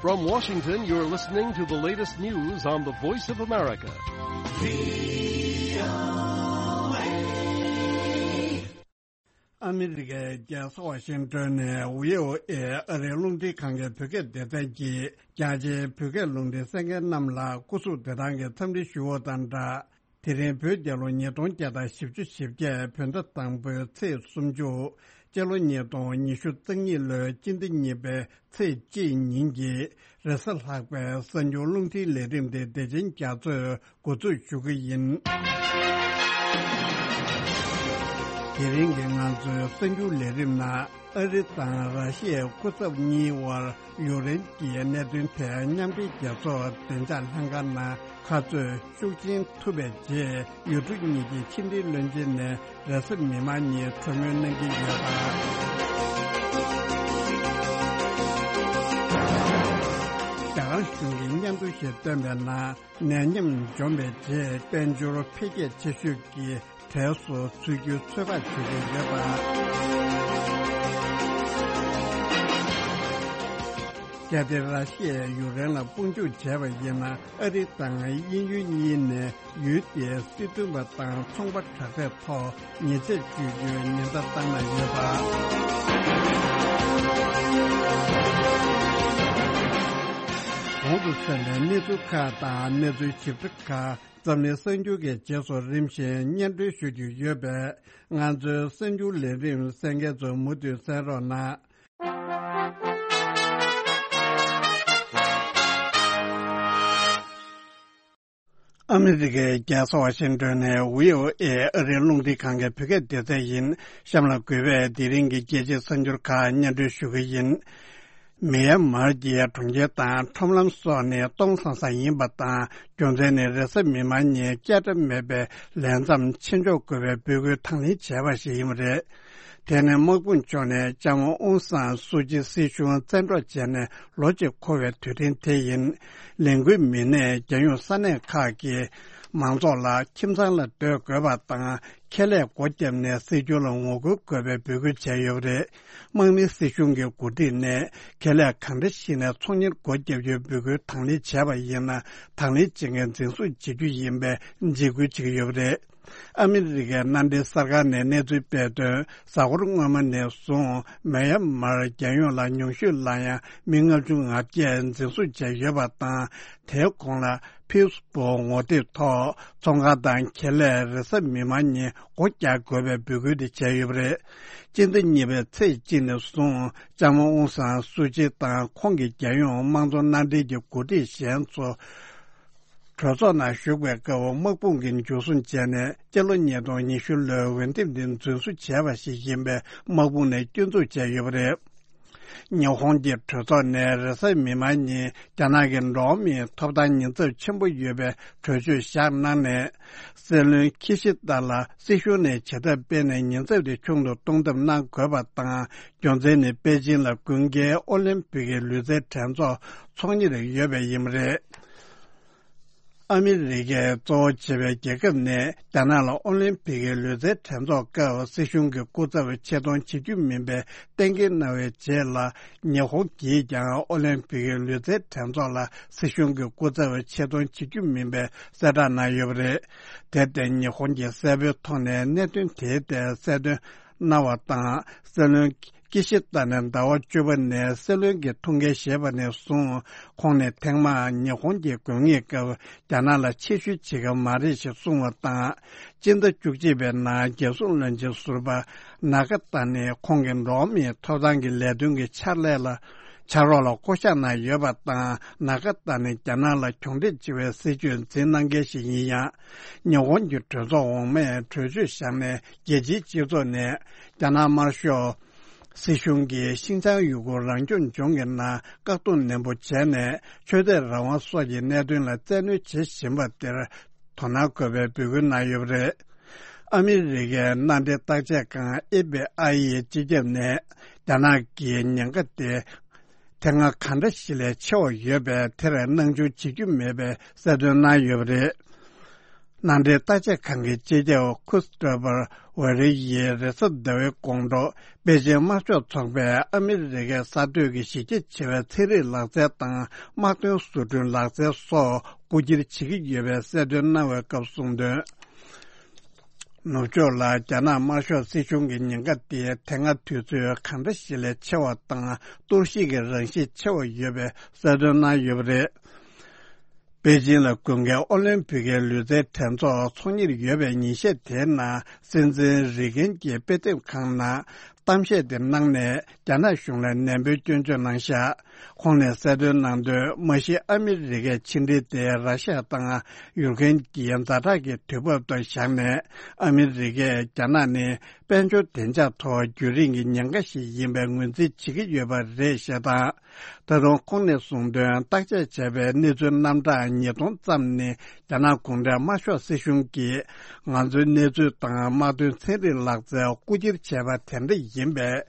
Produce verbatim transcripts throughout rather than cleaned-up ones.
From Washington, you're listening to the latest news on the Voice of America. ཨ་མི་རི་ཀའི་རྒྱལ་ས་ཝ་ཤིང་ཏོན་ནས་བྷི་ཨོ་ཨེ་ཨ་རིའི་རླུང་འཕྲིན་ཁང་གི་བོད་སྐད་སྡེ་ཚན་གྱིས་རྒྱ་ཆེའི་བོད་སྐད་ལུང་འདྲེན་གསན་མཁན་རྣམས་ལ་སྐུ་གཟུགས་བདེ་ཐང་གི་འཚམས་འདྲི་ཞུ་བ་དང་སྦྲགས། དེ་རིང་བོད་རྒྱལ་ལོ་ཉིས་སྟོང་བརྒྱ་དང་བཞི་བཅུ་ཞེ་བརྒྱད་བོད་ཟླ་དང་པོའི་ཚེས་སུམ་ཅུ། སྤྱི་ལོ་ཉིས་སྟོང་ཉི་ཤུ་རྩ་གཉིས་ལོའི་སྤྱི་ཟླ་གཉིས་པའི་ཚེས་གཅིག་ཉིན་གྱི་རེས་གཟའ་ལྷག་པའི་གསར་འགྱུར་རླུང་འཕྲིན་ལས་རིམ་དེ་བདེ་ཆེན་རྒྱ་མཚོས་འགོ་འཛུགས་ཞུ་གི་ཡིན། དེ་རིང་གི་ང་ཚོའི་གསར་འགྱུར་ལས་རིམ་ནང་ཨ་རི་དང་ར་ཤི་ཡའི་སྐུ་ཚབ་གཉིས་དབར་ཡུཀ་རེན་གྱི་གནད་དོན་ཐད་མཉམ་འབྲེལ་རྒྱལ་ཚོགས་བདེ་འཇགས་ལྷན་ཁང་ནང་ཁ་རྩོད་ཤུགས་ཆེན་ཐུབ་པའི་རྗེས། ཡུལ་གྲུ་གཉིས་ཀྱི་ཕྱི་འབྲེལ་བློན་ཆེན་ནས་རེས་གཟའ་མིག་དམར་ཉིན་གྲོས་མོལ་གནང་གི་ཡོད་པ། རྒྱ་གར་གཞུང་གིས་སྙན་ཐོ་ཞིག་བཏོན་པའི་ནང་ནད་ཡམས་འཇོམས་པའི་རྗེས་དཔལ་འབྱོར་འཕེལ་རྒྱས་ཆེ་ཤོས་ཀྱི་གྲས་སུ་ཚུད་རྒྱུའི་ཚོད་དཔག་བྱེད་ཀྱི་ཡོད་པ། གལ་ཏེ་ར་ཤི་ཡས་ཡུཀ་རེན་ལ་དཔུང་འཇུག་བྱས་པ་ཡིན་ན། ཨ་རི་དང་དབྱིན་ཡུལ་གཉིས་ནས་ཡུལ་དེའི་སྲིད་དོན་པ་དང་ཚོང་པ་དྲག་གྲས་ཐོག་ཉེས་ཆད་གཅོད་རྒྱུའི་ཉེན་བརྡ་བཏང་གནང་ཡོད་པ། གོང་དུ་གསན་པའི་གནས་ཚུལ་ཁག་དང་གནས་ཚུལ་ཞིབ་ཕྲ་ཁག་འཛམ་གླིང་གསར་འགྱུར་གྱི་རྗེས་སུ་རིམ་བཞིན་སྙན་སྒྲོན་ཞུ་རྒྱུ་ཡོད་པས། ང་ཚོའི་གསར་འགྱུར་ལས་རིམ་གསན་མཁན་ཚོ་མུ་མཐུད་གསན་རོགས་གནང་། ཨ་མི་རི་ཀའི་རྒྱལ་ས་ཝ་ཤིང་ཏོན་ནས་བྷི་ཨོ་ཨེ་ཨ་རིའི་རླུང་འཕྲིན་ཁང་གི་བོད་སྐད་སྡེ་ཚན་ཡིན། གཤམ་ལ་གུས་པས་དེ་རིང་གི་རྒྱལ་སྤྱིའི་གསར་འགྱུར་ཁག་སྙན་སྒྲོན་ཞུ་གི་ཡིན། མེ་ཡན་མར་གྱི་གྲོང་ཁྱེར་དང་ཁྲོམ་ལམ་སོགས་ནི་སྟོང་སང་སང་ཡིན་པ་དང་། རྒྱུ་མཚན་ནི་རེས་གཟའ་མིག་དམར་ཉིན་སྐྱེལ་འདྲེན་མེད་པའི་ལས་མཚམས་ཕྱིར་འཇོག་དགོས་པའི་འབོད་སྐུལ་དང་ལེན་བྱས་པ་ཞིག་ཡིན་པ་རེད། དེ་ནི་དམག་དཔུང་ཕྱོགས་ནས་ལྕམ་མོ་ཨུང་སང་སུ་ཅི་སྲིད་གཞུང་བཙན་འཕྲོག་བྱས་ནས་ལོ་གཅིག་འཁོར་བའི་དུས་དྲན་དེ་ཡིན། ལས་འགུལ་མི་སྣས་རྒྱལ་ཡོངས་ས་གནས་ཁག་གི་མང་ཚོགས་ལ་ཁྱིམ་ཚང་ལ་སྡོད་དགོས་པ་དང་། ཁེ་ལས་སྒོ་བརྒྱབ་ནས་སྲིད་སྐྱོང་ལ་ངོ་རྒོལ་དགོས་པའི་འབོད་སྐུལ་བྱས་ཡོད་པ་རེད། དམག་མིའི་སྲིད་གཞུང་གི་འགོ་ཁྲིད་ནས་ཁེ་ལས་གང་འདྲ་ཞིག་ནས་ཚོང་གཉེར་སྒོ་བརྒྱབ་རྒྱུའི་འབོད་སྐུལ་དང་ལེན་བྱས་པ་ཡིན་ན། དང་ལེན་བྱེད་མཁན་འཛིན་བཟུང་བྱེད་རྒྱུ་ཡིན་པའི་འཇིགས་སྐུལ་བྱེད་ཀྱི་ཡོད་པ་རེད། ཨ་མི་རི་ཀའི་མནའ་འབྲེལ་གསར་ཁང་ནས་གནས་ཚུལ་སྤེལ་དོན། གཟའ་འཁོར་སྔོན་མ་ནས་བཟུང་མེ་ཡན་མར་རྒྱལ་ཡོངས་ལ་ཉུང་ཤོས་ལ་ཡང་མི་ལྔ་བཅུ་ང་བརྒྱད་འཛིན་བཟུང་བྱས་ཡོད་པ་དང་། དེའི་གོང་ལ་ཕིས་བུག་ངོ་དེབ་ཐོག་ཚོང་ཁང་དང་ཁེ་ལས་རེས་གཟའ་མིག་དམར་ཉིན་སྒོ་རྒྱག་དགོས་པའི་འབོད་སྐུལ་དེ་བྱས་ཡོད་པ་རེད། སྤྱི་ཟླ་གཉིས་པའི་ཚེས་གཅིག་ནས་བཟུང་ལྕམ་མོ་ཨུང་སང་སུ་ཅི་དང་ཁོང་གི་རྒྱལ་ཡོངས་དམངས་གཙོ་མནའ་འབྲེལ་གྱི་འགོ་ཁྲིད་གཞན་ཚོ་གྲོས་ཚོགས་ནང་ཞུགས་པའི་སྐབས་དམག་དཔུང་གིས་འཇུ་བཟུང་བྱས་ནས་སྤྱི་ལོ་ཉིས་སྟོང་ཉི་ཤུ་ལོའི་འོས་འདེམས་འདི་རྫུན་བཟོ་བྱས་པ་ཞིག་ཡིན་པའི་དམག་དཔུང་ནས་སྐྱོན་འཛུགས་བྱས་ཡོད་པ་རེད། ཉི་ཧོང་གི་གྲོས་ཚོགས་ནས་རེས་གཟའ་མིག་དམར་ཉིན་རྒྱ་ནག་གི་འགྲོ་བ་མིའི་ཐོབ་ཐང་ཉེན་ཚབས་ཆེན་པོ་ཡོད་པའི་གྲོས་ཆོད་བཞག་གནང་ནས། སྲིད་བློན་ཁི་ཤི་ཏ་ལ་སྲིད་གཞུང་ནས་བྱེད་ཐབས་སྤེལ་ནས་ཉེན་ཚབས་དེ་ཆུང་དུ་གཏོང་ཐབས་གནང་དགོས་པ་དང་། རྒྱུ་མཚན་ནི་པེ་ཅིང་ལ་དགུན་ཁའི་ཨོ་ལིམ་པིག་གི་ལུས་རྩལ་འགྲན་ཚོགས་ཚོགས་གཉེར་ཡོད་པས་ཡིན་པ་རེད། ཨ་མི་རི་ཀས་གཙོ་བོ་བྱས་པའི་རྒྱལ་ཁབ་ནས་རྒྱ་ནག་ལ་ཨོ་ལིམ་པིག་གི་ལུས་རྩལ་འགྲན་ཚོགས་སྐབས་སྲིད་གཞུང་གི་སྐུ་ཚབ་ཆེད་གཏོང་བྱེད་རྒྱུ་མིན་པའི་གཏན་འཁེལ་གནང་བའི་རྗེས་ལ། ཉི་ཧོང་གིས་ཀྱང་ཨོ་ལིམ་པིག་གི་ལུས་རྩལ་འགྲན་ཚོགས་ལ་སྲིད་གཞུང་གི་སྐུ་ཚབ་ཆེད་གཏོང་བྱེད་རྒྱུ་མིན་པའི་གསལ་བསྒྲགས་གནང་ཡོད་པ་རེད། དེར་བརྟེན་ཉི་ཧོང་གིས་གསལ་པོའི་ཐོག་ནས་གནད་དོན་དེའི་ཐད་གསལ་སྟོན་གནང་བ་དང་། སྲིད་བློན་ཀི་ཤི་ཏ་ནས་ཟླ་བ་བཅུ་པ་ནས་སྲིད་བློན་གྱི་ཐུགས་འགན་བཞེས་པ་ནས་བཟུང་། ཁོང་ནས་ཐེངས་མང་ཉི་ཧོང་གི་དགོས་ངེས་སྐབས་རྒྱ་ནག་ལ་ཆེད་ཞུ་བྱེད་ཀྱི་མ་རེད་ཞེས་གསུངས་པ་དང་། སྤྱི་ཟླ་བཅུ་གཅིག་པའི་ནང་རྒྱལ་སྲུང་བློན་ཆེན་ཟུར་པ་ན་ཀ་ཏ་ནི་ཁོང་གི་འགྲོ་བ་མིའི་ཐོབ་ཐང་གི་ལས་དོན་གྱི་ཕྱག་ལས་ལ་ཕྱག་རོགས་ལ་བསྐོ་གཞག་གནང་ཡོད་པ་དང་། ན་ཀ་ཏ་ནི་རྒྱ་ནག་ལ་གྱོང་རྒུད་ཆེ་བའི་སྲིད་ཇུས་འཛིན་གནང་མཁན་ཞིག་ཡིན་ཡང་། ཉི་ཧོང་གི་གྲོས་ཚོགས་འོག་མས་གྲོས་ཆོད་བཞག་ནས་རྒྱལ་སྤྱིའི་སྤྱི་ཚོགས་ནས་རྒྱ་ནག་དམར་ཤོག་སྲིད་གཞུང་གིས་ཤིན་ཅང་ཡུ་གུར་རང་སྐྱོང་ལྗོངས་ཀྱི་ནང་བཀག་སྡོམ་ནན་པོ་བྱས་ནས་ཆོས་དད་རང་དབང་སོགས་ཀྱི་གནད་དོན་ལ་བཙན་གནོན་བྱེད་བཞིན་པ་དེར་དོ་སྣང་དགོས་པའི་འབོད་སྐུལ་གནང་ཡོད་པ་རེད། ཨ་མི་རི་ཀའི་མནའ་འབྲེལ་བརྟག་དཔྱད་ཁང་ཨེཕ་པི་ཨའི་ཡི་སྤྱི་ཁྱབ་ནས་རྒྱ་ནག་གི་ཉེན་ཁ་དེ་དེ་སྔ་གང་འདྲ་ཞིག་ལས་ཆེ་བ་ཡོད་པས། དེར་སྣང་ཆུང་བྱེད་རྒྱུ་མེད་པའི་གསལ་སྟོན་གནང་ཡོད་པ་རེད། ནང་འདྲེན་བརྟག་དཔྱད་ཁང་གི་སྤྱི་ཁྱབ་ཁུ་སི་ཏོ་ཕར་ཝེ་རི་ཡིས་རེས་གཟའ་ཟླ་བའི་དགོང་དྲོ་པེ་ཅིང་དམར་ཤོག་ཚོགས་པས་ཨ་མི་རི་ཀའི་གསར་གཏོད་ཀྱི་གཞི་རྒྱ་ཆེ་བའི་ཚན་རིག་ལག་རྩལ་དང་དམག་དོན་བཟོ་སྐྲུན་ལག་རྩལ་སོགས་རྐུ་འཁྱེར་བྱེད་ཀྱི་ཡོད་པའི་གསལ་སྟོན་གནང་བའི་སྐབས་གསུངས་དོན། ནུབ་ཕྱོགས་ལ་རྒྱ་ནག་དམར་ཤོག་སྲིད་གཞུང་གི་ཉེན་ཁ་དེ་དེ་སྔ་དུས་ཚོད་གང་འདྲ་ཞིག་ལས་ཆེ་བ་དང་གཏོར་བཤིག་གི་རང་བཞིན་ཆེ་བ་ཡོད་པའི་གསལ་སྟོན་གནང་ཡོད་པ་རེད། པེ་ཅིང་ལ་དགུན་ཁའི་ཨོ་ལིམ་ཕིག་གི་ལུས་རྩལ་འགྲན་ཚོགས་ཚོགས་གཉེར་ཡོད་པའི་ཉིན་ཤས་དེའི་ནང་སྲིད་འཛིན་རི་གན་གྱིས་དཔེ་དེབ་ཁང་ནང་གཏམ་བཤད་དེ་གནང་ནས་རྒྱ་ནག་གཞུང་ལ་ནན་པོའི་སྐྱོན་བརྗོད་གནང་བཞག་ཁོང་ནས་གསལ་སྟོན་གནང་དོན། མ་གཞི་ཨ་མི་རི་ཀའི་ཕྱི་འབྲེལ་དེ་ར་ཤ་དང་ཡུཀ་རེན་གྱི་ཛ་དྲག་གི་དུས་བབ་ཏུ་བཞག་ནས་ཨ་མི་རི་ཀས་རྒྱ་ནག་ནི་དཔལ་འབྱོར་བདེ་འཇགས་ཐོག་རྒྱུན་རིང་གི་ཉེན་ཁ་ཞིག་ཡིན་པའི་ངོས་འཛིན་བྱེད་ཀྱི་ཡོད་པ་རེད་ཞེས་དང་། ད་དུང་ཁོང་ནས་གསུངས་དོན། བརྟག་དཔྱད་བྱས་པའི་གནས་ཚུལ་རྣམ་གྲངས་ཉིས་སྟོང་ཙམ་ནི་རྒྱ་ནག་གུང་ཁྲན་དམར་ཤོག་སྲིད་གཞུང་གིས་ང་ཚོའི་གནས་ཚུལ་དང་དམག་དོན་ཚན་རིག་ལག་རྩལ་རྐུ་འཁྱེར་བྱས་པ་དེ་འདྲ་ཡིན་པས།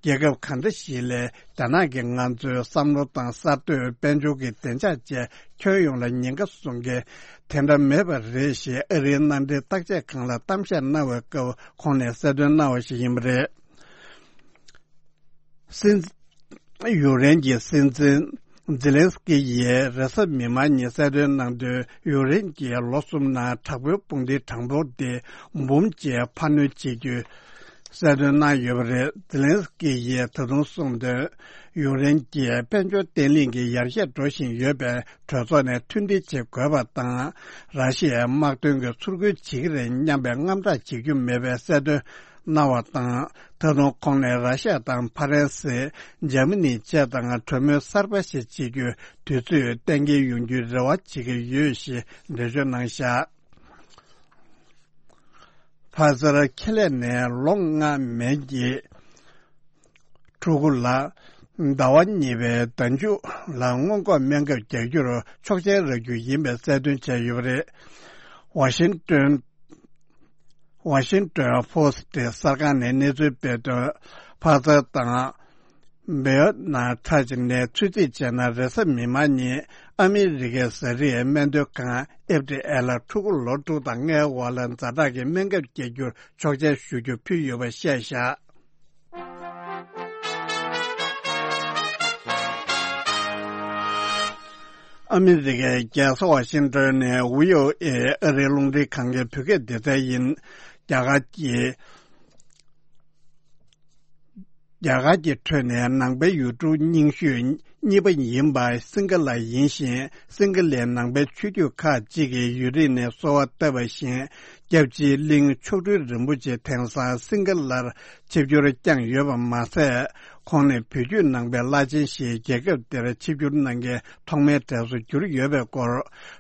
རྒྱལ་ཁབ་གང་འདྲ་ཞིག་ལས་རྒྱ་ནག་གིས་ང་ཚོའི་བསམ་བློ་དང་གསར་གཏོད། དཔལ་འབྱོར་གྱི་བདེ་འཇགས་བཅས་ཁྱོན་ཡོངས་ལ་ཉེན་ཁ་བཟོ་མཁན་དེ་འདྲ་མེད་པ་རེད་ཞེས་ཨ་རིའི་མནའ་འབྲེལ་བརྟག་དཔྱད་ཁང་ལ་གཏམ་བཤད་གནང་བའི་སྐབས་ཁོང་ནས་གསལ་སྟོན་གནང་བ་ཞིག་ཡིན་པ་རེད། སྲིད། ཡུཀ་རེན་གྱི་སྲིད་འཛིན་ཛེ་ལན་སི་ཀི་ཡིས་རེས་གཟའ་མིག་དམར་ཉིན་གསལ་སྟོན་གནང་དོན། ཡུཀ་རེན་གྱིས་ལོ་གསུམ་ནང་དྲག་པོའི་དཔུང་སྡེའི་གྲངས་འབོར་དེ་འབུམ་གཅིག་འཕར་སྣོན་བྱེད་རྒྱུའི་གསལ་སྟོན་གནང་ཡོད་པ་རེད། ཛེ་ལན་སི་ཀི་ཡིས་ད་དུང་གསུངས་དོན། ཡུཀ་རེན་གྱིས་དཔལ་འབྱོར་བརྟན་ལྷིང་གི་ཡར་རྒྱས་འགྲོ་བཞིན་ཡོད་པས། གྲོས་ཚོགས་ནས་མཐུན་སྒྲིལ་བྱེད་དགོས་པ་དང་། ར་ཤི་ཡས་དམག་དོན་གྱི་ཚུར་རྒོལ་བྱེད་ཀྱི་རེད་སྙམ་པའི་དངངས་སྐྲག་བྱེད་རྒྱུ་མེད་པའི་གསལ་སྟོན་གནང་བ་དང་། ད་དུང་ཁོང་ནས་ར་ཤ་ཡ་དང་ཕ་རན་སི། འཇར་མ་ནི་བཅས་དང་གྲོས་མོལ་གསར་པ་ཞིག་བྱེད་རྒྱུའི་དུས་ཚོད་གཏན་འཁེལ་ཡོང་རྒྱུའི་རེ་བ་བྱེད་ཀྱི་ཡོད་ཞེས་འགྲེལ་བརྗོད་གནང་བཞག་ཕ་ཚར་ཁེ་ལས་ནས་ལོ་ལྔ་མན་གྱི་ཕྲུ་གུ་ལ་ཟླ་བ་གཉིས་པའི་ཟླ་མཇུག་ལ་སྔོན་འགོག་སྨན་ཁབ་རྒྱག་རྒྱུར་ཆོག་མཆན་རག་རྒྱུ་ཡིན་པའི་གསལ་སྟོན་བྱས་ཡོད་པ་རེད། ཝ་ཤིང་ཏོན། ཝ་ཤིང་ཏོན་ཕོ་སི་ཊི་གསར་ཁང་ནས་གནས་ཚུལ་སྤེལ་དོན། ཕ་ཚར་དང་། བེ་ཡོ་ན་ཁྲ་ཅིག་ནས་ཚོད་རྩིས་བྱས་ན། རེས་གཟའ་མིག་དམར་ཉིན་ཨ་མི་རི་ཀའི་ཟ་རིགས་སྨན་དོན་ཁང་ཨེཕ་ཌི་ཨེ་ལ་ཕྲུ་གུ་ལོ་དྲུག་དང་ལྔའི་བར་ལ་ཛ་དྲག་གི་སྨན་ཁབ་བརྒྱབ་རྒྱུར་ཆོག་མཆན་ཞུ་རྒྱུ་ཕུལ་ཡོད་པ་བཤད་བཞག་ཨ་མི་རི་ཀའི་རྒྱལ་ས་ཝ་ཤིང་ཏོན་ནས་བྷི་ཨོ་ཨེ་ཨ་རིའི་རླུང་འཕྲིན་ཁང་གི་བོད་སྐད་སྡེ་ཚན་ཡིན། རྒྱ་གར་གྱི། རྒྱ་གར་གྱི་ཁྲོད་ནས་ནང་པའི་ཡུལ་གྲུ་རྙིང་ཤོས་གཉིས་པ་ཡིན་པ་སིང་ག་ལ་ཡིན་ཞིང་། སིང་ག་ལའི་ནང་པའི་ཆོས་བརྒྱུད་ཁག་ཅིག་གིས་ཡུན་རིང་ནས་གསོལ་བ་བཏབ་པ་བཞིན། སྐྱབས་རྗེ་གླིང་མཆོག་སྤྲུལ་རིན་པོ་ཆེ་དེང་སང་སིང་ག་ལར་ཆིབས་བསྒྱུར་བསྐྱངས་ཡོད་པ་མ་ཟད། ཁོང་ནི་བོད་བརྒྱུད་ནང་པའི་བླ་ཆེན་ཞིག་རྒྱལ་ཁབ་འདིར་ཆིབས་བསྒྱུར་གནང་མཁན་ཐོག་མའི་གྲས་སུ་གྱུར་ཡོད་པའི་སྐོར།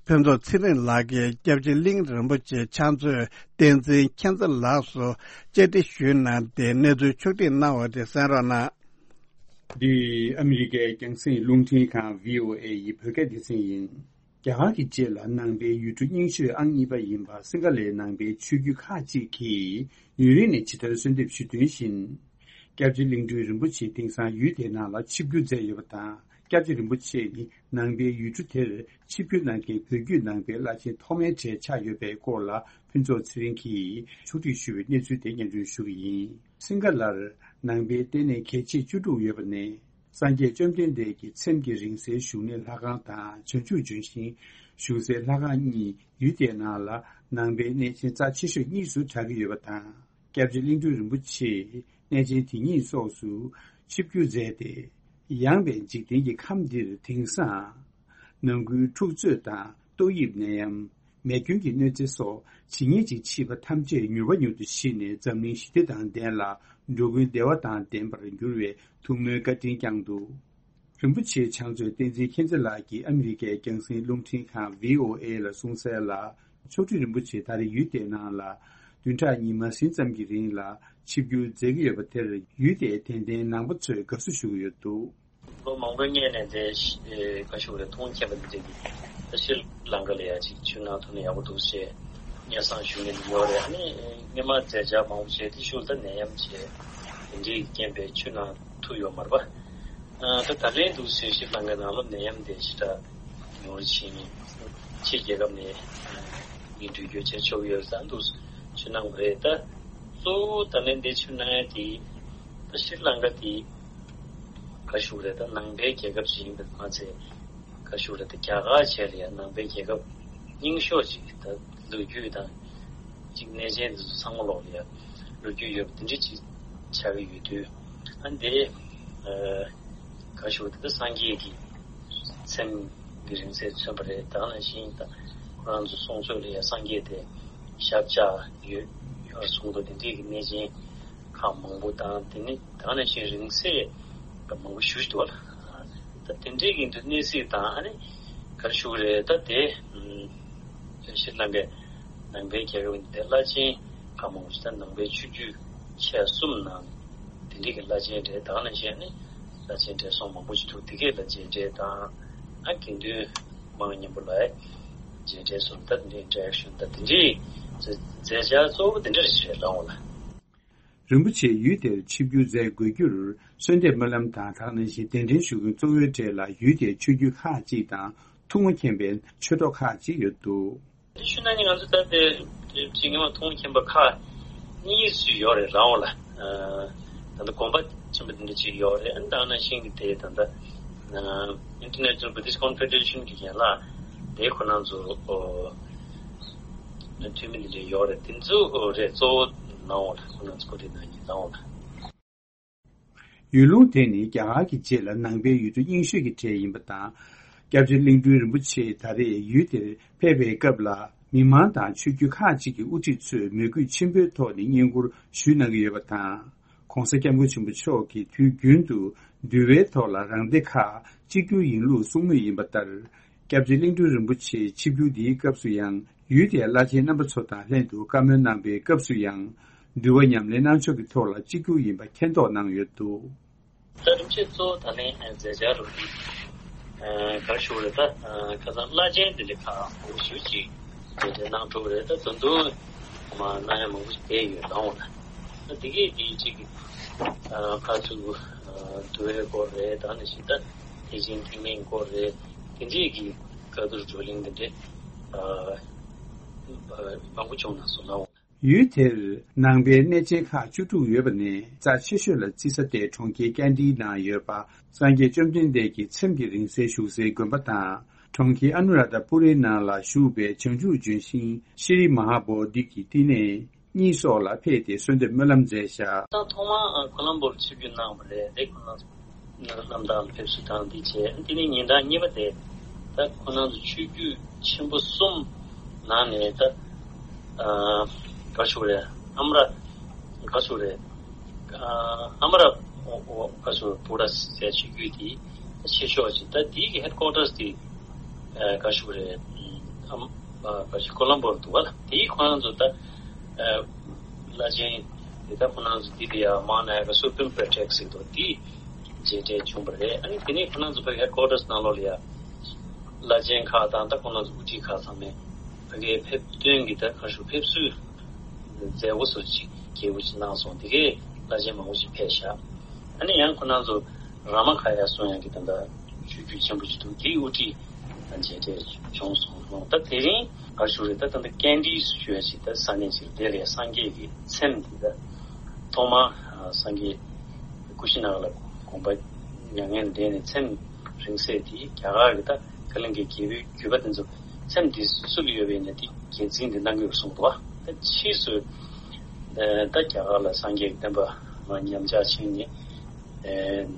ཕུན་ཚོགས་ཚེ་རིང་ལགས་ཀྱིས་སྐྱབས་རྗེ་གླིང་རིན་པོ་ཆེ་ཕྱག་མཛོད་བསྟན་འཛིན་མཁྱེན་བརྩེ་ལགས་སུ་བཅར་འདྲི་ཞུས་གནང་སྟེ་གནས་ཚུལ་ཕྱོགས་བསྒྲིགས་གནང་བ་དེ་གསན་རོགས་གནང་། འདི་ཨ་མི་རི་ཀའི་རྒྱང་སྲིང་རླུང་འཕྲིན་ཁང་བྷི་ཨོ་ཨེ་ཡི་བོད་སྐད་སྡེ་ཚན་ཡིན། རྒྱ་གར་གྱི་རྗེས་ལ་ནང་པའི་ཡུལ་གྲུ་རྙིང་ཤོས་ཨང་གཉིས་པ་ཡིན་པ་སིང་ག་ལའི་ནང་པའི་ཆོས་བརྒྱུད་ཁག་ཅིག་གིས་ཡུན་རིང་ནས་ཇི་ལྟར་གསོལ་འདེབས་ཞུས་དོན་བཞིན། སྐྱབས་རྗེ་གླིང་སྤྲུལ་རིན་པོ་ཆེ་དེང་སང་ཡུལ་དེའི་ནང་ལ་ཆིབས་བསྒྱུར་མཛད་ཡོད་པ་དང་། སྐྱབས་རྗེ་རིན་པོ་ཆེ་ནི་ནང་པའི་ཡུལ་གྲུ་དེར་ཆིབས་བསྒྱུར་གནང་མཁན་བོད་བརྒྱུད་ནང་པའི་བླ་ཆེན་ཐོག་མའི་གྲས་ཆགས་ཡོད་པའི་སྐོར་ལ་ཕུན་ཚོགས་ཚེ་རིང་གིས་ཕྱོགས་སྒྲིག་ཞུས་པའི་གནས་ཚུལ་དེ་སྙན་སྒྲོན་ཞུ་གི་ཡིན། སིང་ག་ལར་ནང་པའི་ལྟེ་གནས་གལ་ཆེ་བཅུ་དྲུག་ཡོད་པ་ནས། སངས་རྒྱས་བཅོམ་ལྡན་འདས་ཀྱི་ཚེམས་ཀྱི་རིང་བསྲེལ་བཞུགས་གནས་ལྷ་ཁང་དང་། བྱང་ཆུབ་ལྗོན་ཤིང་བཞུགས་སའི་ལྷ་ཁང་གཉིས་ཡུལ་དེའི་ནང་ལ་ནང་པའི་གནས་ཆེན་རྩ་ཆེ་ཤོས་གཉིས་སུ་གྲགས་ཀྱི་ཡོད་པ་དང་། སྐྱབས་རྗེ་གླིང་སྤྲུལ་རིན་པོ་ཆེས་གནས་ཆེན་དེ་གཉིས་སོགས་སུ་ཆིབས་བསྒྱུར་མཛད་དེ། ཡངས་པའི་འཇིག་རྟེན་གྱི་ཁམས་འདིར་དེང་སང་ནང་ཁུལ་འཁྲུག་རྩོད་དང་ཏོག་དབྱིབས་ནད་ཡམས། མེ་སྐྱོན་གྱི་གནོད་འཚེ་སོགས་ཇི་སྙེད་ཅིག་མཆིས་པ་ཐམས་ཅད་མྱུར་བ་མྱུར་དུ་ཞི་ནས་འཛམ་གླིང་ཞི་བདེ་དང་ལྡན་ལ་འགྲོ་ཀུན་བདེ་བ་དང་ལྡན་པར་འགྱུར་བའི་ཐུགས་སྨོན་བཀའ་དྲིན་བསྐྱངས་འདུག་རིན་པོ་ཆེའི་ཕྱག་མཛོད་བསྟན་འཛིན་མཁྱེན་བརྩེ་ལགས་ཀྱིས་ཨ་མི་རི་ཀའི་རྒྱང་སྲིང་རླུང་འཕྲིན་ཁང་བྷི་ཨོ་ཨེ་ལ་གསུངས་གསལ་ལ། མཆོག་སྤྲུལ་རིན་པོ་ཆེ་ད་རེས་ཡུལ་དེའི་ནང་ལ་བདུན་ཕྲག་གཉིས་མ་ཟིན་ཙམ་གྱི་རིང་ལ་ཆིབས་བསྒྱུར་མཛད་ཀྱི་ཡོད་པ་དེར་ཡུལ་དེའི་དད་ལྡན་ནང་པ་ཚོས་དགའ་བསུ་ཞུ་གི་ཡོད་འདུག་ལོ་མང་པོའི་སྔོན་ནས་དེ་ཤི་ཨེ་བཀའ་ཤོག་རེ་མཐོང་མཁྱེན་པ་འདི་འདྲ་གི་ད་ཤྲི་ལང་ཀ་ལ་ཡ་ཅིག་ཆུ་ནང་ཐུག་ན་ཡག་པོ་འདུག་ཞེས་སྙན་སེང་ཞུ་མཁན་ཡོད་རེད། ཨ་ནི་སྔོན་མ་མཛད་འཆར་མང་པོ་བྱས་དེ་ཤུལ་ད་ནད་ཡམས་བྱས་དེ་འདྲའི་རྐྱེན་པས་ཆུ་ནང་ཐུག་ཡོད་མ་རེད་པ། ཨ་ད་ད་ལན་འདུག་ཟེར་ཤྲི་ལང་ཀའི་ནང་ལ་ནད་ཡམས་དེ་ཞེ་དྲག་ཉུང་རུ་ཕྱིན། ཕྱི་རྒྱལ་ཁབ་ནས་ ངས་འགྲུལ་སྐྱོད་བྱས་ཆོག་ཡོད་ས་འདུག་ཞུ་གནང་བ་རེད། ད་གཙོ་བོ་ད་ལན་འདི་ཞུ་གནང་ཡ་དེ་ད་ཤྲི་ལང་ཀ་དེ་ག་ཞུ་རེད། ད་ནང་པའི་རྒྱལ་ཁབ་ཅིག་ཡིན་པ་མ་ཚད་ག་ཞུ་རེད། ད་རྒྱ་གར་བྱས་ལ་ཡ་ནང་པའི་རྒྱལ་ཁབ་རྙིང་ཤོས་ཅིག་ད་ལོ་རྒྱུས་དང་ཅིག་གནས་ཆེན་འདི་ཚོ་ཚང་མ་ལོག་ལ་ཡ་ལོ་རྒྱུས་ཡོད་པ་དེ་འདྲ་ཅིག་ཆགས་ཀྱི་ཡོད་དུས། ཨ་འདི་ག་ཞུ་དེ་ད་སངས་རྒྱས་ཀྱི་མཚན་གྱི་རིང་བསྲེལ་མཚོན་པ་རེད། ད་ནང་བཞིན་ད་ཁོ་རང་ཚོ་གསུང་ཚོད་ལ་ཡ་སངས་རྒྱས་དེ་ཞབས་བཅགས་ཡོད་ཡོད་གསུང་འདུག་དེ་འདྲའི་གི་གནས་ཆེན་ཁག་མང་པོ་དང་དེ་ནི་ད་ནང་བཞིན་རིང་བསྲེལ་མང་པོ་ཞུ་ཞུ་འདུག་བ་ལ། ད་དེ་འདྲའི་གི་འདུ་གནས་སྲིད་དང་ཨ་ནི་ག་རེ་ཞུ་གི་རེད། ད་དེ་ཤྲི་ལང་ཀའི་ནང་པའི་རྒྱལ་ཁབ་འདི་བླ་ཆེན་ཁག་མང་པོ་ཞིག་ད་ནང་པའི་ཆོས་བརྒྱུད་ཆེ་གསུམ་ནང་དེ་འདྲའི་གི་བླ་ཆེན་གྲས་དང་ནང་བཞིན་ནི་བླ་ཆེན་གྲས་སོང་མང་པོ་ཞིག་འདུག་དེ་གའི་བླ་ཆེན་གྲས་དང་ཨ་དགེ་འདུན་མང་མཉམ་པོ་ལ་མཇལ་འཕྲད་སོང་། ད་དེ་འདྲའི་ཨིན་ཊར་ཨེག་ཤན་ད་དེ་འདྲའི་མཛད་འཆར་གཙོ་བོ་དེ་འདྲ་རེད་ལ་འོང་ལ། རིན་པོ་ཆེ་ཡུལ་དེར་ཆིབས་བསྒྱུར་མཛད་དགོས་རྒྱུར་གསོལ་འདེབས་སྨོན་ལམ་དང་ད་ག་ནང་བཞིན་གདན་འདྲེན་ཞུ་མཁན་གཙོ་བོའི་གྲས་ལ་ཡུལ་དེའི་ཆོས་བརྒྱུད་ཁག་ཅིག་དང་ཐུན་མོང་མཁྱེན་པའི་ཆོས་གྲོགས་ཁག་ཅིག་ཡོད་འདུག་དེ་ཞུ་ན་ནི་ང་ཚོ་ད་ལྟའི་ཅིག་ཉི་མ་ཐུན་མོང་མཁྱེན་པ་ཁག་གཉིས་སུ་ཡོད་རེད་རང་འོ་ལ། ད་ལྟ་དགོན་པ་ཆེན་པོ་འདི་འདྲ་ཅིག་ཡོད་རེད། ཨ་ནི་ད་ག་ནང་བཞིན་གྱི་དེ་ད་ལྟ་International Buddhist Confederation གི་ཡན་ལག་དེ་ཁོ་རང་ཚོ་འཐུས་མི་འདི་འདྲ་ཡོད་རེད། དེ་ཚོ་རེད་གཙོ་བོ་ནང་འོ་ལ་ཁོ་རང་ཚོ་གོ་སྒྲིག་གནང་མཁན་ནང་འོ་ལ། ཡུལ་ལུང་དེ་ནི་རྒྱ་གར་གྱི་རྗེས་ལ་ནང་པའི་ཡུལ་གྲུ་རྙིང་ཤོས་ཀྱི་གྲས་ཡིན་པ་དང་། སྐྱབས་རྗེ་གླིང་སྤྲུལ་རིན་པོ་ཆེ་ད་རེས་ཡུལ་དེར་ཕེབས་པའི་སྐབས་ལ་མི་མང་དང་ཆོས་བརྒྱུད་ཁག་ཅིག་གི་དབུ་ཁྲིད་ཚོས་མོས་གུས་ཆེན་པོའི་ཐོག་ནས་བསྙེན་བཀུར་ཞུས་གནང་གི་ཡོད་པ་དང་། ྋགོང་ས་ྋསྐྱབས་མགོན་ཆེན་པོ་མཆོག་གིས་དུས་རྒྱུན་དུ་འདུལ་བའི་ཐོག་ལ་རང་སྡེ་ཁག་གཅིག་གྱུར་ཡིན་ལུགས་གསུང་མུས་ཡིན་པ་ལྟར། སྐྱབས་རྗེ་གླིང་སྤྲུལ་རིན་པོ་ཆེའི་ཆིབས་བསྒྱུར་འདིའི་སྐབས་སུ་ཡང་ཡུལ་དེའི་བླ་ཆེན་རྣམ་པ་ཚོ་དང་ལྷན་དུ་བཀའ་མོལ་གནང་པའི་སྐབས་སུ་ཡང་། འདུལ་བ་ཉམས་ལེན་གནང་ཕྱོགས་ཀྱི་ཐོག་ལ་གཅིག་གྱུར་ཡིན་པ་མཁྱེན་རྟོགས་གནང་ཡོད་འདུག་ད་རིམ་བྱས་གཙོ་བོ་ད་ལན་མཛད་འཆར་རུ་ག་རེ་ཞུ་རེད། ད་ཁ་སང་བླ་ཆེན་འདི་ལས་ཁག་མང་པོ་ཞུ་ཅིག་མཛད་འཆར་གནང་གྲུབ་རེད། ད་དོན་དུ་མ་གནང་ཡ་མང་པོ་ཞིག་བསྡད་ཡོད་ལ་འོང་ལ། ད་འདི་གས་འདི་གཅིག་གི་ཕར་ཚུར་འདུལ་བའི་སྐོར་རེད། ད་ནི་ཞིག་ད་ཐེག་ཆེན་ཐེག་དམན་སྐོར་རེད། དེ་འདྲས་ཀྱི་བཀའ་བསྡུར་བགྲོ་གླེང་དེ་འདྲས་མང་པོ་བྱུང་ན་སོང་ལ་འོང་། ཡུལ་དེར་ནང་པའི་གནས་ཆེན་ཁག་བཅུ་དྲུག་ཡོད་པ་ནས་རྩ་ཆེ་ཤོས་ལ་བརྩི་ས་དེ་གྲོང་ཁྱེར་ཀན་ཌིའི་ནང་ཡོད་པ་སངས་རྒྱས་བཅོམ་ལྡན་འདས་ཀྱི་ཚེམས་ཀྱི་རིང་བསྲེལ་བཞུགས་སའི་དགོན་པ་དང་། གྲོང་ཁྱེར་ཨ་ནུ་ར་དྷ་པུ་རིའི་ནང་ལ་བཞུགས་པའི་བྱང་ཆུབ་ལྗོན་ཤིང་ཤྲི་མ་ཧཱ་བོ་དྷི་གི་བསྟི་གནས་གཉིས་སོགས་ལ་ཕེབས་ཏེ་གསོལ་འདེབས་སྨོན་ལམ་མཛད་བཞག་ད་ཐོག་མར་ཁོ་ལམ་པོར་ཆིབས་བསྒྱུར་གནང་བ་རེད། དེ་ཁོ་ན་གནམ་བདག་ལ་ཕེབས་བསུ་དང་འདི་བྱས། དེ་ནས་ཉིན་གྲངས་གཉིས་པ་དེ་ད་ཁོ་རང་ཚོ་ཆོས་བརྒྱུད་ཆེན་པོ་གསུམ་ནང་ནས་ད་ག་ཞུ་རེད། ཨ་མ་ར་ག་ཞུ་རེད། ཨ་མ་ར་ག་ཞུ་རེད། བུ་ར་ཟེར་ཆོས་བརྒྱུད་དེ་ཆེ་ཤོས་ཅིག་ད་དེའི་གི་ཧེཌ་ཀོ་ཊར་དེ་ག་ཞུ་རེད། ཨ་མ་ག་ཞུ་ཀོ་ལམ་པོར་འདུག་བ་ལ། དེའི་ཁོ་རང་ཚོ་ད་བླ་ཆེན་དེ་ད་ཁོ་རང་ཚོ་འདི་དེ་ཡ་མང་ན་ཡ་ག་སུ་པིམ་པེ་ཊེག་ཟེར་དོ་དེ། མཇལ་འཕྲད་བྱུང་བ་རེད། ཨ་ནི་དེ་ནས་ཁོ་རང་ཚོ་ཕ་གིའི་ཧེཌ་ཀོ་ཊར་ནང་ལོགས་ལ་ཡ་བླ་ཆེན་ཁག་དང་ད་ཁོ་རང་ཚོ་དབུ་ཁྲིད་ཁག་ཚང་མས་ཕ་གིའི་ཕེབས་སྟོན་གྱི་ད་ཁ་ཤོ་ཕེབས་བསུའི་མཛད་སྒོ་སོགས་ཅིག་རྒྱས་པོ་ཅིག་གནང་སོང་། དེ་གས་བླ་ཆེན་མང་པོ་ཞིག་ཕེབས་ཤག་ཨ་ནི་ཡང་ཁོ་རང་ཚོ་ར་མ་ཁ་ཡ་སོང་ཡང་གི་ད་ལྟ་ཆོས་བརྒྱུད་ཆེན་པོ་ཅིག་འདུག་དེའི་དབུ་ཁྲིད་མཇལ་འཕྲད་བྱུང་སོང་། ད་དེ་རིང་ག་ཞུ་རེད། ད་ད་ལྟ་ཀན་ཌི་ཞུ་ཡ་ཞིག་ད་ས་གནས་ཤིག་དེ་ལ་ཡ་སངས་རྒྱས་ཀྱི་ཚེམས་འདི་ད་ཐོག་མར་སངས་རྒྱས་ཀུ་ཤི་ན་ག་ལ་དགོངས་པ་མྱ་ངན་འདས་ནས་ཚེམས་རིང་བསྲེལ་དེ་རྒྱ་གར་གྱི་ད་ཀ་ལིང་གའི་རྒྱལ་པོའི་བརྒྱུད་པ་དེ་ཚོ་ཚེམས་འདི་སུ་ལ་ཡོད་པ་ཡིན་ན་དེ་རྒྱལ་མཚན་འདི་གནང་གི་ཡོད་གསུངས་འདུག་ད་ཕྱིས་སུ་ད་རྒྱ་གར་ལ་སངས་རྒྱས་ཀྱི་བསྟན་པ་ཉམས་ཆག་ཕྱིན་ནས།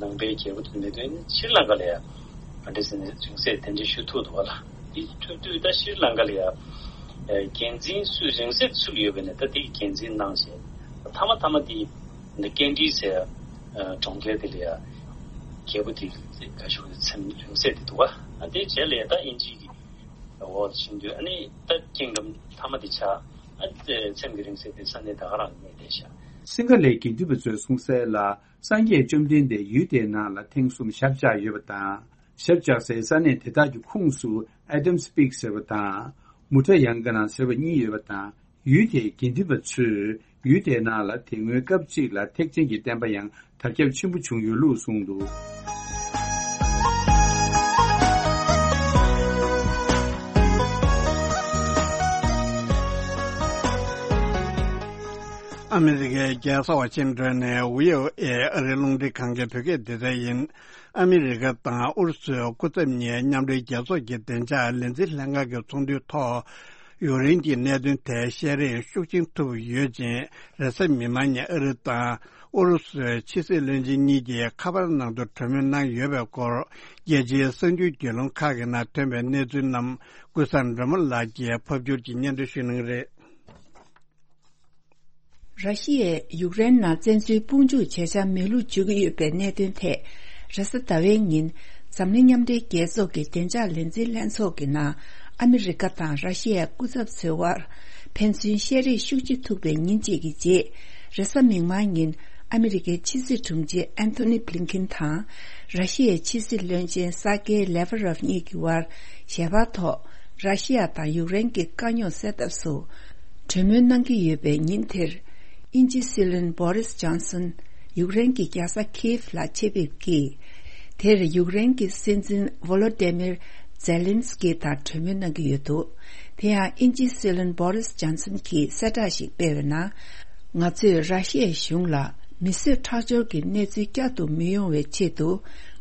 ནང་པའི་རྒྱལ་པོ་དེ་མེད་དུས་ནི་ཤྲི་ལང་ཀ་ལ་ཡང་ཨ་འདྲ་ཟེར་ནས་རིང་བསྲེལ་དེ་འདྲ་ཞུ་ཐུབ་འདུག་བ་ལ། དེ་ཐུབ་དུས་ད་ཤྲི་ལང་ཀ་ལ་ཡང་རྒྱལ་མཚན་སུས་རིང་བསྲེལ་སུ་ལ་ཡོད་པ་ཡིན་ན་ད་དེ་གི་རྒྱལ་མཚན་གནང་བྱས། མཐའ་མ་མཐའ་མ་དེ་འདི་ཀན་ཌི་ཟེར་གྲོང་ཁྱེར་དེ་ལ་ཡང་རྒྱལ་པོ་དེ་ག་ཞུ་ཚེམས་རིང་བསྲེལ་དེ་འདུག་བ། དེ་རྗེས་ལ་ཡང་ད་དབྱིན་ཇི་གི་འོག་ལ་ཕྱིན་དུས་ཨ་ནི་ད་ཀིང་ཌམ་མཐའ་མ་དེ་ཆགས། ཨ་ཚེམས་ཀྱི་རིང་བསྲེལ་དེ་ས་གནས་ད་ག་རང་གནས་བསྡད་ཤག་སིང་ག་ལའི་དགེ་འདུན་པ་ཚོས་གསུངས་གསལ་ལ། སངས་རྒྱས་བཅོམ་ལྡན་འདས་ཡུལ་དེའི་ནང་ལ་ཐེངས་གསུམ་ཞབས་བཅགས་ཡོད་པ་དང་། ཞབས་བཅགས་སའི་ས་གནས་དེ་དག་གི་ཁོངས་སུ་ཨེ་ཌམ་སི་པིག་ཟེར་བ་དང་། མུ་ཁྲ་ཡང་ག་ན་ཟེར་བ་གཉིས་ཡོད་པ་དང་། ཡུལ་དེའི་དགེ་འདུན་པ་ཚོས་ཡུལ་དེའི་ནང་ལ་དེ་སྔོན་སྐབས་གཅིག་ལ་ཐེག་ཆེན་གྱི་བསྟན་པ་ཡང་དར་ཁྱབ་ཆེན་པོ་བྱུང་ཡོད་ལུགས་གསུངས་འདུག་ཨ་མི་རི་ཀའི་རྒྱལ་ས་ཝ་ཤིང་ཏོན་ནས་བྷི་ཨོ་ཨེ་ཨ་རིའི་རླུང་འཕྲིན་ཁང་གི་བོད་སྐད་སྡེ་ཚན་ཡིན། ཨ་མི་རི་ཀ་དང་ཨུ་རུ་སུའི་སྐུ་ཚབ་གཉིས་མཉམ་འབྲེལ་རྒྱལ་ཚོགས་ཀྱི་བདེ་འཇགས་ལས་འཛིན་ལྷན་ཁང་གི་ཚོགས་འདུའི་ཐོག་ཡུཀ་རེན་གྱི་གནད་དོན་ཐད་བཤད་རེས་ཤུགས་ཆེན་ཐུབ་ཡོད་ཅིང་། རེས་གཟའ་མིག་དམར་ཉིན་ཨ་རི་དང་ཨུ་རུ་སུའི་ཕྱི་སྲིད་བློན་ཆེན་གཉིས་ཀྱིས་ཁ་པར་ནང་དུ་གྲོས་མོལ་གནང་ཡོད་པའི་སྐོར། རྒྱལ་སྤྱིའི་གསར་འགྱུར་བརྒྱུད་ལམ་ཁག་གི་ནང་ཐོན་པའི་གནས་ཚུལ་རྣམས་ཀུན་བཟང་སྒྲོལ་མ་ལགས་ཀྱིས་ཕབ་སྒྱུར་གྱིས་སྙན་སྒྲོན་ཞུ་གནང་གི་རེད། ར་ཤི་ཡས་ཡུཀ་རེན་ནང་བཙན་འཛུལ་དཔུང་འཇུག་བྱེད་འཆར་མེད་ལུགས་བརྗོད་ཀྱི་ཡོད་པའི་གནད་དོན་ཐད། རེས་གཟའ་ཟླ་བའི་ཉིན། འཛམ་གླིང་མཉམ་འབྲེལ་རྒྱལ་ཚོགས་ཀྱི་བདེ་འཇགས་ལས་འཛིན་ལྷན་ཚོགས་ཀྱི་ནང་ཨ་མི་རི་ཀ་དང་ར་ཤི་ཡའི་སྐུ་ཚབ་ཚོའི་དབར་ཕན་ཚུན་བཤད་རེས་ཤུགས་ཆེ་ཐུག་པའི་ཉིན་གཅིག་གི་རྗེས། རེས་གཟའ་མིག་དམར་ཉིན་ཨ་མི་རི་ཀའི་ཕྱི་སྲིད་དྲུང་ཆེ་ཨན་ཐོ་ནི་བྷི་ལིན་ཁིན་དང་། ར་ཤི་ཡའི་ཕྱི་སྲིད་བློན་ཆེན་ས་ཀེ་ལེ་ཝ་རོབ་གཉིས་ཀྱི་དབར་ཞལ་པར་ཐོག་ར་ཤི་ཡ་དང་ཡུཀ་རེན་གྱི་དཀའ་རྙོག་སེལ་ཐབས་སུ། གྲོས་མོལ་གནང་གི་ཡོད་པའི་ཉིན་དེར། དབྱིན་ཇི་སྲིད་བློན་བོ་རིས་ཇོན་སན་ཡུཀ་རེན་གྱི་རྒྱལ་ས་ཁིའེབ་ལ་ཆེད་ཕེབས་ཀྱིས། དེར་ཡུཀ་རེན་གྱི་སྲིད་འཛིན་ཝོ་ལོ་ཏེ་མིར་ཛེ་ལིན་སི་ཀི་དང་གྲོས་མོལ་གནང་གི་ཡོད་འདུག་དེ་ཡང་དབྱིན་ཇིའི་སྲིད་བློན་བོ་རིས་ཇོན་སན་གྱིས་གསལ་བསྒྲགས་ཤིག་སྤེལ་བའི་ནང་། ང་ཚོས་ར་ཤི་ཡའི་གཞུང་ལ་མི་གསོད་ཁྲག་སྦྱོར་གྱི་གནས་ཚུལ་བསྐྱར་དུ་མི་ཡོང་བའི་ཆེད་དུ།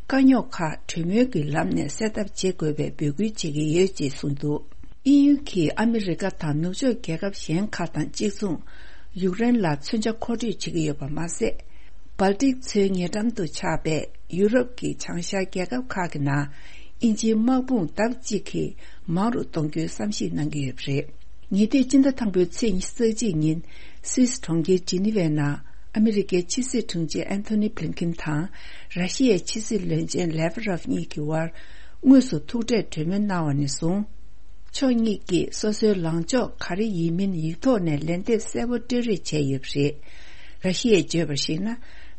དཀའ་རྙོག་ཁག་གྲོས་མོལ་གྱི་ལམ་ནས་སེལ་ཐབས་བྱེད་དགོས་པའི་འབོད་སྐུལ་བྱེད་ཀྱི་ཡོད་ཅེས་གསུངས་འདུག་དབྱིན་ཡུལ་གྱིས་ཨ་མི་རི་ཀ་དང་ནུབ་ཕྱོགས་རྒྱལ་ཁབ་གཞན་ཁག་དང་གཅིག་མཚུངས། ཡུཀ་རེན་ལ་མཚོན་ཆ་མཁོ་སྤྲོད་བྱེད་ཀྱི་ཡོད་པ་མ་ཟད། སྦལ་ཏིག་མཚོའི་ཉེ་འགྲམ་དུ་ཆགས་པའི་ཡུ་རོབ་ཀྱི་བྱང་ཤར་རྒྱལ་ཁབ་ཁག་གི་ནང་། དབྱིན་ཇིའི་དམག་དཔུང་ལྡབ་གཅིག་གིས་མང་རུ་གཏོང་རྒྱུའི་བསམ་གཞིག་གནང་གི་ཡོད་པ་རེད། ཉེ་དུས་སྤྱི་ཟླ་དང་པོའི་ཚེས་ཉི་ཤུ་རྩ་གཅིག་ཉིན། སུད་སི་གྲོང་ཁྱེར་ཇི་ནི་ཝའི་ནང་། ཨ་མི་རི་ཀའི་ཕྱི་སྲིད་དྲུང་ཆེ་ཨན་ཐོ་ནི་བྷི་ལིན་ཁིན་དང་། ར་ཤི་ཡའི་ཕྱི་སྲིད་བློན་ཆེན་ལེ་ཝ་རོབ་གཉིས་ཀྱི་དབར། དངོས་སུ་ཐུག་འཕྲད་གྲོས་མོལ་གནང་བ་ནས་བཟུང་། ཕྱོགས་གཉིས་ཀྱིས་སོ་སོའི་ལངས་ཕྱོགས་ག་རེ་ཡིན་མིན་ཡིག་ཐོག་ནས་ལན་འདེབས་གསལ་པོ་སྤྲོད་རེས་བྱས་ཡོད་པ་རེད། ར་ཤི་ཡས་བརྗོད་པར་གཞིགས་ན།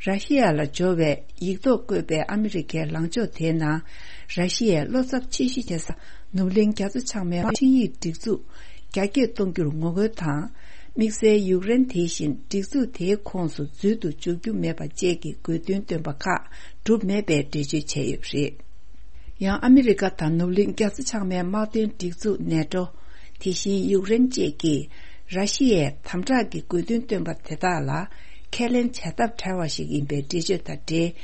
ར་ཤི་ཡ་ལ་འབྱོར་བའི་ཡིག་ཐོག་བཀོད་པའི་ཨ་མི་རི་ཀའི་ལངས་ཕྱོགས་དེའི་ནང་། ར་ཤི་ཡའི་བློ་འཚབ་ཆེ་ཤོས་ཆེ་ས་ནུབ་གླིང་རྒྱ་མཚོ་བྱང་མའི་ཆིངས་ཡིག་སྒྲིག་འཛུགས་རྒྱ་སྐྱེད་གཏོང་རྒྱུར་ངོ་རྒོལ་དང་། དམིགས་བསལ་ཡུཀ་རེན་དེ་བཞིན་སྒྲིག་འཛུགས་དེའི་ཁོངས་སུ་འཛུལ་དུ་འཇུག་རྒྱུ་མེད་པ་བཅས་ཀྱི་དགོས་འདུན་བཏོན་པ་ཁག་གྲུབ་མེད་པའི་འགྲེལ་བརྗོད་བྱས་ཡོད་པ་རེད། ཡང་ཨ་མི་རི་ཀ་དང་ནུབ་གླིང་རྒྱ་མཚོ་བྱང་མའི་དམག་དོན་སྒྲིག་འཛུགས་ནེ་ཏྲོ། དེ་བཞིན་ཡུཀ་རེན་བཅས་ཀྱིས་ར་ཤི་ཡའི་དམ་དྲག་གི་དགོས་འདུན་བཏོན་པ་དེ་དག་ལ་ཁས་ལེན་བྱ་ཐབས་བྲལ་བ་ཞིག་ཡིན་པའི་འགྲེལ་བརྗོད་དང་འབྲེལ།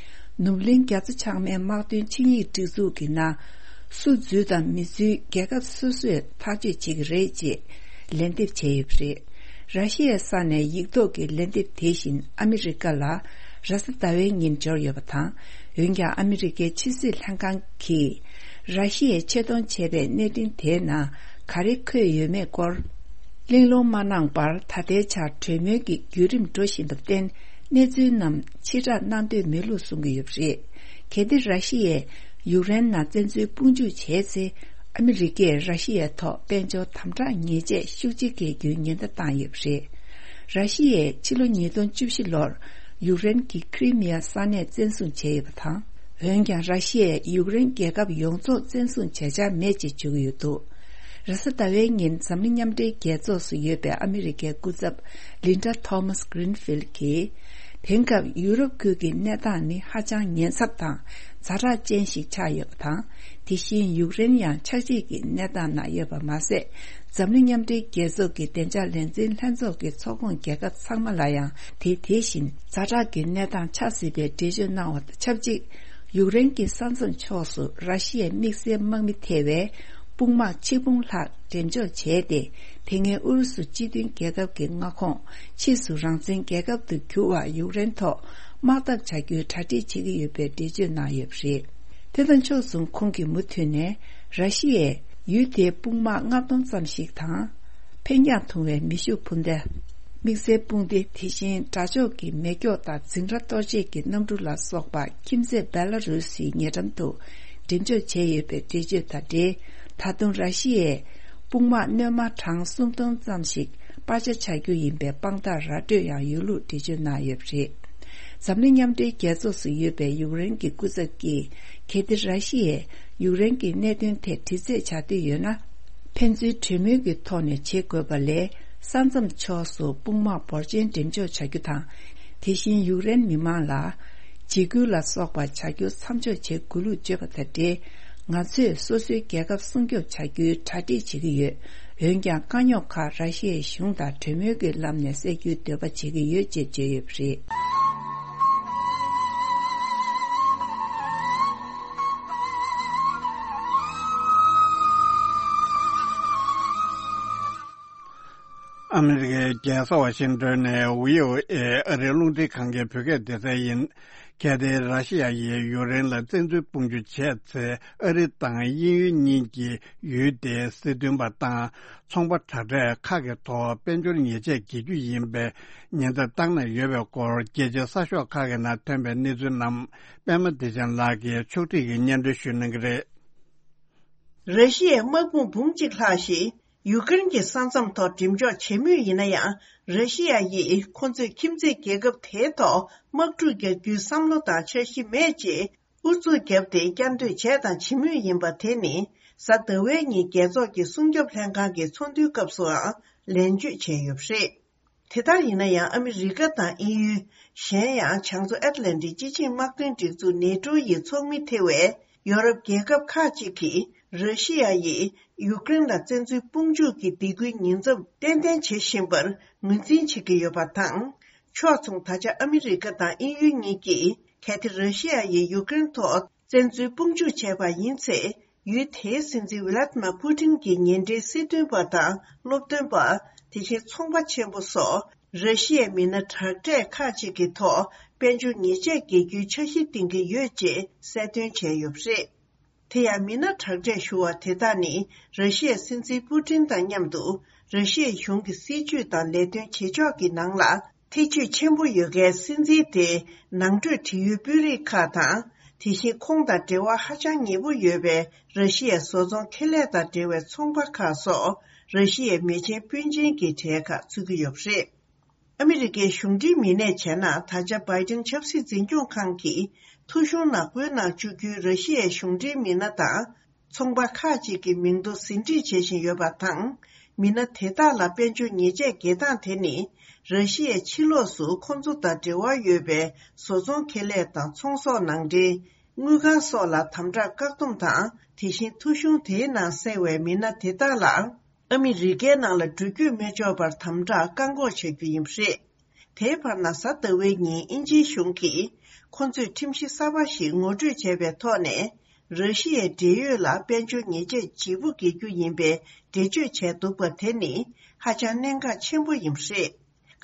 ནུབ་གླིང་རྒྱ་མཚོ་བྱང་མའི་དམག་དོན་ཆིངས་ཡིག་སྒྲིག་འཛུགས་ཀྱི་ནང་། སུ་འཛུལ་དང་མི་འཛུལ་རྒྱལ་ཁབ་སོ་སོས་ཐག་གཅོད་བྱེད་ཀྱི་རེད་ཅེས་ལན་འདེབས་བྱས་ཡོད་པ་རེད། ར་ཤི་ཡའི་ས་ནས་ཡིག་ཐོག་གི་ལན་འདེབས་དེ་བཞིན་ཨ་མི་རི་ཀ་ལ་རེས་གཟའ་ཟླ་བའི་ཉིན་འབྱོར་ཡོད་པ་དང་། འོན་ཀྱང་ཨ་མི་རི་ཀའི་ཕྱི་སྲིད་ལྷན་ཁང་གིས་ར་ཤི་ཡས་ཆེད་གཏོང་བྱས་པའི་གནད་འཕྲིན་དེའི་ནང་ག་རེ་འཁོད་ཡོད་མེད་སྐོར་གླེང་སློང་མ་གནང་བར། ད་ལྟའི་ཆར་གྲོས་མོལ་གྱི་བརྒྱུད་རིམ་འགྲོ་བཞིན་པར་བརྟེན། གནས་ཚུལ་རྣམས་ཕྱིར་བསྒྲགས་གནང་འདོད་མེད་ལུགས་གསུང་གི་ཡོད་པ་རེད། གལ་ཏེ་ར་ཤི་ཡས་ཡུཀ་རེན་ནང་བཙན་འཛུལ་དཔུང་འཇུག་བྱས་ཚེ། ཨ་མི་རི་ཀས་ར་ཤི་ཡའི་ཐོག་དཔལ་འབྱོར་དམ་དྲག་ཉེས་ཆད་ཤུགས་ཆེ་འགེལ་རྒྱུའི་ཉེན་བརྡ་བཏང་ཡོད་པ་རེད། ར་ཤི་ཡས་ཕྱི་ལོ་ཉིས་སྟོང་བཅུ་བཞི་ལོར་ཡུཀ་རེན་གྱི་ཁི་རི་མི་ཡ་ས་གནས་བཙན་བཟུང་བྱས་ཡོད་པ་དང་། འོན་ཀྱང་། ར་ཤི་ཡས་ཡུཀ་རེན་རྒྱལ་ཁབ་ཡོངས་རྫོགས་བཙན་བཟུང་བྱས་འཆར་མེད་ཅེས་བརྗོད་ཀྱི་ཡོད་འདུག་རེས་གཟའ་ཟླ་བའི་ཉིན་འཛམ་གླིང་མཉམ་འབྲེལ་རྒྱལ་ཚོགས་སུ་ཡོད་པའི་ཨ་མི་རི་ཀའི་སྐུ་ཚབ་ལིན་ཌ་ཐོ་མཱས་གྷི་རིན་ཕིལ་གྱིས། དེང་སྐབས་ཡུ་རོབ་ཁུལ་གྱི་གནས་སྟངས་ནི་ཧ་ཅང་ཉེན་ཚབས་དང་ཛ་དྲག་ཅན་ཞིག་ཆགས་ཡོད་པ་དང་། དེ་བཞིན་ཡུཀ་རེན་ཡང་ཆགས་འཇིག་གི་གནས་སྟངས་ནང་ཡོད་པ་མ་ཟད། འཛམ་གླིང་མཉམ་འབྲེལ་རྒྱལ་ཚོགས་ཀྱི་བདེ་འཇགས་ལས་འཛིན་ལྷན་ཚོགས་ཀྱི་ཚོགས་ཁོངས་རྒྱལ་ཁབ་ཚང་མ་ལ་ཡང་དེ་དེ་བཞིན་ཛ་དྲག་གི་གནས་སྟངས་ཆགས་སྲིད་པའི་འགྲེལ་བརྗོད་གནང་བ་དང་ཆབས་ཅིག་ཡུཀ་རེན་གྱི་ས་མཚམས་ཕྱོགས་སུ་ར་ཤི་ཡའི་དམིགས་བསལ་དམག་མི་ཐེ་བའི་དཔུང་དམག་ཆིག་འབུམ་ལྷག་འགྲེམས་འཇོག་བྱས་ཏེ། དེ་སྔའི་ཨུ་རུ་སུ་སྤྱི་མཐུན་རྒྱལ་ཁབ་ཀྱི་མངའ་ཁོངས་ཕྱིས་སུ་རང་བཙན་རྒྱལ་ཁབ་ཏུ་འགྱུར་བར་ཡུཀ་རེན་ཐོག་དམག་འཐབ་བྱ་རྒྱུའི་གྲ་སྒྲིག་བྱེད་ཀྱི་ཡོད་པའི་འགྲེལ་བརྗོད་གནང་ཡོད་པ་རེད། དེ་དང་ཕྱོགས་མཚུངས་ཁོང་གིས་མུ་མཐུད་ནས་ར་ཤི་ཡས་ཡུལ་དེའི་དཔུང་དམག་ལྔ་སྟོང་ཙམ་ཞིག་དང་། འཕེན་རྒྱང་ཐུང་བའི་མེ་ཤུགས་འཕུར་མདའ། དམིགས་བསལ་དཔུང་སྡེ། དེ་བཞིན་དགྲ་ཕྱོགས་ཀྱི་མེ་སྒྱོགས་དང་འཛིང་ར་གཏོར་བྱེད་ཀྱི་གནམ་གྲུ་ལ་སོགས་པ་ཁྱིམ་མཚེས་སྦེ་ལ་རུ་སིའི་ཉེ་འགྲམ་དུ་འགྲེམས་འཇོག་བྱས་ཡོད་པའི་འགྲེལ་བརྗོད་དང་འབྲེལ། ད་དུང་ར་ཤི་ཡའི་དཔུང་དམག་སྣོན་མ་གྲངས་སུམ་སྟོང་ཙམ་ཞིག་སྤར་ཆ་བྱ་རྒྱུ་ཡིན་པའི་དཔང་རྟགས་ར་སྤྲོད་ཡང་ཡོད་ལུགས་འགྲེལ་བརྗོད་གནང་ཡོད་པ་རེད། འཛམ་གླིང་མཉམ་འབྲེལ་རྒྱལ་ཚོགས་སུ་ཡོད་པའི་ཡུཀ་རེན་གྱི་སྐུ་ཚབ་ཀྱིས། གལ་ཏེ་ར་ཤི་ཡས་ཡུཀ་རེན་གྱི་གནད་དོན་ཐད་དྲི་རྩད་བྱ་འདོད་ཡོད་ན། ཕན་ཚུན་གྲོས་མོལ་གྱི་ཐོག་ནས་བྱེད་དགོས་པ་ལས། ས་མཚམས་ཕྱོགས་སུ་དཔུང་དམག་འབོར་ཆེན་འགྲེམས་འཇོག་བྱ་རྒྱུ་དང་། དེ་བཞིན་ཡུཀ་རེན་མི་མང་ལ་འཇིགས་སྐུལ་ལ་སོགས་པ་བྱ་རྒྱུ་མཚམས་འཇོག་བྱེད་དགོས་ལུགས་བརྗོད་པ་དང་འབྲེལ། ང་ཚོས་སོ་སོའི་རྒྱལ་ཁབ་སྲུང་སྐྱོབ་བྱ་རྒྱུའི་གྲ་སྒྲིག་བྱེད་ཀྱི་ཡོད། འོན་ཀྱང་དཀའ་རྙོག་ཁག་ར་ཤི་ཡའི་གཞུང་དང་གྲོས་མོལ་གྱི་ལམ་ནས་སེལ་རྒྱུའི་འདོད་པ་བྱེད་ཀྱི་ཡོད་ཅེས་བརྗོད་ཡོད་པ་རེད། ཨ་མི་རི་ཀའི་རྒྱལ་ས་ཝ་ཤིང་ཏོན་ནས་བྷི་ཨོ་ཨེ་ཨ་རིའི་རླུང་འཕྲིན་ཁང་གི་བོད་སྐད་སྡེ་ཚན་ཡིན། གལ་ཏེ་ར་ཤི་ཡ་ཡིས་ཡུཀ་རེན་ལ་བཙན་འཛུལ་དཔུང་འཇུག་བྱས་ཚེ། ཨ་རི་དང་དབྱིན་ཡུལ་གཉིས་ཀྱི་ཡུལ་དེའི་སྲིད་དོན་པ་དང་ཚོང་པ་དྲག་གྲས་ཁག་གི་ཐོག་དཔལ་འབྱོར་ཉེས་ཆད་འགེལ་རྒྱུ་ཡིན་པའི་ཉེན་བརྡ་བཏང་གནང་ཡོད་པའི་སྐོར། རྒྱལ་སྤྱིའི་གསར་ཤོག་ཁག་གི་ནང་ཐོན་པའི་གནས་ཚུལ་རྣམས་པད་མ་བདེ་ཆེན་ལགས་ཀྱིས་ཕྱོགས་སྒྲིག་གིས་སྙན་སྒྲོན་ཞུ་གནང་གི་རེད། ར་ཤི་ཡའི་དམག་དཔུང་འབུམ་གཅིག་ལྷག་ཞིག་ཡུཀ་རེན་གྱི་ས་མཚམས་ཐོག་འགྲིམ་འཇོག་བྱེད་མུས་ཡིན་ན་ཡང་། ར་ཤི་ཡ་ཡིས་ཁོ་ཚོས་ཁྱིམ་མཚེས་རྒྱལ་ཁབ་དེའི་ཐོག་དམག་འཁྲུག་རྒྱག་རྒྱུའི་བསམ་བློ་དང་འཆར་གཞི་མེད་ཅེས་ཨུ་ཚུགས་བརྒྱབ་སྟེ་བསྐྱར་ཟློས་བྱས་དང་བྱེད་མུས་ཡིན་པ་དེ་ནི། གཟའ་ཟླ་བའི་ཉིན་རྒྱལ་ཚོགས་ཀྱི་སྲུང་སྐྱོབ་ལྷན་ཁང་གི་ཚོགས་འདུའི་སྐབས་སུའང་ལན་བརྒྱུད་བྱས་ཡོད་པ་རེད། དེ་ལྟར་ཡིན་ན་ཡང་། ཨ་མི་རི་ཀ་དང་དབྱིན་ཡུལ། གཞན་ཡང་བྱང་མཚོ་ཨེཊ་ལན་ཊིག་སྤྱི་ཆིངས་དམག་དོན་སྒྲིག་འཛུགས་ནེ་ཊོ་ཡི་ཚོགས་མི་ཐེ་བའི་ཡོ་རོབ་རྒྱལ་ཁབ་ཁག་ཅིག་གིས། ར་ཤི་ཡ་ཡིས་ཡུཀ་རེན་ལ་བཙན་འཛུལ་དཔུང་འཇུག་གི་སྡིགས་སྐུལ་ཉེན་ཚབས་ཏན་ཏན་བྱེད་བཞིན་པར་ངོས་འཛིན་བྱེད་ཀྱི་ཡོད་པ་དང་། ཕྱོགས་མཚུངས། ད་ཆ་ཨ་མི་རི་ཀ་དང་དབྱིན་ཡུལ་གཉིས་ཀྱིས། གལ་ཏེ་ར་ཤི་ཡ་ཡིས་ཡུཀ་རེན་ཐོག་བཙན་འཛུལ་དཔུང་འཇུག་བྱས་པ་ཡིན་ཚེ། ཡུལ་དེའི་སྲིད་འཛིན་ཝི་ལ་ཏི་མ་པུ་ཏིན་གྱི་ཉེ་འབྲེལ་སྲིད་དོན་པ་དང་སློབ་སྟོན་པ། དེ་བཞིན་ཚོང་པ་ཆེན་པོ་སོགས་ར་ཤི་ཡའི་མི་སྣ་དྲག་གྲས་ཁག་ཅིག་གི་ཐོག་དཔལ་འབྱོར་ཉེས་ཆད་འགེལ་རྒྱུའི་འཆར་གཞི་འདིང་གི་ཡོད་ཅེས་གསལ་སྟོན་བྱས་ཡོད་པ་རེད། དེ་ཡང་མི་སྣ་དྲག་གྲས་ཞུ་བ་དེ་དག་ནི་ར་ཤི་ཡའི་སྲིད་འཛིན་པུ་ཏིན་དང་མཉམ་དུ་ར་ཤི་ཡའི་གཞུང་གི་སྲིད་བྱུས་དང་ལས་དོན་བྱེད་ཕྱོགས་ཀྱི་ནང་ལ། ཐེ་བྱུས་ཆེན་པོ་ཡོད་མཁན་སྲིད་འཛིན་དེའི་ནང་ཁྲོད་བྲེལ་ཡོད་དཔོན་རིགས་ཁག་དང་། དེ་བཞིན་ཁོང་དང་འབྲེལ་བ་ཧ་ཅང་ཉེ་པོ་ཡོད་པའི་ར་ཤི་ཡའི་བཟོ་ཚོང་ཁེ་ལས་དང་འབྲེལ་བའི་ཚོང་པ་ཁག་སོགས་ར་ཤི་ཡའི་མེ་ཆེན་སྤུན་མཆེན་གྱི་གྲས་ཁག་ཚུད་ཀྱི་ཡོད་པ་རེད། ཨ་མི་རི་ཀའི་གཞུང་འབྲེལ་མི་སྣས་བྱས་ན། ད་ཆ་བྷའི་ཏིན་ཆབ་སྲིད་འཛིན་སྐྱོང་ཁང་གིས་ཐོ་གཞུང་ནང་བཀོད་གནང་བཅུག་རྒྱུའི་ར་ཤི་ཡའི་གཞུང་འབྲེལ་མི་སྣ་དང་། ཚོང་པ་ཁག་ཅིག་གི་མིང་ཐོ་ཟིན་བྲིས་བྱེད་བཞིན་ཡོད་པ་དང་། མི་སྣ་དེ་དག་ལ་དཔལ་འབྱོར་ཉེས་ཆད་འགེལ་སྟངས་དེ་ནི། ར་ཤི་ཡའི་ཕྱི་ལོགས་སུ་ཁོང་ཚོ་དང་འབྲེལ་བ་ཡོད་པའི་བཟོ་ཚོང་ཁེ་ལས་དང་ཚོང་ཟོག་ནང་འདྲེན། དངུལ་ཁང་སོགས་ལ་དམ་དྲག་བཀག་སྡོམ་དང་། དེ་བཞིན་ཐོ་གཞུང་དེའི་ནང་གསལ་བའི་མི་སྣ་དེ་དག་ལ། ཨ་མི་རི་ཀའི་ནང་ལ་འགྲུལ་སྐྱོད་མི་ཆོག་པར་དམ་དྲག་བཀག་འགོག་བྱ་རྒྱུ་ཡིན་པ་རེད། དེའི་བར་ན། གཟའ་ཟླ་བའི་ཉིན་དབྱིན་ཇིའི་གཞུང་གིས་ཁོ་ཚོས་ཁྲིམས་གཞི་གསར་པ་ཞིག་ངོ་སྤྲོད་བྱས་པའི་ཐོག་ནས། ར་ཤི་ཡའི་འབྲེལ་ཡོད་ལ་དཔལ་འབྱོར་ཉེས་ཆད་ལྗིད་པོ་འགེལ་རྒྱུ་ཡིན་པའི་འགྲེལ་བརྗོད་བྱས་འདུག་པ་དེ་ནི་ཧ་ཅང་གནད་འགག་ཆེན་པོ་ཡིན་པ་རེད།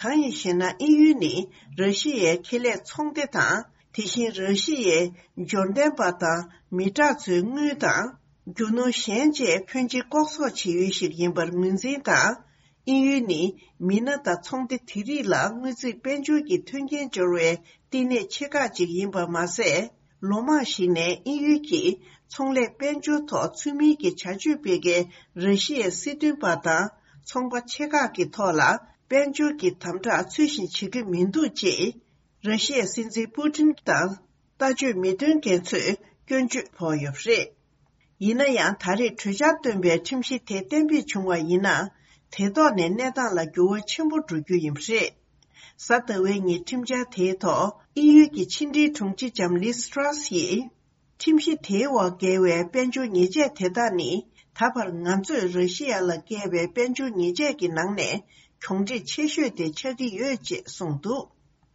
གང་ཡིན་ཞེ་ན། དབྱིན་ཡུལ་ནི་ར་ཤི་ཡའི་ཁེ་ལས་ཚོང་སྡེ་དང་། དེ་བཞིན་ར་ཤི་ཡའི་འབྱོར་ལྡན་པ་དང་མི་དྲག་ཚོའི་དངུལ་དང་། རྒྱུ་ནོར་གཞན་བཅས་ཕོན་ཆེ་ལྐོག་ཟ་བྱེད་ཡུལ་ཞིག་ཡིན་པར་ངོས་འཛིན་དང་། དབྱིན་ཡུལ་ནི་མི་སྣ་དང་ཚོང་སྡེ་དེ་རིགས་ལ་དངུལ་རྩིས་དཔལ་འབྱོར་གྱི་མཐུན་རྐྱེན་སྦྱོར་བའི་བསྟི་གནས་ཆེ་ཁག་ཅིག་ཡིན་པ་མ་ཟད། ལོ་མང་ཞིག་ནས་དབྱིན་ཡུལ་གྱིས་ཚོང་ལས་དཔལ་འབྱོར་ཐོག་ཚུལ་མིན་གྱི་བྱ་སྤྱོད་སྤེལ་མཁན་ར་ཤི་ཡའི་སྲིད་དོན་པ་དང་ཚོང་པ་ཆེ་ཁག་གི་ཐོག་ལ་དཔལ་འབྱོར་གྱི་དམ་དྲག་ཚུལ་བཞིན་བྱེད་ཀྱི་མི་འདུག་ཅེས། ར་ཤི་ཡའི་སྲིད་འཛིན་པུ་ཏིན་དང་ལྟ་སྤྱོད་མི་མཐུན་མཁན་ཚོས་སྐྱོན་བརྗོད་ཕོག་ཡོད་པ་རེད། ཡིན་ན་ཡང་། ད་རེས་གྲོས་འཆར་བཏོན་པའི་ཁྲིམས་གཞི་དེ་གཏན་འབེབས་བྱུང་བ་ཡིན་ན། དེ་ཐོག་ནས་གནས་སྟངས་ལ་འགྱུར་བ་ཆེན་པོ་འགྲོ་རྒྱུ་ཡིན་པ་རེད། གཟའ་ཟླ་བའི་ཉིན་ཁྲིམས་འཆར་དེའི་ཐོག་དབྱིན་ཡུལ་གྱི་ཕྱི་འབྲེལ་དྲུང་ཆེ་ལྕམ་ལིས་ཏྲ་སི་ཡིས། ཁྲིམས་གཞི་དེའི་འོག་འགེལ་བའི་དཔལ་འབྱོར་ཉེས་ཆད་དེ་དག་ནི། ད་བར་ང་ཚོས་ར་ཤི་ཡ་ལ་བཀལ་བའི་དཔལ་འབྱོར་ཉེས་ཆད་ཀྱི་ནང་ནས་གྱོང་འབྲས་ཆེ་ཤོས་དེ་ཆགས་ཀྱི་ཡོད་ཅེས་གསུངས་འདུག་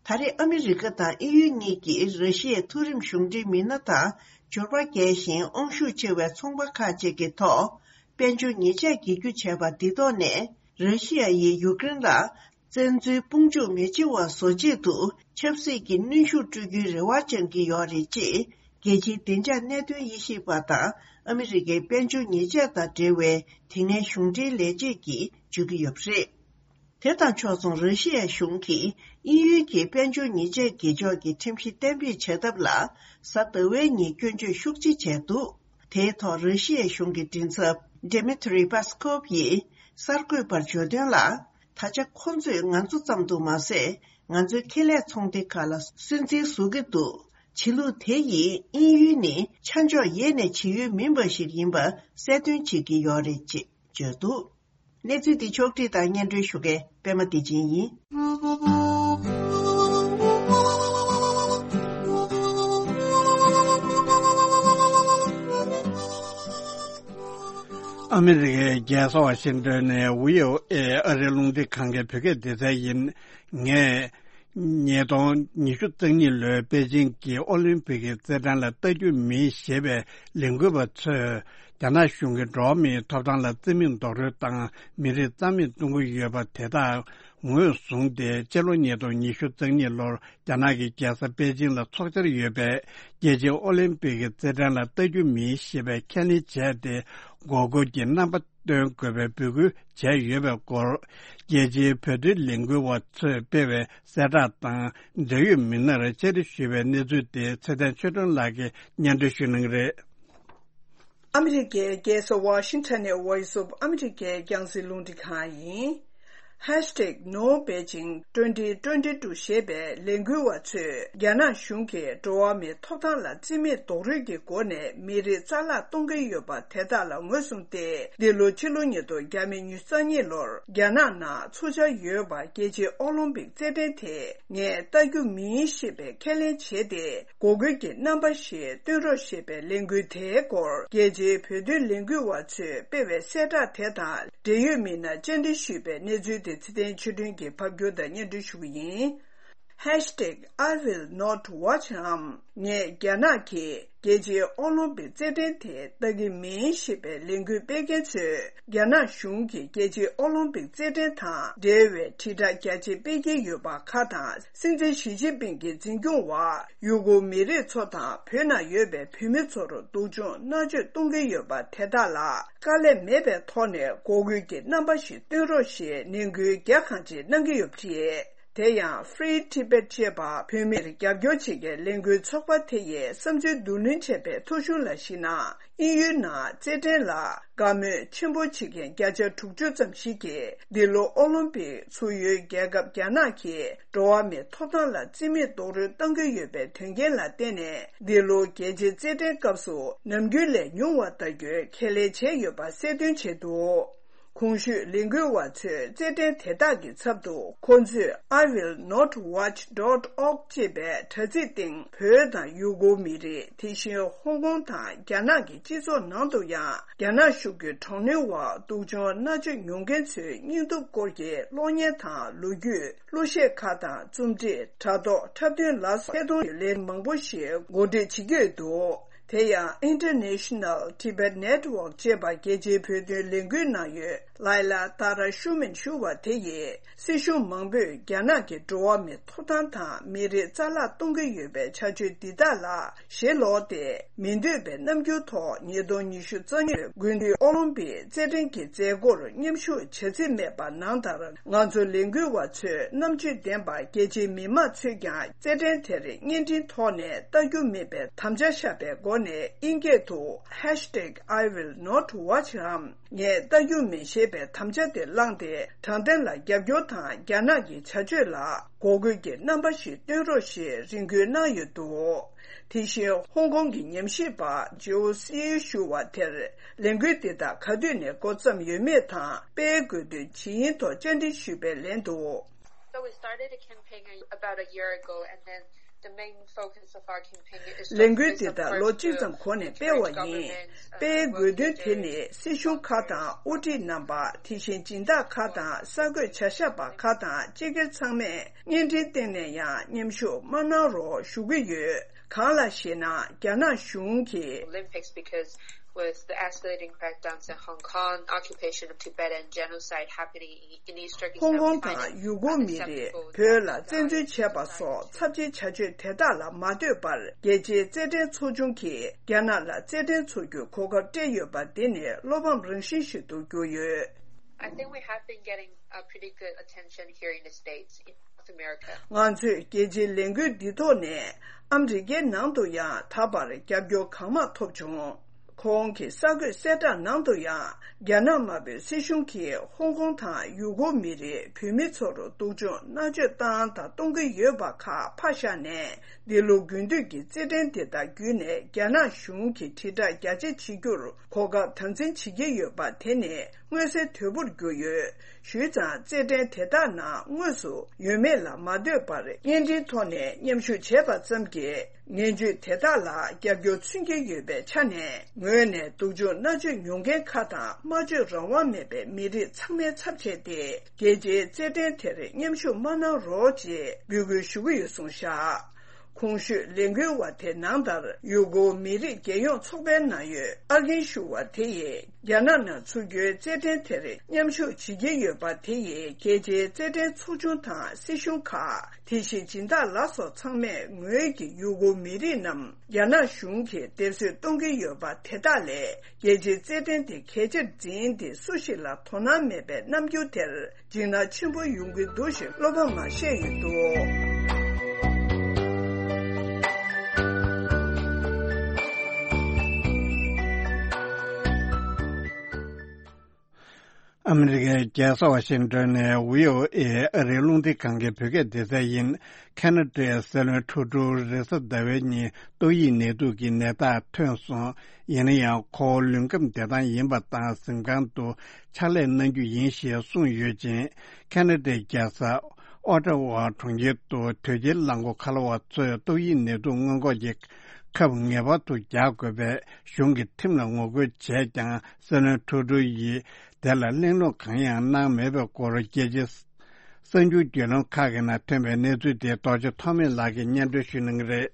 ད་རེས་ཨ་མི་རི་ཀ་དང་དབྱིན་ཡུལ་གཉིས་ཀྱིས་ར་ཤི་ཡའི་མཐོ་རིམ་གཞུང་འབྲེལ་མི་སྣ་དང་འབྱོར་པ་རྒྱས་ཤིང་དབང་ཤུགས་ཆེ་བའི་ཚོང་པ་ཁག་ཅིག་གི་ཐོག་དཔལ་འབྱོར་ཉེས་ཆད་འགེལ་རྒྱུ་བྱས་པ་འདི་ཐོག་ནས། ར་ཤི་ཡ་ཡིས་ཡུཀ་རེན་ལ་བཙན་འཛུལ་དཔུང་འཇུག་མི་བྱེད་པ་བཟོ་ཆེད་དུ་ཆབ་སྲིད་ཀྱི་གནོན་ཤུགས་སྤྲོད་རྒྱུའི་རེ་བ་བཅངས་ཀྱི་ཡོད་རེད་ཅེས། རྒྱལ་སྤྱིའི་བདེ་འཇགས་གནད་དོན་དབྱེ་ཞིབ་པ་དང་ཨ་མི་རི་ཀའི་དཔལ་འབྱོར་ཉེས་ཆད་དང་འབྲེལ་བའི་དེ་སྔའི་གཞུང་འབྲེལ་ལས་བྱེད་ཀྱིས་བརྗོད་ཀྱི་ཡོད་པ་རེད། དེ་དང་ཕྱོགས་མཚུངས། ར་ཤི་ཡའི་གཞུང་གིས་དབྱིན་ཡུལ་གྱི་དཔལ་འབྱོར་ཉེས་ཆད་འགེལ་ཕྱོགས་ཀྱི་ཁྲིམས་གཞི་གཏན་འབེབས་བྱ་ཐབས་ལ་གཟའ་ཟླ་བའི་ཉིན་སྐྱོན་བརྗོད་ཤུགས་ཆེ་བྱས་འདུག་དེའི་ཐོག་ར་ཤི་ཡའི་གཞུང་གི་མགྲིན་ཚབ་Dmitry Peskov་ཡིས་གསར་འགོད་པར་བརྗོད་དོན་ལ། ད་ཆ་ཁོ་ཚོས་ང་ཚོ་ཙམ་དུ་མ་ཟད། ང་ཚོའི་ཁེ་ལས་ཚོང་སྡེ་ཁག་ལ་སུན་གཙེར་བཟོ་གི་འདུག་བྱེད་ལུགས་དེ་ཡིས་དབྱིན་ཡུལ་ནི་ཆ་འཇོག་ཡེ་ནས་བྱེད་ཡུལ་མིན་པ་ཞིག་ཡིན་པ་གསལ་སྟོན་བྱེད་ཀྱི་ཡོད་རེད་ཅེས་བརྗོད་འདུག་གནས་ཚུལ་འདི་ཕྱོགས་བསྒྲིགས་དང་སྙན་སྒྲོན་ཞུ་མཁན་པད་མ་བདེ་ཆེན་ཡིན། ཨ་མི་རི་ཀའི་རྒྱལ་ས་ཝ་ཤིང་ཏོན་ནས་བྷི་ཨོ་ཨེ་ཨ་རིའི་རླུང་འཕྲིན་ཁང་གི་བོད་སྐད་སྡེ་ཚན་ཡིན། ངས་ཉིས་སྟོང་ཉི་ཤུ་རྩ་གཉིས་ལོའི་པེ་ཅིང་གི་ཨོ་ལིམ་པིག་གི་རྩེད་འགྲན་ལ་ལྟ་རྒྱུ་མིན་ཞེས་པའི་ལས་འགུལ་བ་ཚོས་རྒྱ་ནག་གཞུང་གིས་འགྲོ་བ་མིའི་ཐོབ་ཐང་ལ་བརྩི་མེད་རྡོག་རོལ་དང་མི་རིགས་རྩ་མེད་གཏོང་གི་ཡོད་པ་དེ་དག་ངོས་བཟུང་སྟེ། སྤྱི་ལོ་ཉིས་སྟོང་ཉི་ཤུ་རྩ་གཉིས་ལོར་རྒྱ་ནག་གི་རྒྱལ་ས་པེ་ཅིང་ལ་འཚོགས་འཆར་ཡོད་པའི་རྒྱལ་སྤྱིའི་ཨོ་ལིམ་པིག་གི་རྩེད་འགྲན་ལ་ལྟ་རྒྱུ་མིན་ཞེས་པའི་ཁས་ལེན་བྱས་ཏེ། འགོག་རྒོལ་གྱི་རྣམ་པ་སྟོན་དགོས་པའི་འབོད་སྐུལ་བྱས་ཡོད་པའི་སྐོར། རྒྱལ་སྤྱིའི་བོད་དོན་ལས་འགུལ་བ་ཚོས་སྤེལ་བའི་གསལ་བསྒྲགས་དང་འབྲེལ་ཡོད་མི་སྣར་བཅར་འདྲི་ཞུས་པའི་གནས་ཚུལ་དེ་ཚེ་བརྟན་ཆོས་སྒྲོན་ལགས་ཀྱིས་སྙན་སྒྲོན་ཞུ་གནང་གི་རེད། ཨ་མི་རི་ཀའི་རྒྱལ་ས་ཝ་ཤིང་ཊོན་ནས་Voice of America་རྒྱང་སྲིང་རླུང་འཕྲིན་ཁང་ཡིན། Hashtag No Beijing twenty twenty-two ཞེས་པའི་ལས་འགུལ་བ་ཚོས་རྒྱ་ནག་གཞུང་གིས་འགྲོ་བ་མིའི་ཐོབ་ཐང་ལ་བརྩི་མེད་རྡོག་རོལ་གྱི་སྒོ་ནས་མི་རིགས་རྩ་བརླག་གཏོང་གིན་ཡོད་པ་དེ་དག་ལ་ངོས་བཟུང་སྟེ། འདི་ལོ་ཕྱི་ལོ་ཉིས་སྟོང་ཉི་ཤུ་རྩ་གཉིས་ལོར་རྒྱ་ནག་ནང་འཚོགས་འཆར་ཡོད་པ་རྒྱལ་སྤྱིའི་ཨོ་ལིམ་པིག་རྩེད་འགྲན་དེ་ངས་ལྟ་རྒྱུ་མིན་ཞེས་པའི་ཁས་ལེན་བྱས་ཏེ། འགོག་རྒོལ་གྱི་རྣམ་པ་ཞིག་སྟོན་རོགས་ཞེས་པའི་ལས་འགུལ་དེའི་སྐོར། རྒྱལ་སྤྱིའི་བོད་དོན་ལས་འགུལ་བ་ཚོས་སྤེལ་བའི་གསལ་བསྒྲགས་དེ་དང་འབྲེལ་ཡོད་མི་སྣར་བཅར་འདྲི་ཞུས་པའི་གནས་ཚུལ་དེ་ཚེ་བརྟན་ཆོས་སྒྲོན་གྱིས་ཕབ་སྒྱུར་དང་སྙན་སྒྲོན་ཞུ་གི་ཡིན། Hashtag I will not watch འམ། ངས་རྒྱ་ནག་གིས་རྒྱལ་སྤྱིའི་ཨོ་ལིམ་པིག་རྩེད་འགྲན་དེ་ལྟ་གི་མིན་ཞེས་པའི་ལས་འགུལ་སྤེལ་མཁན་ཚོས། རྒྱ་ནག་གཞུང་གིས་རྒྱལ་སྤྱིའི་ཨོ་ལིམ་པིག་རྩེད་འགྲན་དང་འབྲེལ་བའི་དྲིལ་བསྒྲགས་རྒྱ་ཆེ་སྤེལ་གྱི་ཡོད་པ་ཁག་དང་། སྲིད་འཛིན་ཞི་ཅིན་ཕིང་གི་འཛིན་སྐྱོང་འོག་ཡུ་གུར་མི་རིགས་ཚོ་དང་བོད་ནང་ཡོད་པའི་བོད་མི་ཚོར་སྡུག་སྦྱོང་མནར་གཅོད་གཏོང་གི་ཡོད་པ་དེ་དག་ལ་དཀའ་ལས་མེད་པའི་ཐོག་ནས་འགོག་རྒོལ་གྱི་རྣམ་པ་ཞིག་སྟོན་རོགས་ཞེས་ནན་སྐུལ་རྒྱ་གང་ཆེ་གནང་གི་ཡོད་པ་རེད། དེ་ཡང་Free Tibet ཅེས་པ་བོད་མིར་རྒྱབ་སྐྱོར་བྱེད་མཁན་ལས་འགུལ་ཚོགས་པ་དེ་ཡིས་བསམ་ཚུལ་བསྡུ་ལེན་བྱས་པའི་ཐོ་གཞུང་ལ་གཞིགས་ན། དབྱིན་ཡུལ་ནང་རྩེད་འགྲན་ལ་དགའ་མོས་ཆེན་པོ་བྱེད་མཁན་བརྒྱ་ཆ་དྲུག་ཅུ་ཙམ་ཞིག་གིས། འདི་ལོ་ཨོ་ལིམ་པིག་ཚུགས་ཡུལ་རྒྱལ་ཁབ་རྒྱ་ནག་གིས་འགྲོ་བ་མིའི་ཐོབ་ཐང་ལ་བརྩི་མེད་རྡོག་རོལ་གཏང་གི་ཡོད་པའི་དོན་རྐྱེན་ལ་བརྟེན་ནས། འདི་ལོ་རྒྱལ་སྤྱིའི་རྩེད་འགྲན་སྐབས་སུ་ནམ་རྒྱུན་ལས་ཉུང་བ་ལྟ་རྒྱུའི་ཁས་ལེན་བྱས་ཡོད་པ་གསལ་སྟོན་བྱས་འདུག། གོང་ཞུས་ལས་འགུལ་བ་ཚོས་རྩེད་འགྲན་དེ་དག་གི་ཚབ་ཏུ། ཁོང་ཚོས་I will not watch dot org ཅེས་པའི་དྲ་ཚིགས་སྟེང་བོད་དང་ཡུ་གུར་མི་རིགས། དེ་བཞིན་ཧོང་ཀོང་དང་རྒྱ་ནག་གི་སྤྱི་ཚོགས་ནང་དུ་ཡང་། རྒྱ་ནག་གཞུང་གི་དྲག་གནོན་འོག་སྡུག་སྦྱོང་མནར་གཅོད་མྱོང་མཁན་ཚོའི་སྙིང་སྟོབས་སྐོར་གྱི་གློག་བརྙན་དང་ལོ་རྒྱུས། གླུ་གཞས་ཁག་དང་རྩོམ་བྲིས། དྲ་ཐོག་འཁྲབ་སྟོན་ལ་སོགས་ཐད་གཏོང་ལས་མང་པོ་ཞིག་གོ་སྒྲིག་བྱེད་ཀྱི་ཡོད་འདུག། དེ་ཡང་International Tibet Network ཅེས་པ་རྒྱལ་སྤྱིའི་བོད་དོན་ལས་འགུལ་ནང་ཡོད་Laila Dara Shumen ཞུ་བ་དེ་ཡིས། སྲིད་གཞུང་མང་པོས་རྒྱ་ནག་གི་འགྲོ་བ་མིའི་ཐོབ་ཐང་དང་མི་རིགས་རྩ་བརླག་གཏོང་གི་ཡོད་པའི་བྱ་སྤྱོད་འདི་དག་ལ་ཞེ་ལོག་སྟེ། མི་འདོད་པའི་རྣམ་འགྱུར་ཐོག་ཉིས་སྟོང་ཉི་ཤུ་རྩ་གཉིས་དགུན་དུས་ཨོ་ལིམ་པིག་རྩེད་འགྲན་གྱི་མཛད་སྒོར་མཉམ་ཞུགས་བྱ་རྩིས་མེད་པ་ནང་ལྟར། ང་ཚོ་ལས་འགུལ་བ་ཚོས་རྣམ་དཔྱོད་ལྡན་པ་རྒྱལ་སྤྱིའི་མི་མང་ཚོས་ཀྱང་རྩེད་འགྲན་དེར་བརྙན་འཕྲིན་ཐོག་ནས་ལྟ་རྒྱུ་མེད་པའི་དམ་བཅའ་བཞག་པའི་སྒོ་ནས། དབྱིན་སྐད་དུ་Hashtag I will not watch འམ། ངས་ལྟ་རྒྱུ་མིན་ཞེས་པའི་དམ་བཅའ་དེ་བླངས་ཏེ། དྲང་བདེན་ལ་རྒྱབ་སྐྱོར་དང་རྒྱ་ནག་གི་བྱ་སྤྱོད་ལ་འགོག་རྒོལ་གྱི་རྣམ་པ་ཞིག་སྟོན་རོགས་ཞེས་རེ་སྐུལ་གནང་ཡོད་འདུག། དེ་བཞིན་ཧོང་ཀོང་གི་ཉམས་ཞིབ་པ་ཇོ་སི་ཞུ་བ་དེར། ལས་འགུལ་འདི་དག་ག་དུས་ནས་འགོ་བརྩམས་ཡོད་མེད་དང་། སྤེལ་དགོས་དོན་ཇི་ཡིན་ཐོག་བཅར་འདྲི་ཞུས་པའི་ལན་དུ། So we started a campaign about a year ago, and then the main focus of our campaign is to ལས་འགུལ་འདི་དག་ལོ་གཅིག་ཙམ་གོང་ནས་སྤེལ་བ་ཡིན། སྤེལ་དགོས་དོན་དེ་ནི་སྲིད་གཞུང་ཁག་དང་དབུ་ཁྲིད་རྣམ་པ། དེ་བཞིན་སྦྱིན་བདག་ཁག་དང་གསར་འགོད་བྱ་གཞག་པ་ཁག་དང་སྤྱི་སྒེར་ཚང་མས་བརྙན་འཕྲིན་སྟེང་ནས་ཡང་མཉམ་ཞུགས་མ་གནང་རོགས་ཞུ་གི་ཡོད། གང་ལགས་ཤེ་ན། རྒྱ་ནག་གཞུང་གིས། Olympics because with the escalating crackdowns in Hong Kong, occupation of Tibet and genocide happening in East Turkestan, ཧོང་ཀོང་དང་ཡུ་གུར་མི་རིགས་བོད་ལ་བཙན་འཛུལ་བྱས་པ་སོགས་ཚབས་ཆེའི་བྱ་སྤྱོད་དེ་དག་ལ་མ་ལྟོས་པར། རྒྱལ་སྤྱིའི་རྩེད་འགྲན་ཚོགས་ཆུང་གིས་རྒྱ་ནག་ལ་རྩེད་འགྲན་འཚོགས་རྒྱུའི་གོ་སྐབས་སྤྲད་ཡོད་པ་འདི་ནི་བློ་ཕམ་རང་བཞིན་ཞིག་ཏུ་གྱུར་ཡོད། I think we have been getting a pretty good attention here in the States, in North America. ང་ཚོས་རྒྱལ་སྤྱིའི་ལས་འགུལ་འདི་ཐོག་ནས་ཨ་མི་རི་ཀའི་ནང་དུ་ཡང་ད་བར་རྒྱབ་སྐྱོར་གང་མང་ཐོབ་བྱུང་། ཁོང་གི་གསར་འགོད་གསལ་བསྒྲགས་ནང་དུ་ཡང་། རྒྱ་ནག་དམར་པོའི་སྲིད་གཞུང་གིས་ཧོང་ཀོང་དང་ཡུ་གུར་མི་རིགས་བོད་མི་ཚོར་སྡུག་སྦྱོང་མནར་གཅོད་བཏང་དང་གཏོང་གི་ཡོད་པ་ཁག་ཕར་བཞག་ནས། འདི་ལོ་དགུན་དུས་ཀྱི་རྩེད་འགྲན་དེ་དག་བརྒྱུད་ནས་རྒྱ་ནག་གཞུང་གིས་དྲིལ་བསྒྲགས་རྒྱ་ཆེ་བྱེད་རྒྱུར་གོ་སྐབས་དམ་འཛིན་བྱེད་ཀྱི་ཡོད་པ་དེ་ནི་མངོན་གསལ་དོད་པོར་གྱུར་ཡོད། ཞུས་ཙང་རྩེད་འགྲན་དེ་དག་ནང་དངོས་སུ་ཡོད་མེད་ལ་མ་ལྟོས་པར་བརྙན་འཕྲིན་ཐོག་ནས་མཉམ་ཞུགས་བྱས་པ་ཙམ་གྱིས། ངན་ཇུས་དེ་དག་ལ་རྒྱབ་སྐྱོར་མཚོན་གྱི་ཡོད་པའི་ཆ་ནས། ངོས་ནས་སྡུག་སྦྱོང་མནར་གཅོད་མྱོང་མཁན་ཁག་དང་སྨྲ་བརྗོད་རང་དབང་མེད་པའི་མི་རིགས་ཚང་མའི་ཚབ་བྱས་ཏེ། རྒྱལ་སྤྱིའི་རྩེད་འགྲན་དེར་མཉམ་ཞུགས་མ་གནང་རོགས་ཅེས་འབོད་སྐུལ་ཞུ་གི་ཡོད་གསུངས་བཞག། གོང་ཞུས་ལས་འགུལ་བ་དེ་ནང་ལྟར། ཡུ་གུར་མི་རིགས་རྒྱལ་ཡོངས་ཚོགས་པའི་ནང་ཡོད་ཨར་རྒན་ཞུ་བ་དེ་ཡིས། རྒྱ་ནག་ནང་ཚུགས་རྒྱུའི་རྩེད་འགྲན་དེར་མཉམ་ཞུགས་བྱེད་ཀྱི་ཡོད་པ་དེ་ཡིས། རྒྱལ་སྤྱིའི་རྩེད་འགྲན་ཚོགས་ཆུང་དང་སྲིད་གཞུང་ཁག། དེ་བཞིན་སྦྱིན་བདག་ལ་སོགས་ཚང་མས་ངོས་ཀྱིས་ཡུ་གུར་མི་རིགས་རྣམས་རྒྱ་ནག་གཞུང་གིས་སྡེབ་གསོད་གཏོང་གི་ཡོད་པ་དེ་དག་ལས། རྒྱལ་སྤྱིའི་རྩེད་འགྲན་དེ་གལ་ཆེར་འཛིན་ཏེ། སུ་ཞིག་ལ་དོ་སྣང་མེད་པའི་རྣམ་འགྱུར་དེར་འཇིགས་སྣང་ཆེན་པོ་ཡོང་གི་འདུག་ཞེས་བློ་ཕམ་བཤད་ཡོད་འདུག། ཨ་མི་རི་ཀའི་རྒྱལ་ས་ཝ་ཤིང་ཏོན་ནས་བྷི་ཨོ་ཨེ་ཨ་རིའི་རླུང་འཕྲིན་ཁང་གི་བོད་སྐད་སྡེ་ཚན་ཡིན། ཁ་ན་ཌའི་སྲིད་བློན་ཁྲུ་ཌོ་རེས་གཟའ་ཟླ་བའི་ཉིན་ཏོག་དབྱིབས་ནད་དུག་གི་ནད་རྟགས་ཐོན་སོང་། ཡིན་ན་ཡང་ཁོ་བོ་ལུས་ཁམས་བདེ་ཐང་ཡིན་པ་དང་གཟིམ་ཁང་དུ་ཕྱག་ལས་གནང་རྒྱུ་ཡིན་ཞེས་གསུངས་ཡོད་ཅིང་། ཁ་ན་ཌའི་རྒྱལ་ས་ཨོ་ཊ་ཝ་གྲོང་ཁྱེར་དུ་དོལ་རྒྱལ་རླངས་འཁོར་ཁ་ལོ་བ་ཚོས་ཏོག་དབྱིབས་ནད་དུག་སྔོན་འགོག་གི་ཁབ་ངེས་པར་དུ་རྒྱག་དགོས་པའི་གཞུང་གི་ཁྲིམས་ལ་ངོ་རྒོལ་བྱས་ཀྱང་། སྲིད་བློན་ཁྲུ་ཌོ་ཡིས་དེ་ལ་གླེང་སློང་གང་ཡང་གནང་མེད་པའི་སྐོར། རྒྱལ་སྤྱིའི་གསར་འགྱུར་བརྒྱུད་ལམ་ཁག་གི་ནང་ཐོན་པའི་གནས་ཚུལ་དེ་རྡོ་རྗེ་ཐོགས་མེད་ལགས་ཀྱིས་སྙན་སྒྲོན་ཞུ་གནང་གི་རེད།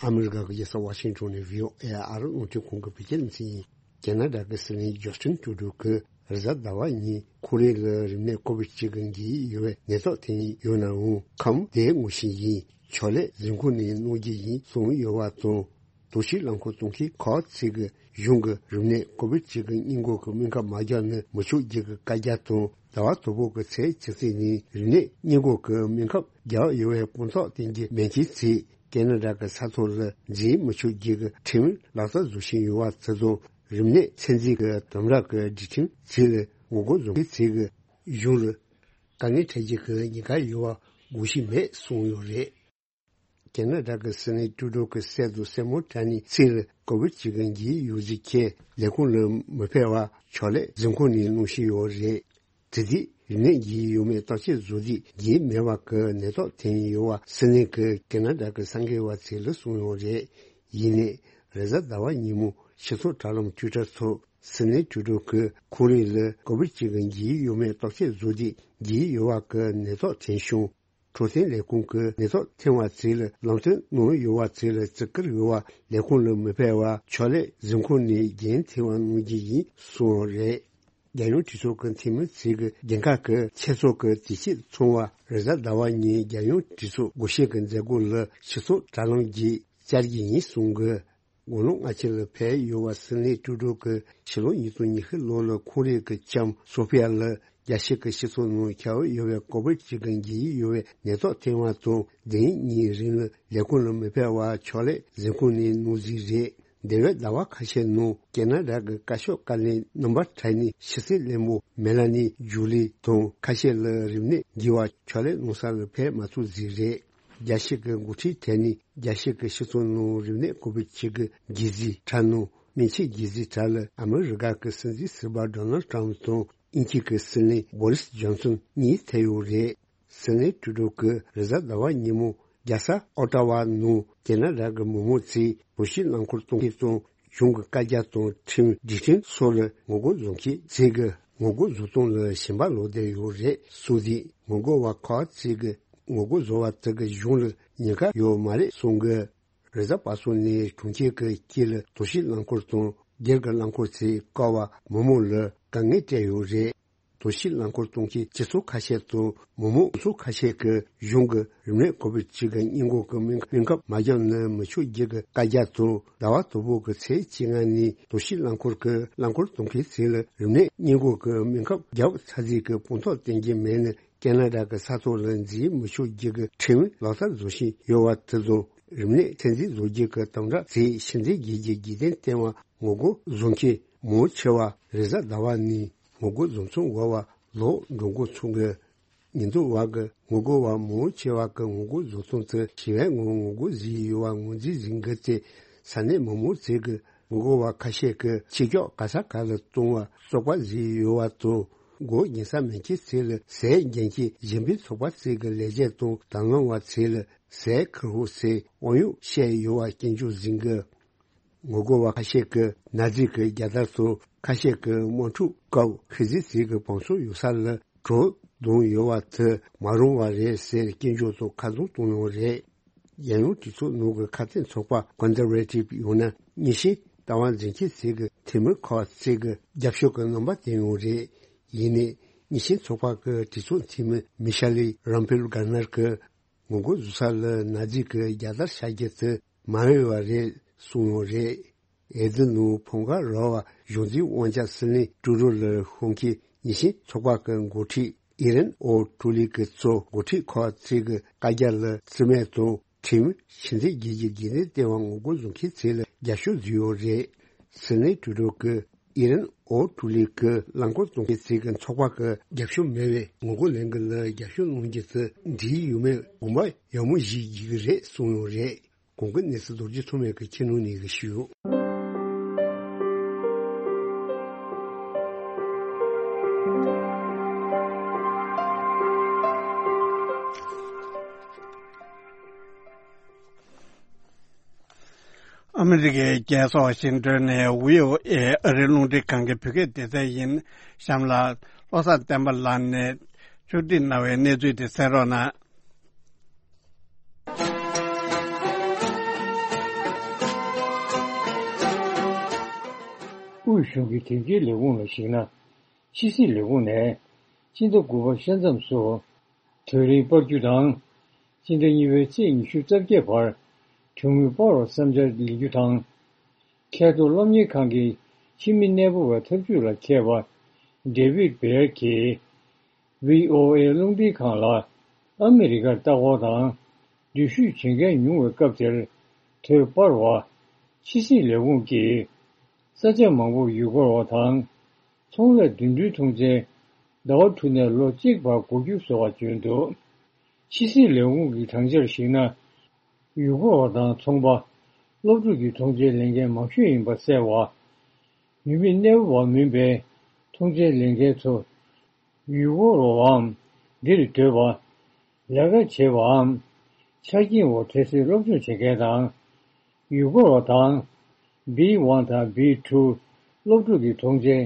ཨ་མི་རི་ཀ་གི་རྒྱལ་ས་ཝ་ཤིང་ཊོན་ནས་བྷི་ཨོ་ཨེ་ཨ་རིའི་རླུང་འཕྲིན་ཁང་གི་བོད་སྐད་སྡེ་ཚན་ཡིན། ཁེ་ན་ཌ་གི་སྲིད་བློན་ཇོ་སི་ཊིན་ཊུ་རུ་ཌོ་གིས་རེས་གཟའ་ཟླ་བ་ཉིན་ཁོ་རེ་ལ་རིམས་ནད་ཀོ་བིད་བཅུ་དགུ་འགོས་ཡོད་པའི་ནད་ཐོག་ཐོན་ཡོད་ནའང་། ཁམས་བདེ་ངོ་ཤེས་ཡིན། ཕྱག་ལས་གཟིམ་ཁང་ནས་གནང་རྒྱུ་ཡིན་གསུངས་ཡོད་པ་དང་། དོགས་གཞི་རླངས་འཁོར་གཏོང་མཁན་ཁག་ཅིག་གིས་གཞུང་གི་རིམས་ནད་ཀོ་བིད་བཅུ་དགུ་སྔོན་འགོག་གི་སྨན་ཁབ་མ་བརྒྱབ་ན་མི་ཆོག་རྒྱུ་གི་བཀའ་རྒྱ་དང་། ཟླ་བ་དང་པོ་གི་ཚེས་བཅུ་གཅིག་ཉིན་རིམས་ནད་སྔོན་འགོག་གི་སྨན་ཁབ་བརྒྱབ་ཡོད་པའི་དཔང་རྟགས་བསྟན་རྒྱུ་མེད་མཁན་ཚོས་ཁེ་ན་ཌ་གི་ས་ཐོག་ལ་འཛིན་མི་ཆོག་རྒྱུ་གི་ཁྲིམས་ལག་བསྟར་བཟོ་བཞིན་ཡོད་པ་དེ་དང་། རིམས་ནད་ཚད་འཛིན་གྱི་དམ་དྲག་གི་སྒྲིག་ཁྲིམས་ཚོ་ལ་ངོ་རྒོལ་བཟོ་མཁན་ཚོས་གཞུང་ལ་དཀའ་ངལ་འཕྲད་རྒྱུ་གི་ཉེན་ཁ་ཡོད་པ་དགོངས་གཞི་མེད་གསུངས་ཡོད་རེད། ཁེ་ན་ཌ་གི་སྲིད་བློན་ཀྲུ་ཌོ་གི་སྲས་དང་སྲས་མོ་གྲས་ནས་ཚེ་ལ་ཀོ་བིད་བཅུ་དགུ་འགོས་ཡོད་ཟེར་ཁྱེད་ལས་ཁུངས་ལ་མི་ཕེབས་པར་ཕྱག་ལས་གཟིམ་ཁང་ནས་གནང་བཞིན་ཡོད་རེད། དེ་དུས་རིམས་ནད་འགོས་ཡོད་མེད་བརྟག་དཔྱད་བཟོ་དུས་འགོས་མེད་པ་གི་ནད་རྟགས་ཐོན་ཡོད་པ་སྲིད་བློན་གྱིས་ཁེ་ན་ཌ་གི་གསར་འགོད་པ་ཚོ་ལ་གསུངས་ཡོད་རེད། ཡིན་ནའི་རེས་གཟའ་ཟླ་བ་ཉིན་མོ་སྤྱི་ཚོགས་དྲ་ལམ་ཊུའི་ཊར་ཐོག་སྲིད་བློན་ཀྲུ་ཌོ་གིས་ཁོ་རེ་ལ་ཀོ་བིད་བཅུ་དགུ་འགོས་ཡོད་མེད་བརྟག་དཔྱད་བཟོ་དུས་འགོས་ཡོད་པ་གི་ནད་རྟགས་ཐོན་བྱུང་། འཕྲོད་བསྟེན་ལས་ཁུངས་ཀྱིས་ནད་རྟགས་ཐོན་པ་ཚོ་ལ་ལམ་སྟོན་གནང་ཡོད་པ་ཚོ་ལ་བརྩི་བཀུར་ཡོད་པ། ལས་ཁུངས་ལ་མི་ཕེབས་པར་ཕྱག་ལས་གཟིམ་ཁང་ནས་འགན་འཁྱེར་བ་གནང་རྒྱུ་ཡིན་གསུངས་པ་རེད། རྒྱལ་ཡོངས་གྲོས་ཚོགས་ཀྱི་འཐུས་མི་ཚོས་ཀྱི་འགན་ཁག་གི་ཆེད་ཚོགས་ཀྱི་དུས་ཆེན་ཚོགས་པ་རེས་གཟའ་ཟླ་བ་ཉིན་རྒྱལ་ཡོངས་གྲོས་ཚོགས་སྒོ་ཕྱེ་གི་མཛད་སྒོ་ལ་སྤྱི་ཚོགས་དྲ་ལམ་བརྒྱུད་བཅར་རྒྱུ་ཡིན་གསུངས་གི། དགུང་ལོ་ལྔ་བཅུ་ལ་ཕེབས་ཡོད་པ་སྲིད་བློན་ཀྲུ་ཌོ་གིས་ཕྱི་ལོ་ཉིས་སྟོང་ཉི་ཤུ་ལོ་ལ་ཁོང་རང་གི་ལྕམ་སོ་ཕི་ཡ་ལ་རྒྱལ་སྤྱི་གི་སྤྱི་ཚོགས་ནང་ཁྱབ་ཡོད་པའི་ཀོ་བིད་བཅུ་དགུ་འགོས་ཡོད་པའི་ནད་རྟགས་ཐོན་པ་དང་། དེ་ཉིན་རིང་ལ་ལས་ཁུངས་ལ་མི་ཕེབས་པར་ཕྱག་ལས་གཟིམ་ཁང་ནས་གནང་རྩིས་རེད། འདས་པའི་ཟླ་བ་ཁ་ཤས་ནང་ཁེ་ན་ཌ་གི་བཀའ་ཤོག་བཀའ་བློན་རྣམ་པ་གྲས་ནས་ཕྱི་སྲིད་བློན་པོ་མེ་ལ་ནི་ཇུ་ལི་དང་ཁ་ཤས་ལ་རིམས་ནད་འགོས་པར་ཕྱག་ལས་གནང་ས་ལ་ཕེབས་མ་ཐུབ་རྩིས་རེད། རྒྱལ་སྤྱི་གི་འགོ་ཁྲིད་གྲས་ནས་རྒྱལ་སྤྱི་གི་སྤྱི་ཚོགས་ནང་རིམས་ནད་ཀོ་བིད་བཅུ་དགུ་འགོས་རྩིས་ཁྲལ་ནང་སྨན་ཆས་འགོས་རྩིས་ཁྲལ་ལ་ཨ་མི་རི་ཀ་གི་སྲིད་འཛིན་ཟུར་པ་ཌོ་ནལ་ཊམ་དང་དབྱིན་ཇི་གི་སྲིད་བློན་བོ་རིས་ཇོན་སོན་གཉིས་ཐེ་ཡོད་རེད། སྲིད་བློན་ཀྲུ་ཌོ་གིས་རེས་གཟའ་ཟླ་བ་ཉིན་མོ་རྒྱལ་ས་ཨོ་ཏྲ་ཝ་ནང་ཁེ་ན་ཌ་གི་མི་མང་ཚོས་དོགས་གཞི་རླངས་འཁོར་གཏོང་མཁན་དང་གཞུང་གི་བཀའ་རྒྱ་དང་ཁྲིམས་སྒྲིག་ཁྲིམས་སོགས་ལ་ངོ་རྒོལ་བཟོ་མཁན་ཚོས་ཀྱི་ངོ་རྒོལ་བཟོ་སྟངས་ལ་ཞེན་པ་ལོག་བསྡད་ཡོད་རེད་གསུངས་དུས། ངོ་རྒོལ་བ་ཁག་ཅིག་གིས་ངོ་རྒོལ་བཟོ་བ་དེ་གིས་གཞུང་ལ་ཉེན་ཁ་ཡོད་མ་རེད་གསུང་གི། རེས་གཟའ་པ་སངས་ཉིན་གྲོང་ཁྱེར་གྱི་དཀྱིལ་ལ་དོགས་གཞི་རླངས་འཁོར་དང་སྒེར་གྱི་རླངས་འཁོར་ཚོས་བཀག་པ་མི་མང་ལ་དཀའ་ངལ་སྤྲད་ཡོད་རེད། དོགས་གཞི་རླངས་འཁོར་གཏོང་མཁན་སྤྱི་ཚོགས་ཁ་ཤས་དང་མི་མང་ཚོགས་ཁ་ཤས་ཀྱིས་གཞུང་གི་རིམས་ནད་ཀོ་བིད་བཅུ་དགུ་སྔོན་འགོག་གི་སྨན་སྨན་ཁབ་མ་བརྒྱབ་ན་མི་ཆོག་རྒྱུ་གི་བཀའ་རྒྱ་དང་། ཟླ་བ་དང་པོ་གི་ཚེས་བཅོ་ལྔ་ནས་དོགས་གཞི་རླངས་འཁོར་གྱི་རླངས་འཁོར་གཏོང་མཁན་ཚོ་ལ་རིམས་ནད་སྔོན་འགོག་གི་སྨན་ཁབ་བརྒྱབ་ཚར་རྩིས་ཀྱི་དཔང་རྟགས་བསྟན་གྱི་མེད་ན། ཁེ་ན་ཌ་གི་ས་ཐོག་ལ་འཛིན་མི་ཆོག་རྒྱུ་གི་ཁྲིམས་ལག་བསྟར་བཟོ་བཞིན་ཡོད་པ་དེ་དང་། རིམས་ནད་ཚོད་འཛིན་བཟོ་རྒྱུ་གི་དམ་དྲག་ཚོས་ཕྱི་འབྲེལ་རྒྱལ་གྱི་རྒྱུན་ལྡན་ལྟེ་བར་ངོ་རྒོལ་བཟོ་མཁན་མང་ཆེ་བ་རེས་གཟའ་ཟླ་བ་ནས་ངོ་རྒོལ་བཟོ་མཚམས་འགོར་བ་ལོག་འགྲོ་འགོ་ཚུགས་འགོ། ཉིན་ཐོ་བར་གྱི་ངོ་རྒོལ་བ་མང་ཆེ་བ་གི་ངོ་རྒོལ་བཟོ་སྟངས་དེ་ཞི་བའི་ངང་ངོ་རྒོལ་བཟོས་ཡོད་པ་ངོས་འཛིན་བཟོ་འགོ་བཙུགས། ས་གནས་མི་མང་ཚོས་ཀྱི་ངོ་རྒོལ་བ་ཁ་ཤས་ཀྱིས་ཆེ་མཆོག་ག་ས་ག་ལ་གཏོང་བ་བཙོག་པ་བཟོས་ཡོད་པ་དང་། མགོ་གཉན་ས་མེད་མཁན་ཚོ་ལ་ཟས་འགན་འཁྱེར་གཞན་ཕན་ཚོགས་པ་ཚོ་གི་ལས་བྱེད་དང་དང་བླངས་པ་ཚོ་ལ་ཟས་ཁུར་ཧོ་ཟེར་དབང་ཡོད་བཤད་ཡོད་པ་སྐྱོན་བརྗོད་ཟིན་གི། ངོ་རྒོལ་བ་ཁ་ཤས་ཀྱིས་ན་ཛི་གི་རྒྱལ་དར་དང་ཁ་ཤས་ཀྱིས་དམག་འཁྲུག་སྐབས་ཧི་ཛི་ཟེར་གྱི་བང་སོ་ཡོད་ས་ལ་གྲོ་བརྡུངས་ཡོད་པ་དེ་མ་རུང་བ་རེད་ཟེར་སྐྱོན་བརྗོད་དང་ཁ་རྡུང་གཏོང་ཡོད་རེད། རྒྱལ་ཡོངས་གྲོས་ཚོགས་ནང་གི་ཁ་གཏད་ཚོགས་པ་ཀོན་ཛར་ཝེ་ཊིབ་ཡང་ན་མཉེས་གཤིན་ལྟ་བ་འཛིན་མཁན་ཚོས་གི་ཐེ་མུར་ཁོ་ཚོས་གི་རྒྱབ་སྐྱོར་གི་རྣམ་པ་བསྟན་ཡོད་རེད། ཡིན་ནའི་མཉེས་གཤིན་ཚོགས་པ་གི་གྲོས་ཚོགས་འཐུས་མི་མི་ཤ་ལི་རམ་ཕེལ་གྷར་ནར་གི་ངོ་རྒོལ་བཟོ་ས་ལ་ན་ཛི་གི་རྒྱལ་དར་ཤར་རྒྱུ་དེ་མ་འོས་པ་རེད་གསུངས་ཡོད་རེད། འོས་བསྡུ་ནང་ཕམ་ཁ་རག་པ་གཞུང་འཛིན་དབང་ཆ་སྲིད་བློན་ཀྲུ་རོ་ལ་ཤོང་མཁན་མཉེས་གཤིན་ཚོགས་པ་གི་འགོ་ཁྲིད་ཨི་རན་ཨོ་ཀྲུ་ལི་གི་གཙོ་འགོ་ཁྲིད་ཁོ་ཚོས་གི་བཀའ་རྒྱ་ལ་རྩིས་མེད་དང་ཁྲིམས་ཕྱི་འཐེན་བྱེད་རྒྱུ་དགོས་ནས་ལྟེ་བ་ངོ་རྒོལ་བཟོ་མཁན་ཚོ་ལ་རྒྱབ་སྐྱོར་བཟོས་ཡོད་རེད། སྲིད་བློན་ཀྲུ་རོ་གི་ཨི་རན་ཨོ་ཀྲུ་ལི་གི་རླངས་འཁོར་གཏོང་མཁན་ཚོས་གི་ཚོགས་པ་གི་རྒྱབ་སྐྱོར་མེད་པའི་ངོ་རྒོལ་ལས་འགུལ་ལ་རྒྱབ་སྐྱོར་གནང་རྒྱུ་དེ་འགྲིག་ཡོད་མེད་དགོངས་པ་ཡག་མོ་བཞེས་རྒྱུ་གི་རེད་གསུངས་ཡོད་རེད། གོང་གི་གནས་ཚུལ་རྡོ་རྗེ་ཐོགས་མེད་ཀྱིས་ཁྱེད་རྣམས་ནས་ཞུས་ཡོད། ཨ་མི་རི་ཀའི་རྒྱལ་ས་ཝ་ཤིང་ཏོན་ནས་བྷི་ཨོ་ཨེ་ཨ་རིའི་རླུང་འཕྲིན་ཁང་གི་བོད་སྐད་སྡེ་ཚན་ཡིན། གཤམ་ལ་བློ་བཟང་བསྟན་པ་ལགས་ནས་ཕྱོགས་སྒྲིག་གནང་བའི་གནས་ཚུལ་དེ་གསན་རོགས་གནང་། དབུས་གཞུང་གི་དོན་རྐྱེན་ལས་ཁུངས་ལ་གཞིགས་ན། ཕྱི་སྲིད་ལས་ཁུངས་ནས་སྤྱི་ཟླ་དགུ་པ་ཤ་མཚམས་སུ་དུས་རིང་སྤར་རྒྱུ་དང་། སྤྱི་ཟླ་གཉིས་པའི་ཚེས་ཉི་ཤུ་རྩ་བརྒྱད་བར་གྲོན་དངུལ་སྤར་བར་བསམ་འཆར་ལེན་རྒྱུ་དང་། མཁས་ཐོག་སློབ་གཉེར་ཁང་གི་ཕྱི་མི་གནས་སྤོ་བའི་ཐབས་ཇུས་ལ་མཁས་པ་ཌེ་བིད་བེར་གྱིས་བྷི་ཨོ་ཨེ་རླུང་འཕྲིན་ཁང་ལ་ཨ་མི་རི་ཀར་ལྟ་སྐོར་དང་འགྲུལ་བཞུད་བྱེད་མཁན་ཉུང་བའི་སྐབས་དེར་དུས་སྤར་བ། ཕྱི་སྲིད་ལས་ཁུངས་ཀྱིས་ས་ཆ་མང་པོར་ཡུལ་སྐོར་བ་དང་ཚོང་ལས་འགྲིམ་འགྲུལ་ཐོངས་མཆན་ཟླ་བ་དྲུག་ནས་ལོ་གཅིག་བར་འགོར་རྒྱུ་བཟོ་བ་བྱོན་འདུག་ཕྱི་སྲིད་ལས་ཁུངས་ཀྱི་དྲང་འཆར་གཞིགས་ན། ཡུལ་སྐོར་བ་དང་ཚོང་པ། སློབ་ཕྲུག་གི་ཐོངས་མཆན་ལེན་མཁན་མང་ཤོས་ཡིན་པ་གསལ་བ། ཡུལ་མི་གནས་སྤོ་བ་མིན་པའི་ཐོངས་མཆན་ལེན་མཁན་ཚོ། ཡུལ་སྐོར་བའམ་འདིར་སྡོད་པ། ལས་ཀ་བྱེད་པའམ། ཆ་རྐྱེན་འོག་འཕྲལ་སེལ་སློབ་སྦྱོང་བྱེད་མཁན་དང་། ཡུལ་སྐོར་བ་དང་། བི་ཝན་དང་བི་ཊུ་སློབ་ཕྲུག་གི་ཐོངས་མཆན་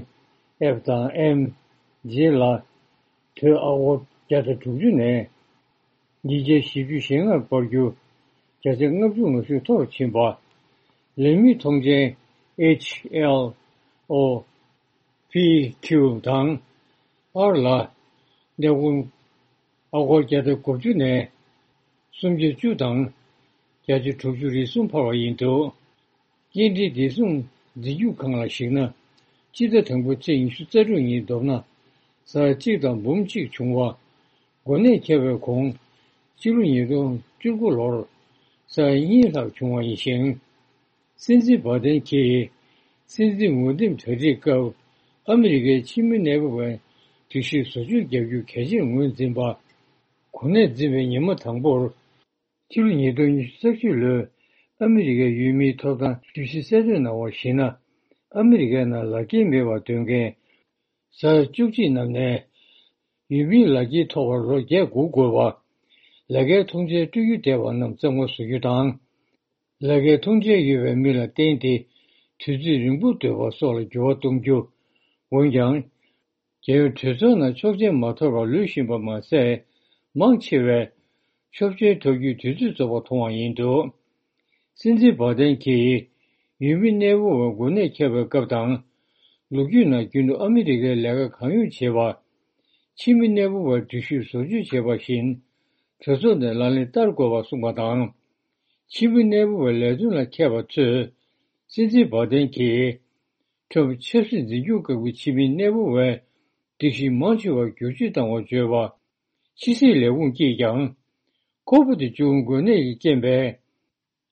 ཨེཕ་དང་ཨེམ་རྗེས་ལ། དོས་ཨ་སྒོར་བརྒྱ་དང་དྲུག་ཅུ་ནས། ཉིས་བརྒྱ་བཞི་བཅུ་ཞེ་ལྔར་སྤར་རྒྱུ། བརྒྱ་ཆ་ལྔ་བཅུ་ང་བཞི་མཐོ་རུ་ཕྱིན་པ། ལས་མི་ཐོངས་མཆན་ཨེཆ་ཨེལ་ཨོ། པི་ཁྱུ་དང་། ཨར་ལ། གནས་སྐོར་ཨ་སྒོར་བརྒྱ་དང་དགུ་བཅུ་ནས། སུམ་བརྒྱ་བཅུ་དང་། བརྒྱ་ཆ་དྲུག་ཅུ་རེ་གསུམ་འཕར་བ་ཡིན་འདུག་སྐྱེལ་འདྲེན་བདེ་སྲུང་འཛིན་སྐྱོང་ཁང་ལ་གཞིགས་ན། སྤྱི་ཟླ་དང་པོའི་ཚེས་ཉི་ཤུ་རྩ་དྲུག་ཉིན་མདོར་ན། ཟ་གཅིག་དང་འབུམ་གཅིག་བྱུང་བ། འགོ་ནད་ཁྱབ་པའི་གོང་། སྤྱི་ལོ་ཉིས་སྟོང་བཅུ་དགུ་ལོར། ཟ་གཉིས་ལྷག་བྱུང་བ་ཡིན་ཞིང་། སྲིད་འཛིན་བྷ་དན་གྱིས། སྲིད་འཛིན་འོས་འདེམས་གྲ་སྒྲིག་སྐབས། ཨ་མི་རི་ཀའི་ཕྱི་མི་གནས་སྤོ་བའི་སྒྲིག་གཞི་བཟོ་བཅོས་བརྒྱབ་རྒྱུ་གལ་ཆེར་ངོས་འཛིན་པ། གོ་གནས་འཛིན་པའི་ཉི་མ་དང་པོར། ཕྱི་ལོ་ཉིས་སྟོང་ཉི་ཤུ་རྩ་གཅིག་ལོའི་ཨ་མི་རི་ཀའི་ཡུལ་མིའི་ཐོབ་ཐང་གྲོས་གཞི་གསལ་སྟོན་གནང་བར་གཞིགས་ན། ཨ་མི་རི་ཀའི་ནང་ལག་འཁྱེར་མེད་པར་སྡོད་མཁན་ཟ་བཅུ་གཅིག་རྣམས་ནས། ཡུལ་མིའི་ལག་འཁྱེར་ཐོབ་པར་ལོ་བརྒྱད་འགོར་དགོས་པ། ལས་ཀའི་ཐོངས་མཆན་སྤྲོད་རྒྱུ་བསྡད་པ་རྣམས་རྩ་མེད་བཟོ་རྒྱུ་དང་། ལས་ཀའི་ཐོངས་མཆན་ཡོད་པའི་མི་ལ་བརྟེན་ཏེ་དུས་ཚོད་རིང་པོ་སྡོད་པ་སོགས་ལ་འགྱུར་བ་གཏོང་རྒྱུ། འོན་ཀྱང་། རྒྱལ་ཡོངས་གྲོས་ཚོགས་ནང་ཆོག་མཆན་མ་ཐོབ་པར་ལུས་བཞིན་པ་མ་ཟད། མང་ཆེ་བས་ཆོག་མཆན་ཐོབ་རྒྱུའི་དུས་ཚོད་རྫོགས་པ་མཐོང་བ་ཡིན་འདུག་སྲིད་འཛིན་བྷ་དན་གྱིས་ཡུལ་མི་གནས་སྤོ་བའི་འགོ་ནད་ཁྱབ་པའི་སྐབས་དང་། ལོ་རྒྱུས་ནང་རྒྱུན་དུ་ཨ་མི་རི་ཀའི་ལས་ཀ་གང་ཡོང་བྱེད་པ། ཕྱི་མི་གནས་སྤོ་བའི་སྒྲིག་གཞི་བཟོ་བཅོས་བྱེད་པ་བཞིན། གྲོས་ཚོགས་ནས་ལག་ལེན་བསྟར་དགོས་པ་གསུངས་པ་དང་། ཕྱི་མི་གནས་སྤོ་བའི་ལས་དོན་ལ་མཁས་པ་ཚོས། སྲིད་འཛིན་བྷ་དན་གྱིས། ཁྲོམ་ཆབ་སྲིད་འཛིན་སྐྱོང་ཁང་གི་ཕྱི་མི་གནས་སྤོ་བའི་སྒྲིག་གཞི་མང་ཆེ་བར་བསྒྱུར་བཅོས་བཏང་བར་བརྗོད་པ། ཕྱི་སྲིད་ལས་ཁུངས་ཀྱིས་ཀྱང་། ཁོ་བིཌ་བཅུ་དགུ་འགོས་ནད་ཀྱི་རྐྱེན་པས།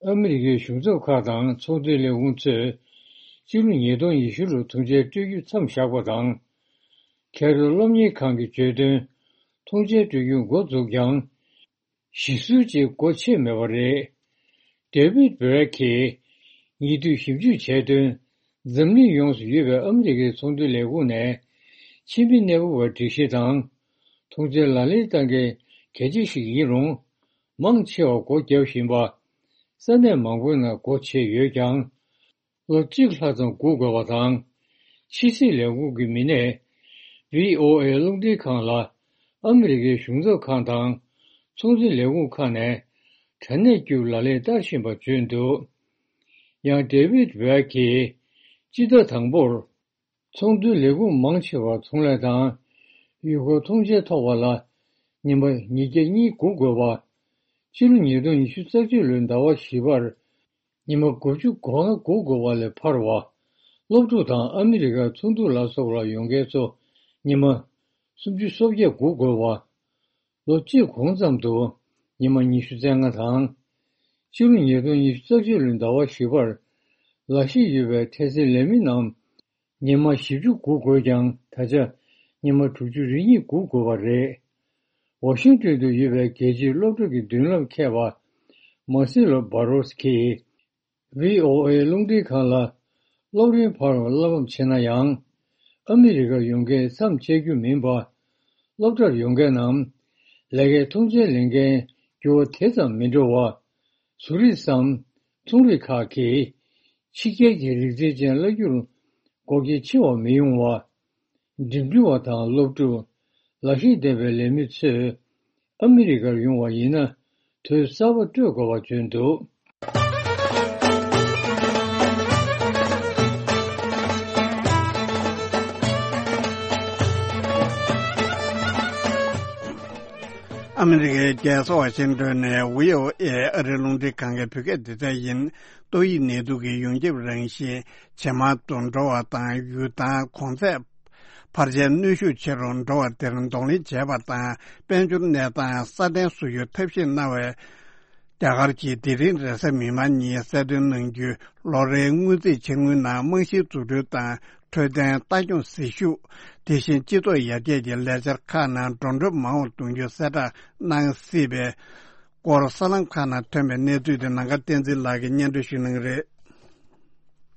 ཨ་མི་རི་ཀའི་གཞུང་ཚབ་ཁག་དང་ཚོང་དོན་ལས་ཁུངས་ཚོས། སྤྱི་ལོ་ཉིས་སྟོང་ཉི་ཤུ་ལོར་ཐོངས་མཆན་སྤྲོད་རྒྱུ་མཚམས་བཞག་པ་དང་། མཁས་གྲུབ་སློབ་གཉེར་ཁང་གིས་བརྗོད་དོན། ཐོངས་མཆན་སྤྲོད་རྒྱུ་འགོ་འཛུགས་ཀྱང་། གཞི་བསུར་བཅས་སྒོ་ཕྱེ་མེད་པ་རེད། ཌེ་བིད་བྷེ་ར་གིས་ཉེ་དུས་ཞིབ་འཇུག་བྱས་དོན། འཛམ་གླིང་ཡོངས་སུ་ཡོད་པའི་ཨ་མི་རི་ཀའི་ཚོང་དོན་ལས་ཁུངས་ནས། ཕྱི་མི་གནས་སྤོ་བའི་སྒྲིག་གཞི་དང་། ཐོངས་མཆན་ལག་ལེན་བསྟར་མཁན་གལ་ཆེ་ཞིག་ཡིན་རུང་། མང་ཆེ་བ་སྒོ་བརྒྱབ་བཞིན་པ། ས་གནས་མང་པོའི་ནང་སྒོ་ཕྱེ་ཡོད་ཀྱང་། ལོ་གཅིག་ལྷག་ཙམ་སྒུག་དགོས་པ་དང་། ཕྱི་སྲིད་ལས་ཁུངས་ཀྱི་མི་སྣས་བྷི་ཨོ་ཨེ་རླུང་འཕྲིན་ཁང་ལ། ཨ་མི་རི་ཀའི་གཞུང་ཚབ་ཁང་དང་ཚོང་འབྲེལ་ལས་ཁུངས་ཁག་ནས་དྲ་གནས་བརྒྱུད་ལག་ལེན་བསྟར་བཞིན་པ་བརྗོད་འདུག། ཡང་ཌེ་ཝིད་ཝེ་གིས་སྤྱི་ཟླ་དང་པོར། ཚོང་དོན་ལས་ཁུངས་མང་ཆེ་བར་ཚོང་ལས་དང་ཡུལ་སྐོར་ཐོངས་མཆན་ཐོབ་པ་ལ་ཉིན་པ་ཉིས་བརྒྱ་གཉིས་སྒུག་དགོས་པ། ཕྱི་ལོ་ཉིས་སྟོང་ཉི་ཤུ་རྩ་གཅིག་ལོའི་ཟླ་བ་བཞི་པར་ཉིན་པ་དགུ་བཅུ་གོང་ལ་སྒུག་དགོས་པ་ལས་འཕར་བ། སློབ་ཕྲུག་དང་ཨ་མི་རི་ཀར་ཚོགས་འདུ་ལ་སོགས་ལ་ཡོང་མཁན་ཚོ་ཉིན་པ་སུམ་ཅུ་སོ་བརྒྱད་སྒུག་དགོས་པ། ལོ་གཅིག་གོང་ཙམ་དུ་ཉི་མ་ཉི་ཤུ་རྩ་ལྔ་དང་། ཕྱི་ལོ་ཉིས་སྟོང་ཉི་ཤུ་རྩ་གཅིག་ལོའི་ཟླ་བ་བཞི་པར་ལས་གཞི་ཡོད་པའི་འཕྲལ་སེལ་ལས་མི་རྣམས་ཉི་མ་བཞི་བཅུ་སྒུག་དགོས་ཀྱང་ད་ཆ་ཉི་མ་དྲུག་ཅུ་རེ་གཉིས་སྒུག་དགོས་པ་རེད། ཝ་ཤིང་ཏོན་དུ་ཡོད་པའི་རྒྱལ་སྤྱིའི་སློབ་གྲྭ་གི་མདུན་ལམ་མཁས་པ་མར་སེ་ལོ་བྷ་རོས་ཀྱིས། བྷི་ཨོ་ཨེ་རླུང་འཕྲིན་ཁང་ལ་སློབ་རིམ་འཕར་བར་བསླབ་པ་བྱེད་ན་ཡང་། ཨ་མི་རི་ཀར་ཡོང་མཁན་མཚམས་བཅད་རྒྱུ་མིན་པ། སློབ་གྲྭར་ཡོང་མཁན་ནམ། ལས་ཀའི་ཐོངས་མཆན་ལེན་མཁན་འགྱུར་བ་དེ་ཙམ་མི་འགྲོ་བ། ཟུར་རིགས་སམ། ཚོང་རིགས་ཁག་གིས། ཕྱི་རྒྱལ་གྱི་རིག་རྩལ་ཅན་བརླག་རྒྱུར་འགོག་རྐྱེན་ཆེ་བ་མི་ཡོང་བ། འགྲིམ་འགྲུལ་བ་དང་སློབ་ཕྲུག་ལག་ཤེས་ལྡན་པའི་ལས་མི་ཚོས་ཨ་མི་རི་ཀར་ཡོང་བ་ཡིན་ན་དུས་གསར་པ་སྤྲོད་དགོས་པ་བརྗོད་འདུག། ཨ་མི་རི་ཀའི་རྒྱལ་ས་ཝ་ཤིང་ཏོན་ནས་བྷི་ཨོ་ཨེ་ཨ་རིའི་རླུང་འཕྲིན་ཁང་གི་བོད་སྐད་སྡེ་ཚན་ཡིན། ཏོག་དབྱིབས་ནད་དུག་གི་ཡོངས་ཁྱབ་རང་བཞིན་ཇེ་མང་དུ་འགྲོ་བ་དང་ཡུལ་ཐང་གོང་ཚད་འཕར་ཆའི་གནོན་ཤུགས་ཆེ་རུ་འགྲོ་བ་དེར་གདོང་ལེན་བྱས་པ་དང་དཔལ་འབྱོར་གནས་སྟངས་སྲ་བརྟན་བཟོ་རྒྱུར་ཐབས་ཤེས་གནང་བའི། རྒྱ་གར་གྱིས་དེ་རིང་རེས་གཟའ་མིག་དམར་ཉིན་གསལ་སྟོན་གནང་རྒྱུའི་ལོ་རེའི་སྔོན་རྩིས་ཆེད་དངུལ་ནང་རྨང་གཞིའི་འཛུགས་སྐྲུན་དང་འཕྲོད་བསྟེན་ལྟ་སྐྱོང་ཟིལ་ཤུགས། དེ་བཞིན་སྤྱི་ཚོགས་ཡར་རྒྱས་ཀྱི་ལས་འཆར་ཁག་ནང་འགྲོ་གྲོན་མང་བ་གཏོང་རྒྱུ་གསལ་བསྒྲགས་གནང་སྲིད་པའི་སྐོར་གསར་ལམ་ཁག་ནང་ཐོན་པའི་གནས་ཚུལ་དེ་ནམ་མཁའ་བསྟན་འཛིན་ལགས་ཀྱིས་སྙན་སྒྲོན་ཞུ་གནང་གི་རེད།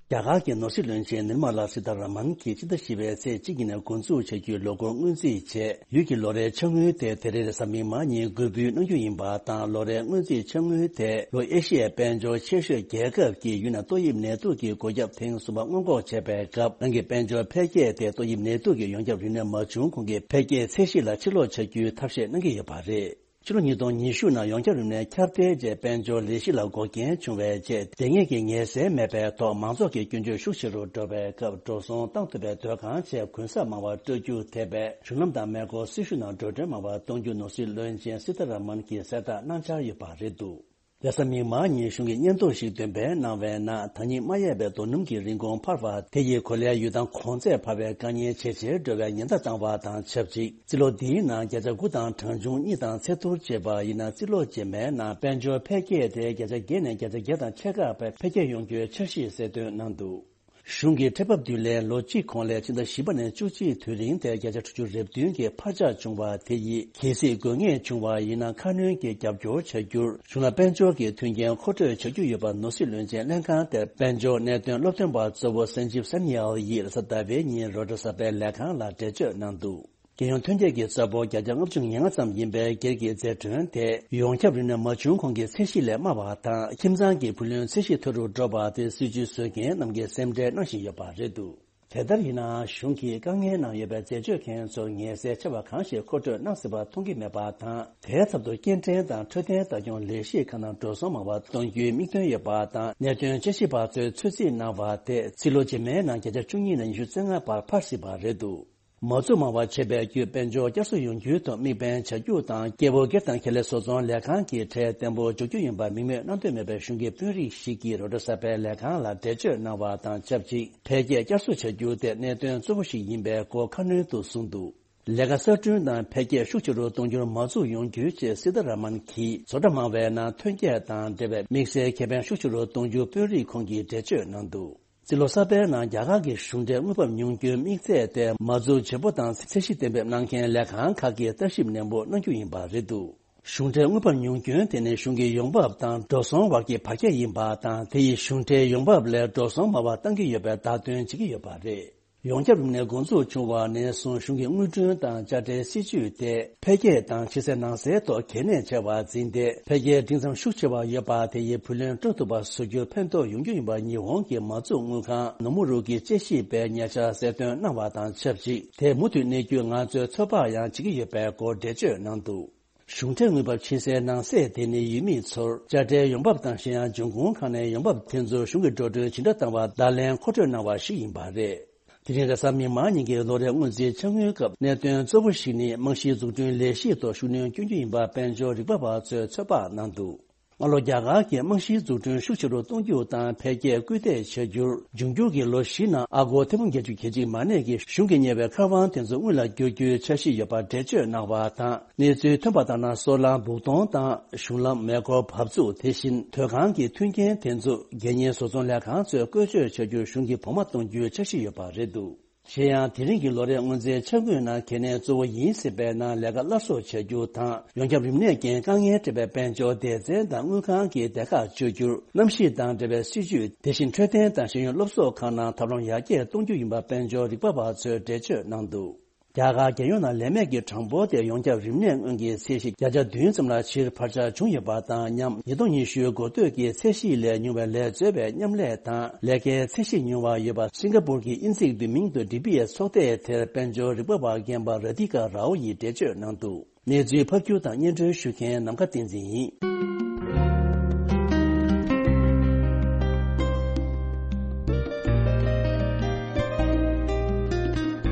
རྒྱ་གར་གྱི་ནོར་སྲིད་བློན་ཆེན་ནིར་མ་ལ་སི་ཐ་ར་མན་གྱིས་ཕྱི་ཟླ་བཞི་པའི་ཚེས་གཅིག་ཉིན་འགོ་འཛུགས་བྱ་རྒྱུའི་ལོ་འཁོར་སྔོན་རྩིས་ཆེད་ཡུལ་གྱི་ལོ་རེའི་ཆ་དངུལ་དེ་དེ་རིང་རེས་གཟའ་མིག་དམར་ཉིན་འགོད་འབུལ་གནང་རྒྱུ་ཡིན་པ་དང་། ལོ་རེའི་སྔོན་རྩིས་ཆ་དངུལ་དེ་ལྷོ་ཨེ་ཤི་ཡའི་དཔལ་འབྱོར་ཆེ་ཤོས་རྒྱལ་ཁབ་ཀྱིས་ཡུལ་ནང་ཏོག་དབྱིབས་ནད་དུག་གི་འགོས་ཁྱབ་ཐེངས་གསུམ་པ་སྔོན་འགོག་བྱེད་པའི་སྐབས། རང་གི་དཔལ་འབྱོར་འཕེལ་རྒྱས་དེ་ཏོག་དབྱིབས་ནད་དུག་གི་ཡོངས་ཁྱབ་རིམས་ནད་མ་བྱུང་གོང་གི་འཕེལ་རྒྱས་ཚད་གཞི་ལ་ཕྱིར་ལོག་བྱ་རྒྱུའི་ཐབས་ཤེས་གནང་གི་ཡོད་པ་རེད། ཕྱི་ལོ་ཉིས་སྟོང་ཉི་ཤུ་ནང་ཡོངས་ཁྱབ་རིམས་ནད་ཁྱབ་གདལ་རྗེས་དཔལ་འབྱོར་ལས་གཞི་ལ་འགོག་རྐྱེན་བྱུང་བའི་རྗེས། དེ་སྔའི་གི་ངལ་སེལ་མེད་པའི་ཐོག་མང་ཚོགས་ཀྱི་སྐྱོན་བརྗོད་ཤུགས་ཆེ་རུ་འགྲོ་བའི་སྐབས། འགྲོ་སོང་བཏང་ཐུབ་པའི་སྡོད་ཁང་བཅས་གུན་གསབ་མང་བ་སྤྲོད་རྒྱུ་ཐེ་བའི་གཞུང་ལམ་དང་མེ་འཁོར་སྲི་ཞུ་ནང་འགྲོ་གྲོན་མང་བ་གཏོང་རྒྱུ་ནོར་སྲིད་བློན་ཆེན་སི་ཐ་ར་མན་གྱིས་གསལ་བསྒྲགས་གནང་འཆར་ཡོད་པ་རེད་འདུག། རེས་གཟའ་མིག་དམར་ཉིན་གཞུང་གིས་སྙན་ཐོ་ཞིག་འདོན་སྤེལ་གནང་བའི་ནང་། ད་ཉིད་མ་ཡལ་བའི་རྡོ་སྣུམ་གྱི་རིན་གོང་འཕར་བ་དེ་ཡིས་གོ་ལའི་ཡུལ་ཐང་གོང་ཚད་འཕར་བའི་དཀའ་ངལ་ཇེ་ཆེར་འགྲོ་བའི་ཉེན་བརྡ་བཏང་བ་དང་ཆབས་ཅིག། རྩིས་ལོ་འདིའི་ནང་བརྒྱ་ཆ་དགུ་དང་གྲངས་ཆུང་གཉིས་དང་ཚད་ཐུར་བྱས་པ་ཡིན་ན། རྩིས་ལོ་རྗེས་མའི་ནང་དཔལ་འབྱོར་འཕེལ་རྒྱས་དེ་བརྒྱ་ཆ་བརྒྱད་ནས་བརྒྱ་ཆ་བརྒྱད་དང་ཕྱེད་ཀ་བར་འཕེལ་རྒྱས་ཡོང་རྒྱུའི་འཆར་གཞི་གསལ་སྟོན་གནང་འདུག། གཞུང་གི་ཁྲལ་འབབ་བསྡུ་ལེན་ལོ་གཅིག་གོང་ལས་ཕྱི་ཟླ་བཞི་པ་ནས་བཅུ་གཅིག་དུས་རིང་དེར་བརྒྱ་ཆ་དྲུག་ཅུ་རེ་བདུན་གྱི་འཕར་ཆག་བྱུང་བ་དེ་ཡིས། གལ་སྲིད་དགོས་ངེས་བྱུང་བ་ཡིན་ན། ཁ་སྣོན་གྱི་རྒྱབ་སྐྱོར་བྱ་རྒྱུར་གཞུང་ལ་དཔལ་འབྱོར་གྱི་མཐུན་རྐྱེན་མཁོ་སྤྲོད་བྱ་རྒྱུ་ཡོད་པ་ནོར་སྲིད་བློན་ཆེན་ལྷན་ཁང་དེར་དཔལ་འབྱོར་གནད་དོན་སློབ་སྟོན་པ་གཙོ་བོ་སན་ཇིབ་སན་ཡལ་ཡིས་རེས་གཟའ་ཟླ་བའི་ཉིན་རོའི་ཊར་གསར་པའི་ལས་ཁང་ལ་འགྲེལ་བརྗོད་གནང་འདུག། རྒྱལ་ཡོངས་ཐོན་སྐྱེད་ཀྱི་ས་ཕོགས་བརྒྱ་ཆ་ལྔ་བཅུ་ང་ལྔ་ཙམ་ཡིན་པའི་སྒེར་གྱི་རྫས་གྲོན་དེ་ཡོངས་ཁྱབ་རིམས་ནད་མ་བྱུང་གོང་གི་ཚད་གཞི་ལས་དམའ་བ་དང་། ཁྱིམ་ཚང་གི་བུ་ལོན་ཚད་གཞི་མཐོ་རུ་འགྲོ་བ་དེ་སྲིད་ཇུས་བཟོ་མཁན་རྣམས་ཀྱིས་སེམས་ཁྲལ་གནང་བཞིན་ཡོད་པ་རེད་འདུག། དེ་ལྟར་ཡིན་ནའང་གཞུང་གིས་དཀའ་ངལ་ནང་ཡོད་པའི་འཛད་སྤྱོད་མཁན་ཚོར་ངལ་སེལ་ཆེ་བ་གང་ཞིག་མཁོ་སྤྲོད་གནང་སྲིད་པ་མཐོང་གི་མེད་པ་དང་། དེའི་ཚབ་ཏུ་སྐྱེལ་འདྲེན་དང་འཕྲོད་བསྟེན་ལྟ་སྐྱོང་ལས་གཞི་ཁག་ནང་འགྲོ་སོང་མང་བ་གཏོང་རྒྱུའི་དམིགས་འདུན་ཡོད་པ་དང་། གནད་དོན་དཔྱད་ཞིབ་པ་ཚོས་ཚོད་རྩིས་གནང་བ་དེ་རྩིས་ལོ་རྗེས་མའི་ནང་བརྒྱ་ཆ་བཅུ་གཉིས་ནས་ཉི་ཤུ་རྩ་ལྔ་བར་འཕར་སྲིད་པ་རེད་འདུག། མ་འཛུགས་མང་བ་བྱེད་པའི་བརྒྱུད་དཔལ་འབྱོར་བསྐྱར་གསོ་ཡོང་རྒྱུའི་ཐོག་དམིགས་འབེན་བྱ་རྒྱུ་དང་། སྐྱེ་བོ་སྒེར་དང་ཁེ་ལས་བཟོ་ཚོང་ལས་ཁང་གི་ཁྲལ་བརྟན་པོ་འཇོག་རྒྱུ་ཡིན་པར་མིང་མེད་གནང་འདོད་མེད་པའི་གཞུང་གི་དཔོན་རིགས་ཤིག་གིས་རོའི་ཊར་གསར་པའི་ལས་ཁང་ལ་འགྲེལ་བརྗོད་གནང་བ་དང་ཆབས་ཅིག། འཕེལ་རྒྱས་བསྐྱར་གསོ་བྱ་རྒྱུ་དེ་གནད་དོན་གཙོ་བོ་ཞིག་ཡིན་པའི་སྐོར་ཁ་སྣོན་དུ་གསུངས་འདུག། ལས་ཀ་གསར་སྐྲུན་དང་འཕེལ་རྒྱས་ཤུགས་ཆེ་རུ་གཏོང་རྒྱུར་མ་འཛུགས་ཡོང་རྒྱུའི་ཆེད། སི་ཐ་ར་མན་གྱིས་བཟོ་གྲྭ་མང་བའི་ནང་ཐོན་སྐྱེད་དང་འབྲེལ་བའི་དམིགས་བསལ་ཁེ་ཕན་ཤུགས་ཆེ་རུ་གཏོང་རྒྱུ་དཔོན་རིགས་ཁོང་གིས་འགྲེལ་བརྗོད་གནང་འདུག། རྩིས་ལོ་གསར་པའི་ནང་རྒྱ་གར་གྱི་གཞུང་འབྲེལ་དངུལ་འབབ་ཉུང་སྐྱོན་དམིགས་ཚད་དེ་མ་འཛུགས་བྱེད་པོ་དང་ཚད་གཞི་གཏན་འབེབས་གནང་མཁན་ལས་ཁང་ཁག་གིས་ལྟ་ཞིབ་ནན་པོ་གནང་རྒྱུ་ཡིན་པ་རེད་འདུག། གཞུང་འབྲེལ་དངུལ་འབབ་ཉུང་སྐྱོན་དེ་ནི་གཞུང་གི་ཡོང་འབབ་དང་འགྲོ་སོང་བར་གྱི་བར་ཁྱད་ཡིན་པ་དང་། དེ་ཡིས་གཞུང་འབྲེལ་ཡོང་འབབ་ལས་འགྲོ་སོང་མང་བ་བཏང་གི་ཡོད་པའི་བརྡ་སྟོན་བྱེད་ཀྱི་ཡོད་པ་རེད། ཡོངས་ཁྱབ་རིམས་ནད་འགོ་འཛུགས་བྱུང་བ་ནས་བཟུང་གཞུང་གི་དངུལ་སྒྲོན་དང་དཔྱ་ཁྲལ་སྲིད་ཇུས་དེ་འཕེལ་རྒྱས་དང་ཕྱི་གསལ་ནང་གསལ་ཐོག་གལ་གནད་ཆེ་བར་འཛིན་ཏེ། འཕེལ་རྒྱས་འབྲིང་ཙམ་ཤུགས་ཆེ་བ་ཡོད་པ་དེ་ཡི་བུ་ལོན་སྤྲོད་ཐུབ་པ་བཟོ་རྒྱུར་ཕན་ཐོགས་ཡོང་རྒྱུ་ཡིན་པ་ཉི་ཧོང་གི་མ་བཙུགས་དངུལ་ཁང་ནོ་མུ་རུ་གི་དཔྱད་ཞིབ་པས་ཉེ་ཆར་གསལ་སྟོན་གནང་བ་དང་ཆབས་ཅིག་དེ་མུ་མཐུད་གནས་རྒྱུ་ང་ཚོས་ཚོད་དཔག་ཡང་བྱེད་ཀྱི་ཡོད་པའི་སྐོར་འགྲེལ་བརྗོད་གནང་འདུག་གཞུང་འབྲེལ་དངུལ་འབབ་ཕྱི་གསལ་ནང་གསལ་དེ་ནི་ཡུལ་མི་ཚོར་དཔྱ་ཁྲལ་ཡོང་འབབ་དང་གཞན་ཡང་འབྱུང་ཁུངས་ཁག་ནས་ཡོང་འབབ་དེ་ཚོ་གཞུང་གི་འགྲོ་གྲོན་ཇི་འདྲ་བཏང་བ་བརྡ་ལན་མཁོ་སྤྲོད་གནང་བ་ཞིག་ཡིན་པ་རེད། དེ་རིང་རེས་གཟའ་མིག་དམར་ཉིན་གྱི་ལོ་རེའི་དངུལ་རྩིས་འཆར་ངོའི་སྐབས་གནད་དོན་གཙོ་བོ་ཞིག་ནི་རྨང་གཞིའི་འཛུགས་སྐྲུན་ལས་གཞིའི་ཐོག་ཤུགས་སྣོན་སྐྱོན་རྒྱུ་ཡིན་པ་དཔལ་འབྱོར་རིག་པ་བ་ཚོས་ཚོད་དཔག་གནང་འདུག་སྔ་ལོ་རྒྱ་གར་གྱི་རྨང་གཞིའི་འཛུགས་སྐྲུན་ཤུགས་ཆེ་རུ་གཏོང་རྒྱུ་དང་འཕེལ་རྒྱས་སྐུལ་འདེད་བྱ་རྒྱུར། འབྱུང་འགྱུར་གྱི་ལོ་བཞི་ནང་ཨ་སྒོར་ཐེར་འབུམ་བརྒྱད་ཅུ་གྱ་གཅིག་མ་གནས་ཀྱི་གཞུང་གིས་གཉེར་བའི་མཁར་དབང་དེ་ཚོ་དངུལ་ལ་བསྒྱུར་རྒྱུའི་འཆར་གཞི་ཡོད་པ་འགྲེལ་བརྗོད་གནང་བ་དང་། གནས་ཚུལ་ཐོན་པ་ལྟར་ན། སོལ་རླངས་སྦུག་གཏོང་དང་། གཞུང་ལམ། མེ་འཁོར་འབབ་ཚུགས། དེ་བཞིན་དོས་ཁང་གི་མཐུན་རྐྱེན་དེ་ཚོ་རྒྱལ་གཉེར་བཟོ་ཚོང་ལས་ཁང་ཚོས་བཀོལ་སྤྱོད་བྱ་རྒྱུར་གཞུང་གིས་བོགས་མ་གཏོང་རྒྱུའི་འཆར་གཞི་ཡོད་པ་རེད་འདུག་གཞན་ཡང་། དེ་རིང་གི་ལོ་རེའི་དངུལ་རྩིས་འཆར་ངོས་ནང་གལ་གནད་གཙོ་བོ་ཡིན་སྲིད་པའི་ནང་ལས་ཀ་སླར་གསོ་བྱ་རྒྱུ་དང་། ཡོངས་ཁྱབ་རིམས་ནད་ཀྱིས་དཀའ་ངལ་འཕྲད་པའི་དཔལ་འབྱོར་སྡེ་ཚན་དང་དངུལ་ཁང་གི་སྡེ་ཁག་བཅོས་བསྒྱུར། གནམ་གཤིས་དང་འབྲེལ་བའི་སྲིད་ཇུས། དེ་བཞིན་འཕྲོད་བསྟེན་དང་ཤེས་ཡོན་སློབ་གསོ་ཁག་ནང་ཐབས་ལམ་ཡར་རྒྱས་གཏོང་རྒྱུ་ཡིན་པ་དཔལ་འབྱོར་རིག་པ་བ་ཚོས་འགྲེལ་བརྗོད་གནང་འདུག་རྒྱ་གར་རྒྱལ་ཡོངས་ནང་ལས་མེད་ཀྱི་གྲངས་འབོར་དེ་ཡོངས་ཁྱབ་རིམས་ནད་སྔོན་གྱི་ཚད་གཞི་བརྒྱ་ཆ་བདུན་ཙམ་ལ་ཕྱིར་འཕར་ཆག་བྱུང་ཡོད་པ་དང་། ཉམས་ཉིས་སྟོང་ཉི་ཤུ་འགོ་སྟོད་ཀྱི་ཚད་གཞི་ལས་ཉུང་བའི་ལས་རྩོལ་བའི་མཉམ་ལས་དང་ལས་ཀའི་ཚད་གཞི་ཉུང་བ་ཡོད་པ། སིང་ག་པུར་གྱི་དབྱིན་ཚིག་བསྡུས་མིང་དུ་ཌི་བྷི་ཨེས་ཚོགས་སྡེ་དེར་དཔལ་འབྱོར་རིག་པ་བ་རྒན་པ་ར་དྷི་ཀ་རའོ་ཡིས་འགྲེལ་བརྗོད་གནང་འདུག་གནས་ཚུལ་ཕབ་སྒྱུར་དང་སྙན་སྒྲོན་ཞུ་མཁན་ནམ་མཁའ་བསྟན་འཛིན་ཡིན།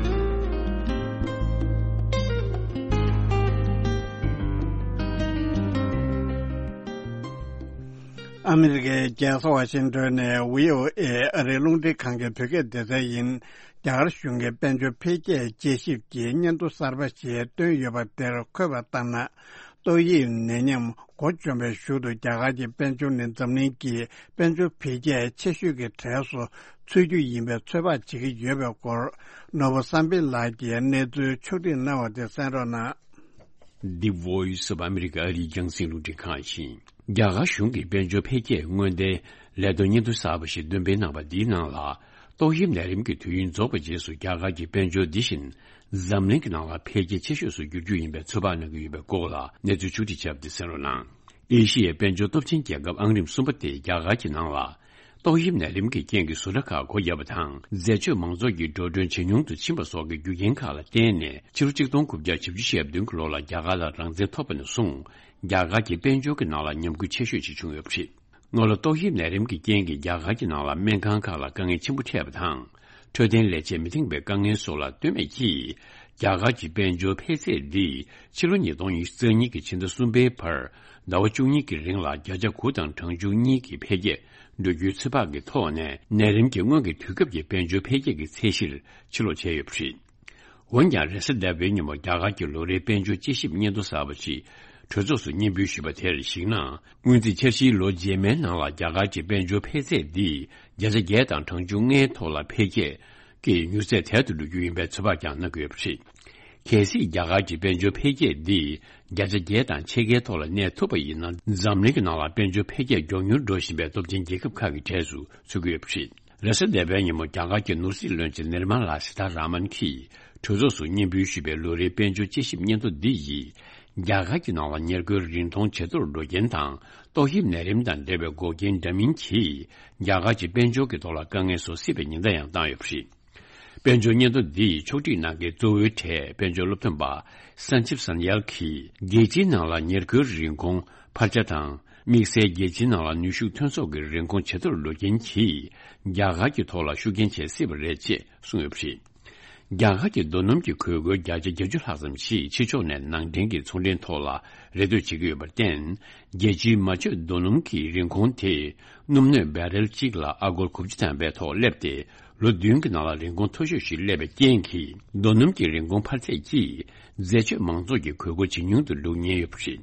ཨ་མི་རི་ཀའི་རྒྱལ་ས་ཝ་ཤིང་ཏོན་ནས་བྷི་ཨོ་ཨེ་ཨ་རིའི་རླུང་འཕྲིན་ཁང་གི་བོད་སྐད་སྡེ་ཚན་ཡིན། རྒྱ་གར་གཞུང་གིས་དཔལ་འབྱོར་འཕེལ་རྒྱས་དཔྱད་ཞིབ་ཀྱི་སྙན་ཐོ་གསར་པ་ཞིག་བཏོན་ཡོད་པ་དེར་འཁོད་པ་ལྟར་ན། ཏོག་དབྱིབས་ནད་ཡམས་འགོ་བཅོམ་པའི་གཞུག་ཏུ་རྒྱ་གར་གྱི་དཔལ་འབྱོར་ནི་འཛམ་གླིང་གི་དཔལ་འབྱོར་འཕེལ་རྒྱས་ཆེ་ཤོས་ཀྱི་གྲས་སུ་ཚུད་རྒྱུ་ཡིན་པའི་ཚོད་དཔག་བྱེད་ཀྱི་ཡོད་པའི་སྐོར། ནོར་བུ་བསམ་འཕེལ་ལགས་ཀྱིས་གནས་ཚུལ་ཕྱོགས་སྒྲིག་གནང་བ་དེ་གསན་རོགས་གནང་། The Voice of America ཨ་རིའི་རྒྱང་སྲིང་རླུང་འཕྲིན་ཁང་ཡིན། རྒྱ་གར་གཞུང་གིས་དཔལ་འབྱོར་འཕེལ་རྒྱས་སྔོན་བརྡའི་ལས་དོན་སྙན་ཐོ་གསར་པ་ཞིག་འདོན་སྤེལ་གནང་བ་འདིའི་ནང་ལ། ཏོག་དབྱིབས་ནད་རིམས་ཀྱི་དུས་ཡུན་རྫོགས་པའི་རྗེས་སུ་རྒྱ་གར་གྱི་དཔལ་འབྱོར་འདི་བཞིན་འཛམ་གླིང་གི་ནང་ལ་འཕེལ་རྒྱས་ཆེ་ཤོས་སུ་འགྱུར་རྒྱུ་ཡིན་པའི་ཚོད་དཔག་གནང་གི་ཡོད་པའི་སྐོར་ལ་གནས་ཚུལ་ཕྱོགས་སྒྲིག་བྱས་པ་དེ་གསན་རོགས་གནང་། ཨེ་ཤི་ཡའི་དཔལ་འབྱོར་སྟོབས་ཆེན་རྒྱལ་ཁབ་ཨང་རིམ་གསུམ་པ་དེ་རྒྱ་གར་གྱི་ནང་ལ། ཏོག་དབྱིབས་ནད་རིམས་ཀྱི་རྐྱེན་གྱིས་བཟོ་གྲྭ་ཁག་སྒོ་བརྒྱབ་པ་དང་། འཛད་སྤྱོད་མང་ཚོགས་ཀྱི་འགྲོ་གྲོན་ཇེ་ཉུང་དུ་ཕྱིན་པ་སོགས་ཀྱི་རྒྱུ་རྐྱེན་ཁག་ལ་བརྟེན་ནས། ཕྱི་ལོ་ཆིག་སྟོང་དགུ་བརྒྱ་བཞི་བཅུ་ཞེ་བདུན་གྱི་ལོ་ལ་རྒྱ་གར་ལ་རང་བཙན་ཐོབ་པ་ནས་བཟུང་། རྒྱ་གར་གྱི་དཔལ་འབྱོར་གྱི་ནང་ལ་ཉམས་རྒུད་ཆེ་ཤོས་ཤིག་བྱུང་ཡོད་པ་རེད། སྔོན་ལ་ཏོག་དབྱིབས་ནད་རིམས་ཀྱི་རྐྱེན་གྱིས་རྒྱ་གར་གྱི་ནང་ལ་སྨན་ཁང་ཁག་ལ་དཀའ་ངལ་ཆེན་པོ་འཕྲད་པ་དང་། འཕྲོད་བསྟེན་ལས་བྱེད་མི་འདང་བའི་དཀའ་ངལ་སོགས་ལ་ལྟོས་མེད་ཀྱིས། རྒྱ་གར་གྱི་དཔལ་འབྱོར་འཕེལ་ཚད་འདི་ཕྱི་ལོ་ཉིས་སྟོང་ཉི་ཤུ་རྩ་གཉིས་ཀྱི་ཕྱི་ཟླ་གསུམ་པའི་བར་ཟླ་བ་བཅུ་གཉིས་ཀྱི་རིང་ལ་བརྒྱ་ཆ་དགུ་དང་གྲངས་ཆུང་གཉིས་ཀྱི་འཕེལ་རྒྱས་འགྲོ་རྒྱུའི་ཚོད་དཔག་གི་ཐོག་ནས། ནད་རིམས་ཀྱི་སྔོན་གྱི་དུས་སྐབས་ཀྱི་དཔལ་འབྱོར་འཕེལ་རྒྱས་ཀྱི་ཚད་གཞིར་ཕྱིར་ལོག་བྱས་ཡོད་པ་རེད། འོན་ཀྱང་། རེས་གཟའ་ཟླ་བའི་ཉིན་མོ་རྒྱ་གར་གྱི་ལོ་རེའི་དཔལ་འབྱོར་དཔྱད་ཞིབ་སྙན་ཐོ་གསར་པ་ཞིག་གྲོས་ཚོགས་སུ་སྙན་འབུལ་ཞུས་པ་དེར་གཞིགས་ན། སྔོན་རྩིས་འཆར་གཞིའི་ལོ་རྗེས་མའི་ནང་ལ་རྒྱ་གར་གྱི་དཔལ་འབྱོར་འཕེལ་ཚད་འདི་བརྒྱ་ཆ་བརྒྱད་དང་གྲངས་ཆུང་ལྔའི་ཐོག་ལ་འཕེལ་རྒྱས་ཀྱི་མྱུར་ཚད་དལ་དུ་འགྲོ་རྒྱུ་ཡིན་པའི་ཚོད་དཔག་ཀྱང་གནང་གི་ཡོད་པ་རེད། གལ་སྲིད་རྒྱ་གར་གྱི་དཔལ་འབྱོར་འཕེལ་རྒྱས་འདི་བརྒྱ་ཆ་བརྒྱད་དང་ཕྱེད་ཀའི་ཐོག་ལ་གནས་ཐུབ་པ་ཡིན་ན། འཛམ་གླིང་གི་ནང་ལ་དཔལ་འབྱོར་འཕེལ་རྒྱས་མགྱོགས་མྱུར་འགྲོ་བཞིན་པའི་སྟོབས་ཆེན་རྒྱལ་ཁབ་ཁག་གི་གྲས་སུ་ཚུད་ཀྱི་ཡོད་པ་རེད། རེས་གཟའ་ཟླ་བའི་ཉིན་མོ་རྒྱ་གར་གྱི་ནོར་སྲིད་བློན་ཆེན་ནིར་མ་ལ་སི་ཐ་ར་མན་གྱིས་གྲོས་ཚོགས་སུ་སྙན་འབུལ་ཞུས་པའི་ལོ་རེའི་དཔལ་འབྱོར་དཔྱད་ཞིབ་སྙན་ཐོ་འདི་ཡིས། རྒྱ་གར་གྱི་ནང་ལ་ཉེར་མཁོའི་རིན་གོང་ཇེ་མཐོར་འགྲོ་རྐྱེན་དང་། ཏོག་དབྱིབས་ནད་རིམས་དང་འབྲེལ་བའི་འགོག་རྐྱེན་འདྲ་མིན་གྱིས། རྒྱ་གར་གྱི་དཔལ་འབྱོར་གྱི་ཐོག་ལ་དཀའ་ངལ་བཟོ་སྲིད་པའི་ཉེན་བརྡ་ཡང་བཏང་ཡོད་པ་རེད། དཔལ་འབྱོར་སྙན་ཐོ་འདི་ཡི་ཕྱོགས་སྒྲིག་གནང་མཁན་གཙོ་བོའི་གྲས་དཔལ་འབྱོར་སློབ་སྟོན་པ་སན་ཅིབ་སན་ཡལ་གྱིས། རྒྱལ་སྤྱིའི་ནང་ལ་ཉེར་མཁོའི་རིན་གོང་འཕར་ཆ་དང་། དམིགས་བསལ་རྒྱལ་སྤྱིའི་ནང་ལ་ནུས་ཤུགས་ཐོན་ཟོག་གི་རིན་གོང་ཇེ་མཐོར་འགྲོ་རྐྱེན་གྱིས། རྒྱ་གར་གྱི་ཐོག་ལ་ཤུགས་རྐྱེན་བྱེད་སྲིད་པ་རེད་ཅེས་གསུངས་ཡོད་པ་རེད། རྒྱ་གར་གྱི་རྡོ་སྣུམ་གྱི་གོས་མགོའི་བརྒྱ་ཆ་བརྒྱད་ཅུ་ལྷག་ཙམ་ཞིག་ཕྱི་ཕྱོགས་ནས་ནང་འདྲེན་གྱི་ཚོང་འབྲེལ་ཐོག་ལ་རེ་ལྟོས་བྱེད་ཀྱི་ཡོད་པར་བརྟེན། རྒྱལ་སྤྱིའི་མ་བཅོས་རྡོ་སྣུམ་གྱི་རིན་གོང་དེ་སྣུམ་སྣོད་བེ་རེལ་གཅིག་ལ་ཨ་སྒོར་དགུ་བཅུ་ཐམ་པའི་ཐོག་སླེབས་ཏེ། ལོ་བདུན་གྱི་ནང་ལ་རིན་གོང་མཐོ་ཤོས་ཤིག་སླེབས་པའི་རྐྱེན་གྱིས། རྡོ་སྣུམ་གྱི་རིན་གོང་འཕར་ཚད་ཀྱིས་འཛད་སྤྱོད་མང་ཚོགས་ཀྱི་གོས་མགོ་ཇེ་ཉུང་དུ་འགྲོ་ཉེན་ཡོད་པ་རེད།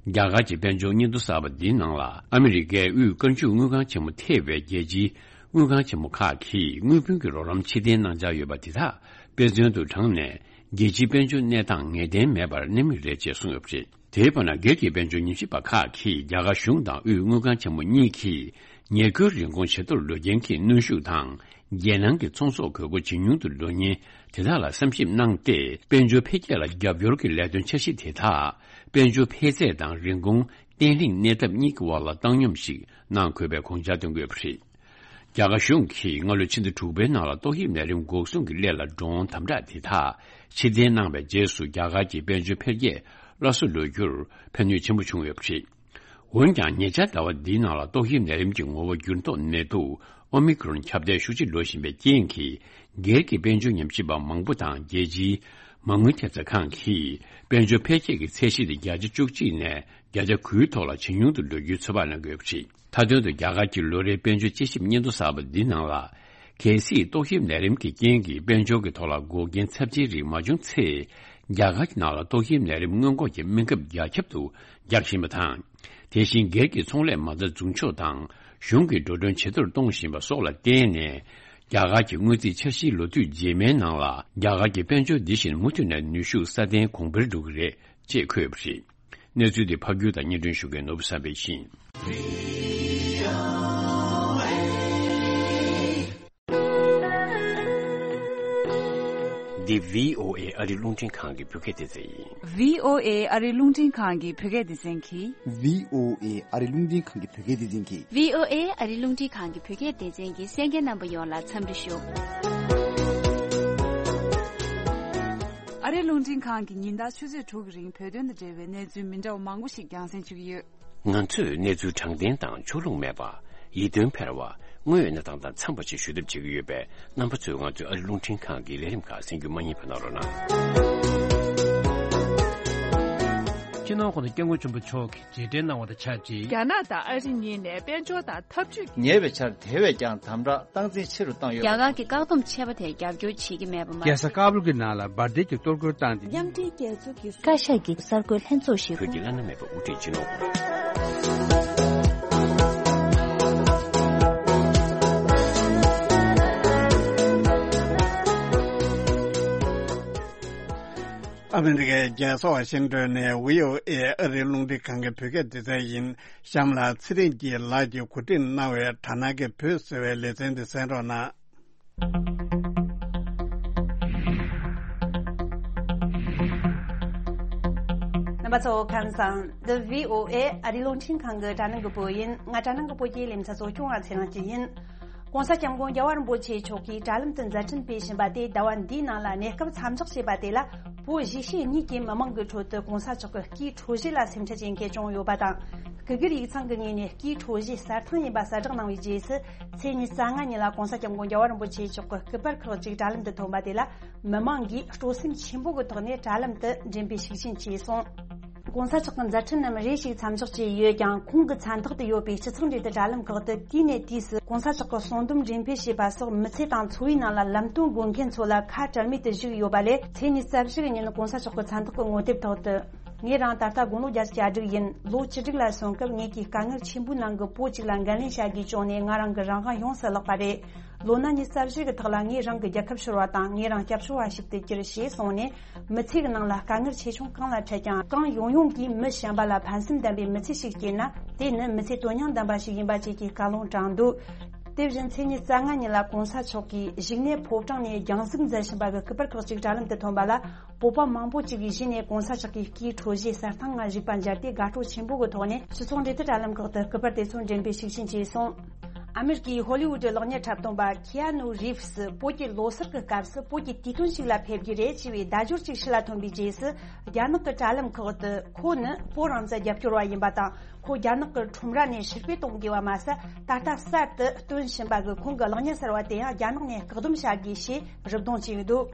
རྒྱ་གར་གྱི་དཔལ་འབྱོར་སྙན་ཐོ་གསར་པ་འདིའི་ནང་ལ། ཨ་མི་རི་ཀའི་དབུས་བཀའ་འཇུག་དངུལ་ཁང་ཆེན་མོ་ཐེ་བའི་རྒྱལ་སྤྱིའི་དངུལ་ཁང་ཆེན་མོ་ཁག་གིས་དངུལ་བུན་གྱི་རོགས་རམ་ཕྱིར་འཐེན་གནང་འཆར་ཡོད་པ་དེ་དག་དཔེ་མཚོན་དུ་དྲངས་ནས། རྒྱལ་སྤྱིའི་དཔལ་འབྱོར་གནས་སྟངས་ངེས་གཏན་མེད་པར་གནས་མུས་རེད་ཅེས་གསུངས་ཡོད་པ་རེད། དེའི་བར་ན། སྒེར་གྱི་དཔལ་འབྱོར་ཉམས་ཞིབ་པ་ཁག་གིས་རྒྱ་གར་གཞུང་དང་དབུས་དངུལ་ཁང་ཆེན་མོ་གཉིས་ཀྱིས་ ཉེར་མཁོའི་རིན་གོང་ཇེ་མཐོར་འགྲོ་རྐྱེན་གྱིས་གནོན་ཤུགས་དང་། རྒྱལ་ནང་གི་ཚོང་ཟོག་དགོས་མཁོ་ཇེ་ཉུང་དུ་འགྲོ་ཉེན་དེ་དག་ལ་བསམ་ཞིབ་གནང་སྟེ། དཔལ་འབྱོར་འཕེལ་རྒྱས་ལ་རྒྱབ་སྐྱོར་གྱི་ལས་དོན་འཆར་གཞི་དེ་དག་དཔལ་འབྱོར་འཕེལ་ཚད་དང་རིན་གོང་བརྟན་ལྷིང་གནས་ཐབས་གཉིས་ཀྱི་དབར་ལ་བཏང་སྙོམས་ཤིག་གནང་དགོས་པའི་དགོངས་འཆར་བཏོན་དགོས་པ་རེད། རྒྱ་གར་གཞུང་གིས་སྔ་ལོའི་ཕྱི་ཟླ་དྲུག་པའི་ནང་ལ་ཏོག་དབྱིབས་ནད་རིམས་འགོག་སྲུང་གི་སླད་ལ་ཌོ་རོན་དམ་དྲག་དེ་དག་ཕྱིར་འཐེན་གནང་བའི་རྗེས་སུ། རྒྱ་གར་གྱི་དཔལ་འབྱོར་འཕེལ་རྒྱས་སླར་གསོ་ལོས་རྒྱུར་ཕན་ནུས་ཆེན་པོ་བྱུང་ཡོད་པ་རེད། འོན་ཀྱང་། ཉེ་ཆར་ཟླ་བ་འདིའི་ནང་ལ་ཏོག་དབྱིབས་ནད་རིམས་ཀྱི་ངོ་བོ་འགྱུར་ལྡོག་ནད་དུག་ཨོ་མི་ཀྲོན་ཁྱབ་གདལ་ཤུགས་ཆེ་འགྲོ་བཞིན་པའི་རྐྱེན་གྱིས། སྒེར་གྱི་དཔལ་འབྱོར་ཉམས་ཞིབ་པ་མང་པོ་དང་། རྒྱལ་སྤྱིའི་མ་དངུལ་ཐེབས་རྩ་ཁང་གིས་དཔལ་འབྱོར་འཕེལ་རྒྱས་ཀྱི་ཚད་གཞི་དེ་བརྒྱ་ཆ་བཅུ་གཅིག་ནས་བརྒྱ་ཆ་དགུའི་ཐོག་ལ་ཇེ་ཉུང་དུ་འགྲོ་རྒྱུའི་ཚོད་དཔག་གནང་གི་ཡོད་པ་རེད། མཐའ་དོན་དུ། རྒྱ་གར་གྱི་ལོ་རེའི་དཔལ་འབྱོར་དཔྱད་ཞིབ་སྙན་ཐོ་གསར་པ་འདིའི་ནང་ལ། གལ་སྲིད་ཏོག་དབྱིབས་ནད་རིམས་ཀྱི་རྐྱེན་གྱིས་དཔལ་འབྱོར་གྱི་ཐོག་ལ་འགོག་རྐྱེན་ཚབས་ཆེན་རིགས་མ་བྱུང་ཚེ། རྒྱ་གར་གྱི་ནང་ལ་ཏོག་དབྱིབས་ནད་རིམས་སྔོན་འགོག་གི་སྨན་ཁབ་རྒྱ་ཁྱབ་ཏུ་རྒྱག་བཞིན་པ་དང་། དེ་བཞིན་སྒེར་གྱི་ཚོང་ལས་མ་རྩ་འཛུགས་ཕྱོགས་དང་། གཞུང་གིས་འགྲོ་གྲོན་ཇེ་མཐོར་གཏོང་བཞིན་པ་སོགས་ལ་བརྟེན་ནས། རྒྱ་གར་གྱི་དངུལ་རྩིས་འཆར་གཞིའི་ལོ་དུས་རྗེས་མའི་ནང་ལ། རྒྱ་གར་གྱི་དཔལ་འབྱོར་འདི་བཞིན་མུ་མཐུད་ནས་ནུས་ཤུགས་སྲ་བརྟན་གོང་འཕེལ་འགྲོ་གི་རེད་ཅེས་འཁོད་པ་རེད། གནས་ཚུལ་འདི་ཕབ་སྒྱུར་དང་སྙན་སྒྲོན་ཞུ་མཁན་ནོར་བུ་བསམ་འཕེལ་ཡིན། འདི་བྷི་ཨོ་ཨེ་ཨ་རི་རླུང་འཕྲིན་ཁང་གི་བོད་སྐད་སྡེ་ཚན་ཡིན། བྷི་ཨོ་ཨེ་ཨ་རི་རླུང་འཕྲིན་ཁང་གི་བོད་སྐད་སྡེ་ཚན་གྱིས། བྷི་ཨོ་ཨེ་ཨ་རི་རླུང་འཕྲིན་ཁང་གི་བོད་སྐད་སྡེ་ཚན་གྱིས། བྷི་ཨོ་ཨེ་ཨ་རི་རླུང་འཕྲིན་ཁང་གི་བོད་སྐད་སྡེ་ཚན་གྱི་གསན་མཁན་རྣམ་པ་ཡོངས་ལ་འཚམས་འདྲི་ཞུ། ཨ་རི་རླུང་འཕྲིན་ཁང་གིས་ཉིན་ལྟར་ཆུ་ཚོད་དྲུག་གི་རིང་བོད་དོན་དང་འབྲེལ་བའི་གནས་ཚུལ་མི་འདྲ་བ་མང་པོ་ཞིག་རྒྱང་སྲིང་ཞུ་གི་ཡོད། ང་ཚོས་གནས་ཚུལ་དྲང་བདེན་དང་ཕྱོགས་ལྷུང་མེད་པ། ཡིད་རྟོན་འཕེར་བ། དངོས་ཡོད་གནས་སྟངས་དང་འཚམས་པ་ཞིག་ཞུ་ཐབས་བྱེད་ཀྱི་ཡོད་པས། རྣམ་པ་ཚོས་ང་ཚོའི་ཨ་རི་རླུང་འཕྲིན་ཁང་གི་ལས་རིམ་ཁག་གསན་རྒྱུ་མ་བསྙེལ་བ་གནང་རོགས་གནང་། སྤྱི་ནོར་༸གོང་ས་༸སྐྱབས་མགོན་ཆེན་པོ་མཆོག་གིས་རྗེས་དྲན་གནང་བ་དང་ཆབས་ཅིག་རྒྱ་ནག་དང་ཨ་རི་གཉིས་ནས་དཔལ་འབྱོར་དང་འཐབ་ཇུས། ཉེ་བའི་ཆར་དེ་བས་ཀྱང་དམ་དྲག་སྟངས་འཛིན་ཆེ་རུ་བཏང་ཡོད་པ། རྒྱ་གར་གྱི་བཀག་སྡོམ་ཆད་པ་དེར་རྒྱབ་སྐྱོར་བྱེད་ཀྱི་མེད་པ་མ་རྒྱལ་ས་ཀ་བུལ་གྱི་ནང་ལ་འབར་མདེལ་གྱི་གཏོར་རྒོལ་བཏང་སྟེ། མཉམ་འབྲེལ་རྒྱལ་ཚོགས་ཀྱི་བཀའ་ཤག་གི་གསར་འགོད་ལྷན་ཚོགས་ཤིག་བོད་ཀྱི་བླ་ན་མེད་པའི་དབུ་ཁྲིད་སྤྱི་ནོར་ཨ་མི་རི་ཀའི་རྒྱལ་ས་ཝ་ཤིང་ཏོན་ནས་བྷི་ཨོ་ཨེ་ཨ་རིའི་རླུང་འཕྲིན་ཁང་གི་བོད་སྐད་སྡེ་ཚན་ཡིན། གཤམ་ལ་ཚེ་རིང་སྐྱིད་ལགས་ཀྱིས་གོ་སྒྲིག་གནང་བའི་དྲ་སྣང་གི་བོད་ཟེར་བའི་ལེ་ཚན་འདི་གསན་རོགས་གནང་། རྣམ་པ་ཚོ་ཁམས་བཟང་། འདི་བྷི་ཨོ་ཨེ་ཨ་རིའི་རླུང་འཕྲིན་ཁང་གི་དྲ་སྣང་གི་བོད་ཡིན། ང་དྲ་སྣང་གི་བོད་ཀྱི་ལེ་ཚན་གཙོ་སྐྱོང་བ་ཚེ་རིང་སྐྱིད་ཡིན། ྋགོང་ས་ྋསྐྱབས་མགོན་རྒྱལ་བ་རིན་པོ་ཆེ་མཆོག་གིས་དྲ་ལམ་དུ་མཛད་འཕྲིན་སྤེལ་བཞིན་པ་དེ་ཟླ་བ་འདིའི་ནང་ལ་གནས་སྐབས་མཚམས་འཇོག་བྱས་པ་དེ་ལ། བོད་གཞིས་བྱེས་གཉིས་ཀྱི་མི་མང་གི་ཁྲོད་དུ་ྋགོང་ས་མཆོག་གི་སྐུའི་འཕྲོད་བཞེས་ལ་སེམས་ཁྲལ་བྱེད་མཁན་བྱུང་ཡོད་པ་དང་། སྐུ་སྒེར་ཡིག་ཚང་གི་ངོས་ནས་སྐུའི་འཕྲོད་བཞེས་གསར་ཐང་ཡིན་པ་གསལ་བསྒྲགས་གནང་བའི་རྗེས་སུ། ཚེས་ཉི་ཤུ་རྩ་ལྔ་ཉིན་ལ་ྋགོང་ས་ྋསྐྱབས་མགོན་རྒྱལ་བ་རིན་པོ་ཆེ་མཆོག་གི་སྐུ་པར་ཁག་ཅིག་དྲ་ལམ་དུ་ཐོན་པ་དེ་ལ། མི་མང་གིས་སྤྲོ་སེམས་ཆེན་པོ་གི་ཐོག་ནས་དྲ་ལམ་དུ་མགྲིན་པའི་ཤུགས་རྐྱེན་བྱས་སོང་། ྋགོང་ས་མཆོག་གི་མཛད་འཕྲིན་རྣམས་རེ་ཞིག་མཚམས་འཇོག་བྱས་ཡོད་ཀྱང་། ཁོང་གི་མཚན་རྟགས་དུ་ཡོད་པའི་སྤྱི་ཚོགས་འབྲེལ་མཐུད་དྲ་ལམ་ཁག་ཏུ་དུས་ནས་དུས་སུ་ྋགོང་ས་མཆོག་གི་གསུང་འབུམ་འགྲེམས་སྤེལ་བྱས་པ་སོགས་མི་ཚེ་དང་འཚོ་བའི་ནང་ལ་ལམ་སྟོན་དགོས་མཁན་ཚོ་ལ་ཁ་བྲལ་མེད་དུ་བཞུགས་ཡོད་པ་ལས། ཚེས་ཉི་ཤུ་རྩ་བཞི་གི་ཉིན་ྋགོང་ས་མཆོག་གི་མཚན་རྟགས་ཀྱི་ངོ་དེབ་ཐོག་ཏུ། ངེད་རང་ད་ལྟ་དགུང་ལོ་བརྒྱད་ཅུ་གྱ་དྲུག་ཡིན། ལོ་བཅུ་དྲུག་ལ་སོན་སྐབས་ངེད་ཀྱི་དཀའ་ངལ་ཆེན་པོའི་ནང་གི་བོད་ཅིག་ལ་འགན་ལེན་བྱ་དགོས་བྱུང་ནས། ང་རང་གི་རང་དབང་ཡོངས་སུ་བརླག་པ་རེད། ལོ་ན་ཉི་ཤུ་རྩ་བཞི་གི་ཐོག་ལ་ངས་རང་གི་རྒྱལ་ཁབ་ཤོར་བ་དང་། ངས་རང་སྐྱབས་བཅོལ་བ་ཞིག་ཏུ་གྱུར་ཞེས་གསུངས་ནས། མི་ཚེ་གི་ནང་ལ་དཀའ་ངལ་ཆེ་ཆུང་གང་ལ་འཕྲད་ཀྱང་། གང་ཡོང་ཡོང་གིས་མི་གཞན་པ་ལ་ཕན་སེམས་ལྡན་པའི་མི་ཚེ་ཞིག་སྐྱེལ་ན། དེ་ནི་མི་ཚེ་དོན་སྙིང་ལྡན་པ་ཞིག་ཡིན་པ་བཅས་ཀྱི་བཀའ་ལུང་དྲངས་འདུག་དེ་བཞིན་ཚེས་ཉི་ཤུ་རྩ་ལྔ་ཉིན་ལ་ྋགོང་ས་མཆོག་གིས་བཞུགས་གནས་ཕོ་བྲང་ནས་རྒྱང་གཟིགས་མཛད་བཞིན་པ་གི་སྐུ་པར་ཁག་ཅིག་དྲ་ལམ་དུ་ཐོན་པ་ལ། བོད་པ་མང་པོ་ཅིག་གིས་གཞི་ནས་ྋགོང་ས་མཆོག་གི་སྐུའི་འཕྲོད་བཞེས་གསར་ཐང་ལ་གཞིགས་པ་མཇལ་ཏེ། དགའ་སྤྲོ་ཆེན་པོ་གི་ཐོག་ནས་སྤྱི་ཚོགས་འབྲེལ་མཐུད་དྲ་ལམ་ཁག་ཏུ་སྐུ་པར་དེ་ཚོ་འགྲེམས་སྤེལ་ཤུགས་ཆེན་བྱས་སོང་། ཨ་མེ་རི་ཀའི་ཧོ་ལི་ཝུད་གློག་བརྙན་འཁྲབ་སྟོན་པ་ཁི་ཨ་ནུ་རིབ་སི་བོད་ཀྱི་ལོ་གསར་གྱི་སྐབས་སུ་བོད་ཀྱི་དུས་སྟོན་ཞིག་ལ་ཕེབས་རྒྱུ་རེད་ཅེས་པའི་བརྡ་སྦྱོར་ཅིག་ཕྱི་ལ་ཐོན་པའི་རྗེས་སུ། རྒྱ་ནག་གི་དྲ་ལམ་ཁག་ཏུ་ཁོ་ནི་བོད་རང་བཙན་རྒྱབ་སྐྱོར་བ་ཡིན་པ་དང་། ཁོ་རྒྱ་ནག་གི་ཁྲོམ་ར་ནས་ཕྱིར་འབུད་གཏོང་དགོས་པ་མ་ཟད། ད་ལྟ་གསར་དུ་སྟོན་བཞིན་པ་གི་ཁོང་གི་གློག་བརྙན་གསར་བ་དེ་ཡང་རྒྱ་ནག་ནས་བཀག་སྡོམ་བྱ་དགོས་ཞེས་རུབ་རྡུང་བྱས་ཡོད་འདུག་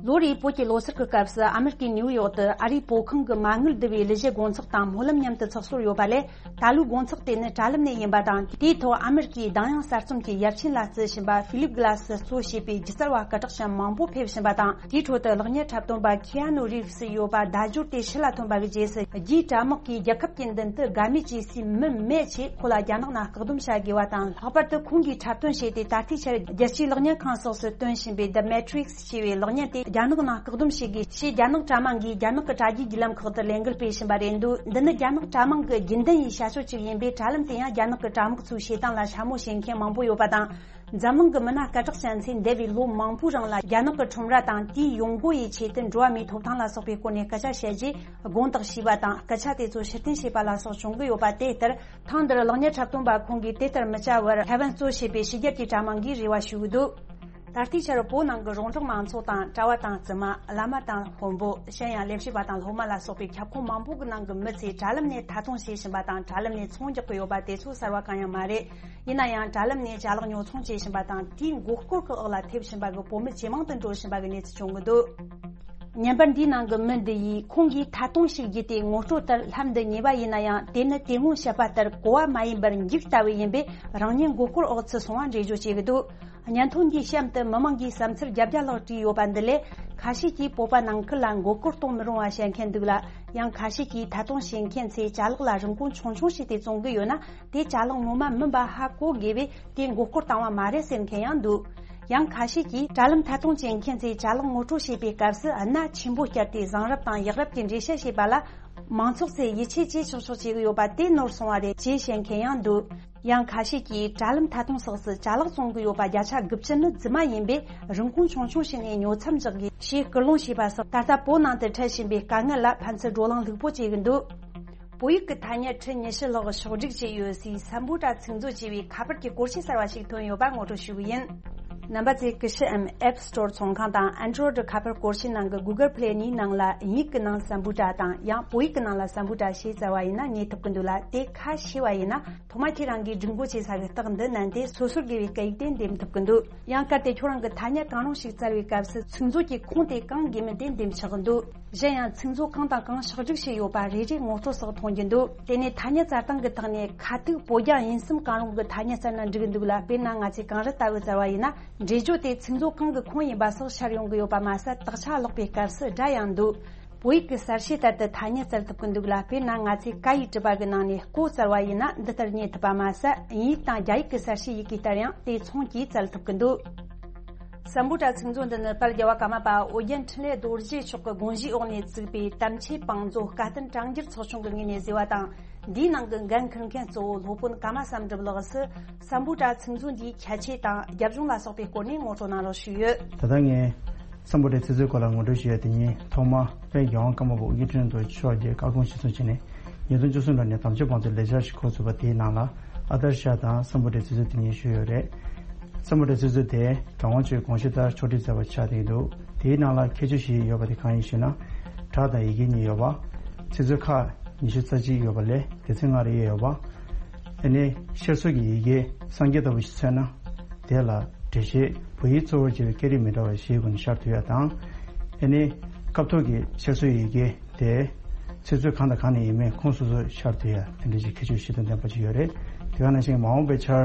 ལོ་རེའི་བོད་ཀྱི་ལོ་གསར་གྱི་སྐབས་སུ། ཨ་མེ་རི་ཀའི་ནིའུ་ཡོག་ཏུ་ཨ་རིའི་བོད་ཁང་གི་མ་དངུལ་བསྡུ་བའི་གླུ་གཞས་དགོང་ཚོགས་དང་སྨོན་ལམ་མཉམ་དུ་ཚོགས་སྲོལ་ཡོད་པ་ལས། ད་ལོའི་དགོང་ཚོགས་དེ་ནི་དྲ་ལམ་ནས་ཡིན་པ་དང་། དེའི་ཐོག་ཨ་མེ་རི་ཀའི་གདངས་དབྱངས་གསར་རྩོམ་གྱི་ཡབ་ཆེན་ལ་བརྩི་བཞིན་པ་ཧྥི་ལིབ་གྷི་ལ་སི་གཙོ་བྱས་པའི་སྒྱུ་རྩལ་བ་སྐད་གྲགས་ཅན་མང་པོ་ཕེབས་བཞིན་པ་དང་། དེའི་ཁྲོད་དུ་གློག་བརྙན་འཁྲབ་སྟོན་པ་ཁི་ཨ་ནུ་རིབ་སི་ཡོད་པ་བརྡ་སྦྱོར་དེ་ཕྱི་ལ་ཐོན་པ་གི་རྗེས་སུ། རྒྱའི་དྲ་དམག་གིས་རྒྱལ་ཁབ་ཀྱི་མདུན་དུ་དགའ་མེད་ཅེས་སུའི་མི་མེད་ཅེས་ཁོ་ལ་རྒྱ་ནག་ནས་བཀག་སྡོམ་བྱ་དགོས་པ་དང་། ལྷག་པར་དུ་ཁོང་གིས་འཁྲབ་སྟོན་བྱས་ཏེ། ད་ལྟའི་ཆར་རྒྱལ་སྤྱིའི་གློག་བརྙན་ཁང་སོགས་སུ་སྟོན་བཞིན་པའི་The Matrix ཞེས་པའི་གློག་བརྙན་དེ། རྒྱ་ནག་ནང་བཀག་སྡོམ་བྱེད་དགོས་ཞེས་རྒྱ་ནག་དྲ་དམངས་ཀྱིས་རྒྱ་ནག་གི་དྲ་རྒྱའི་བརྒྱུད་ལམ་ཁག་ཏུ་ལས་འགུལ་སྤེལ་བཞིན་པ་རེད་འདུག་འདི་ནི་རྒྱ་ནག་དྲ་དམངས་ཀྱི་རྒྱུན་ལྡན་ཡིན་བྱ་སྤྱོད་ཅིག་ཡིན་པས། དྲ་ལམ་དེ་ཡང་རྒྱ་ནག་གི་དྲ་དམངས་ཚོའི་བྱེད་སྟངས་ལ་འཕྱ་སྨོད་བྱེད་མཁན་མང་པོ་ཡོད་པ་དང་། འཛམ་གླིང་གི་མི་སྣ་སྐད་གྲགས་ཅན་ཚོས་འདས་པའི་ལོ་མང་པོའི་རིང་ལ་རྒྱ་ནག་གི་ཁྲོམ་ར་དང་དེའི་ཡོང་སྒོ་ཡི་ཆེད་དུ་འགྲོ་བ་མིའི་ཐོབ་ཐང་ལ་སོགས་པའི་སྐོར་ནས་སྐད་ཆ་བཤད་རྗེས་དགོངས་དག་ཞུས་པ་དང་། སྐད་ཆ་དེ་ཚོ་ཕྱིར་འཐེན་བྱས་པ་ལ་སོགས་བྱུང་གི་ཡོད་པ། དེ་ལྟར། ཐེངས་འདིར་གློག་བརྙན་འཁྲབ་སྟོན་པ་ཁོང་གིས་དེ་ལྟར་མི་བྱ་བར་ཐའེ་ཝན་གཙོ་བྱས་པའི་ཕྱི་རྒྱལ་གྱི་དྲ་དམངས་ཀྱིས་རེ་བ་ཞུ་གི་འདུག་ད་ལྟའི་ཆར་བོད་ནང་གི་རོང་འབྲོག་མང་ཚོགས་དང་གྲྭ་བ་དང་བཙུན་མ། བླ་མ་དང་དཔོན་པོ། གཞན་ཡང་ལས་བྱེད་པ་དང་སློབ་མ་ལ་སོགས་པའི་ཁྱབ་ཁོངས་མང་པོ་གི་ནང་གི་མི་ཚོས་དྲ་ལམ་ནས་ཐད་གཏོང་བྱེད་བཞིན་པ་དང་། དྲ་ལམ་ནས་ཚོང་རྒྱག་གི་ཡོད་པ་དེ་ཚོ་གསར་བ་གང་ཡང་མ་རེད། ཡིན་ན་ཡང་། དྲ་ལམ་ནས་ཅ་ལག་ཉོ་ཚོང་བྱེད་བཞིན་པ་དང་། དེའི་མགོ་སྐོར་གྱི་འོག་ལ་ཐེབས་བཞིན་པ་གི་བོད་མི་ཇེ་མང་དུ་འགྲོ་བཞིན་པ་གི་གནས་ཚུལ་བྱུང་གི་འདུག་བརྙན་པར་འདིའི་ནང་གི་མི་འདི་ཡིས་ཁོང་གིས་ཐད་གཏོང་ཞིག་བརྒྱུད་དེ་ངོ་སྤྲོད་ལྟར་ལྷམ་འདི་ཉོས་པ་ཡིན་ན་ཡང་། དེ་ནི་དེ་སྔོན་བཤད་པ་ལྟར་གོ་བ་མ་ཡིན་པར་འགྱིག་ལྟ་བུ་ཡིན་པས། རང་ཉིད་མགོ་སྐོར་འོག་ཚུད་སོང་བ་འགྲེལ་བརྗོད་བྱེད་ཀྱི་འདུག་བརྙན་ཐུང་འདིའི་གཤམ་དུ་མི་མང་གིས་བསམ་ཚུལ་བརྒྱད་བརྒྱ་ལྷག་བྲིས་ཡོད་པ་འདི་ལས། ཁ་ཤས་ཀྱིས་བོད་པ་ནང་ཁུལ་ལ་མགོ་སྐོར་གཏོང་མི་རུང་བ་བཤད་མཁན་འདུག་ལ། ཡང་ཁ་ཤས་ཀྱིས་ཐད་གཏོང་བྱེད་མཁན་ཚོས་ཅ་ལག་ལ་རིན་གོང་ཆུང་ཆུང་བྱས་ཏེ་བཙོང་གི་ཡོད་ན། དེ་ཅ་ལག་ངོ་མ་མིན་པ་ཧ་གོ་དགོས་པས། དེ་མགོ་སྐོར་བཏང་བ་མ་རེད་ཟེར་མཁན་ཡང་འདུག་ཡང་ཁ་ཤས་ཀྱིས་དྲ་ལམ་ཐད་གཏོང་བྱེད་མཁན་ཚོས་ཅ་ལག་ངོ་སྤྲོད་བྱེད་པའི་སྐབས་སུ་སྣ་ཆེན་པོ་བསྐྱར་ཏེ་བཟང་རབས་དང་ཡག་རབས་ཀྱི་འགྲེལ་བཤད་བྱེད་པ་ལ། མང་ཚོགས་ཚོས་ཡིད་ཆེས་བྱེད་ཆོག་ཆོག་བྱེད་ཀྱི་ཡོད་པ་དེ་ནོར་སོང་བ་རེད་ཅེས་བཤད་མཁན་ཡང་འདུག་ཡང་ཁ་ཤས་ཀྱིས་དྲ་ལམ་ཐད་གཏོང་སོགས་སུ་ཅ་ལག་བཙོང་གི་ཡོད་པ་བརྒྱ་ཆ་དགུ་བཅུ་ནི་རྫུན་མ་ཡིན་པས། རིན་གོང་ཆུང་ཆུང་བྱས་ནས་ཉོ་མཚམས་འཇོག་དགོས་ཞེས་སྐུལ་སློང་བྱས་པ་སོགས། ད་ལྟ་བོད་ནང་དུ་འཕྲད་བཞིན་པའི་དཀའ་ངལ་ལ་ཕན་ཚུན་བགྲོ་གླེང་ལྷུག་པོ་བྱེད་ཀྱི་འདུག་བོད་ཡིག་གི་ཐ་སྙད་ཁྲི་ཉི་ཤུ་ལྷག་ཕྱོགས་སྒྲིག་བྱས་ཡོད་སའི་སམ་བྷོ་ཊ་ཚིག་མཛོད་ཅེས་པའི་ཁ་པར་གྱི་སྐོར་ཆས་གསར་བ་ཞིག་ཐོན་ཡོད་པ་ངོ་སྤྲོད་ཞུ་གི་ཡིན། རྣམ་པ་ཚོས་ཀུ་ཤུ་འམ་App Store ཚོང་ཁང་དང་Android ཁ་པར་སྐོར་ཆས་ནང་གི་Google Play གཉིས་ནང་ལ། དབྱིན་ཡིག་གི་ནང་སམ་བྷོ་ཊ་དང་། ཡང་བོད་ཡིག་གི་ནང་ལ་སམ་བྷོ་ཊ་ཞེས་བཙལ་བ་ཡིན་ན་རྙེད་ཐུབ་ཀྱི་འདུག་ལ། དེ་ཁ་ཕྱེ་བ་ཡིན་ན། ཐོག་མ་ཁྱེད་རང་གིས་སྒྲིག་འགོད་བྱེད་ས་གི་རྟགས་འདི་མནན་ཏེ། སོ་སོར་དགོས་པའི་སྐད་ཡིག་དེ་འདེམས་ཐུབ་ཀྱི་འདུག་ཡང་གལ་ཏེ་ཁྱོད་རང་གིས་ཐ་སྙད་གང་རུང་ཞིག་བཙལ་བའི་སྐབས་སུ། ཚིག་མཛོད་ཀྱི་ཁུངས་དེ་གང་དགོས་མིན་དེ་འདེམས་ཆོག་གི་འདུག་གཞན་ཡང་། ཚིག་མཛོད་གང་དང་གང་ཕྱག་བསྒྲིགས་བྱས་ཡོད་པ་རེ་རེ་ངོ་སྤྲོད་སོགས་མཐོང་རྒྱུ་འདུག་དེ་ནས་ཐ་སྙད་བཙལ་སྟངས་ཀྱི་ཐོག་ནས། ཁ་ཐུག་བོད་རྒྱ་དབྱིན་གསུམ་གང་རུང་གི་ཐ་སྙད་བཙལ་ན་འགྲིག་གི་འདུག་ལ། དཔེར་ན། ང་ཚོས་གངས་རི་ལྟ་བུ་བཙལ་བ་ཡིན་ན། འགྲེལ་བརྗོད་དེ་ཚིག་མཛོད་གང་གི་ཁུངས་ཡིན་པ་སོགས་ཤར་ཡོང་གི་ཡོད་པ་མ་ཟད། དག་ཆ་ཀློག་པའི་སྐབས་སུ་སྒྲ་ཡང་འདུག་བོད་ཡིག་གི་གསལ་བྱེད་ལྟར་དུ་ཐ་སྙད་བཙལ་ཐུབ་ཀྱི་འདུག་ལ། དཔེར་ན། ང་ཚོས་ཀ་ཡིག་བྲིས་པ་གི་ནང་ནས་ཀོ་བཙལ་བ་ཡིན་ན། འདི་ལྟར་རྙེད་ཐུབ་པ་མ་ཟད། དབྱིན་ཡིག་དང་རྒྱ་ཡིག་གི་གསལ་བྱེད་ཡི་གེ་ལྟར་ཡང་དེ་མཚུངས་ཀྱིས་བཙལ་ཐུབ་ཀྱི་འདུག་སམ་བྷོ་ཊ་ཚིག་མཛོད་འདི་ནི་དཔལ་རྒྱལ་བ་ཀརྨ་པ་ཨོ་རྒྱན་འཕྲིན་ལས་རྡོ་རྗེ་མཆོག་གི་དགོངས་བཞེས་འོག་ནས་བཙུགས་པའི་དམ་ཆོས་བང་མཛོད་བཀའ་བསྟན་དྲང་འགྱུར་ཚོགས་ཆུང་གི་ངོས་ནས་བཟོས་པ་དང་། འདིའི་ནང་གི་འགན་འཁུར་མཁན་གཙོ་བོ་སློབ་དཔོན་ཀརྨ་བསམ་གྲུབ་ལགས་སུ། སམ་བྷོ་ཊ་ཚིག་མཛོད་འདིའི་ཁྱད་ཆོས་དང་རྒྱབ་ལྗོངས་ལ་སོགས་པའི་སྐོར་ནས་ངོ་སྤྲོད་གནང་རོགས་ཞུས་ཡོད། ད་ལྟ་ངས་སམ་བྷོ་ཊའི་ཚིག་མཛོད་སྐོར་ལ་ངོ་སྤྲོད་ཞུ་ཡ་དེ་ཉིད། ཐོག་མར་དཔལ་རྒྱལ་དབང་ཀརྨ་པ་ཨོ་རྒྱན་འཕྲིན་ལས་རྡོ་རྗེ་མཆོག་གིས་བཀའ་དགོངས་གཞིར་བཟུང་བྱས་ནས། ཉིས་སྟོང་བཅུ་གསུམ་ལོ་ནས་དམ་ཆོས་བང་མཛོད་ལས་འཆར་ཞིག་འགོ་ཚུགས་པ། དེའི་ནང་ལ་ཨ་དར་ཤ་དང་སམ་བྷོ་ཊའི་ཚིག་མཛོད་དེ་གཉིས་ཞུགས་ཡོད་རེད། སམ་བྷོ་ཊའི་ཚིག་མཛོད་དེ་རང་དབང་ཅུས་དགོངས་གཞི་ལྟར་ཕྱོགས་སྒྲིག་མཛད་པ་ཆགས་བསྡད་འདུག་དེའི་ནང་ལ་ཁྱད་ཆོས་ཤིག་ཡོད་པ་དེ་གང་ཡིན་ཞུས་ན། སྒྲ་དང་ཡི་གེ་གཉིས་ཡོད་པ། ཚིག་མཛོད་ཁག་ཉི་ཤུ་རྩ་གཅིག་ཡོད་པ་ལས་སྡེ་ཚན་ལྔ་རེ་ཡོད་པ། ཨ་ནི་ཤར་སོག་གི་ཡི་གེ་སངས་རྒྱས་ལྟ་བུ་ཞིག་མཚོན་ན། དེ་ལ་འགྲེལ་བཤད། བོད་ཡིག་གཙོ་བོར་བྱས་པའི་སྐད་རིགས་མི་འདྲ་བ་བཞིའི་སྒོ་ནས་ཤར་ཐུབ་ཡ་དང་། ཨ་ནི་སྐབས་ཐོག་གི་ཤར་སོག་ཡི་གེ་དེ་ཚིག་མཛོད་གང་དང་གང་ནས་ཡིན་མིན་ཁོངས་སོ་སོར་ཤར་ཐུབ་ཡ་དེ་འདྲ་ཞིག་ཁྱད་ཆོས་གཞི་དང་ལྡན་པ་ཅིག་ཡོད་རེད། དེ་ག་ནང་བཞིན་མ་འོངས་པའི་ཆར་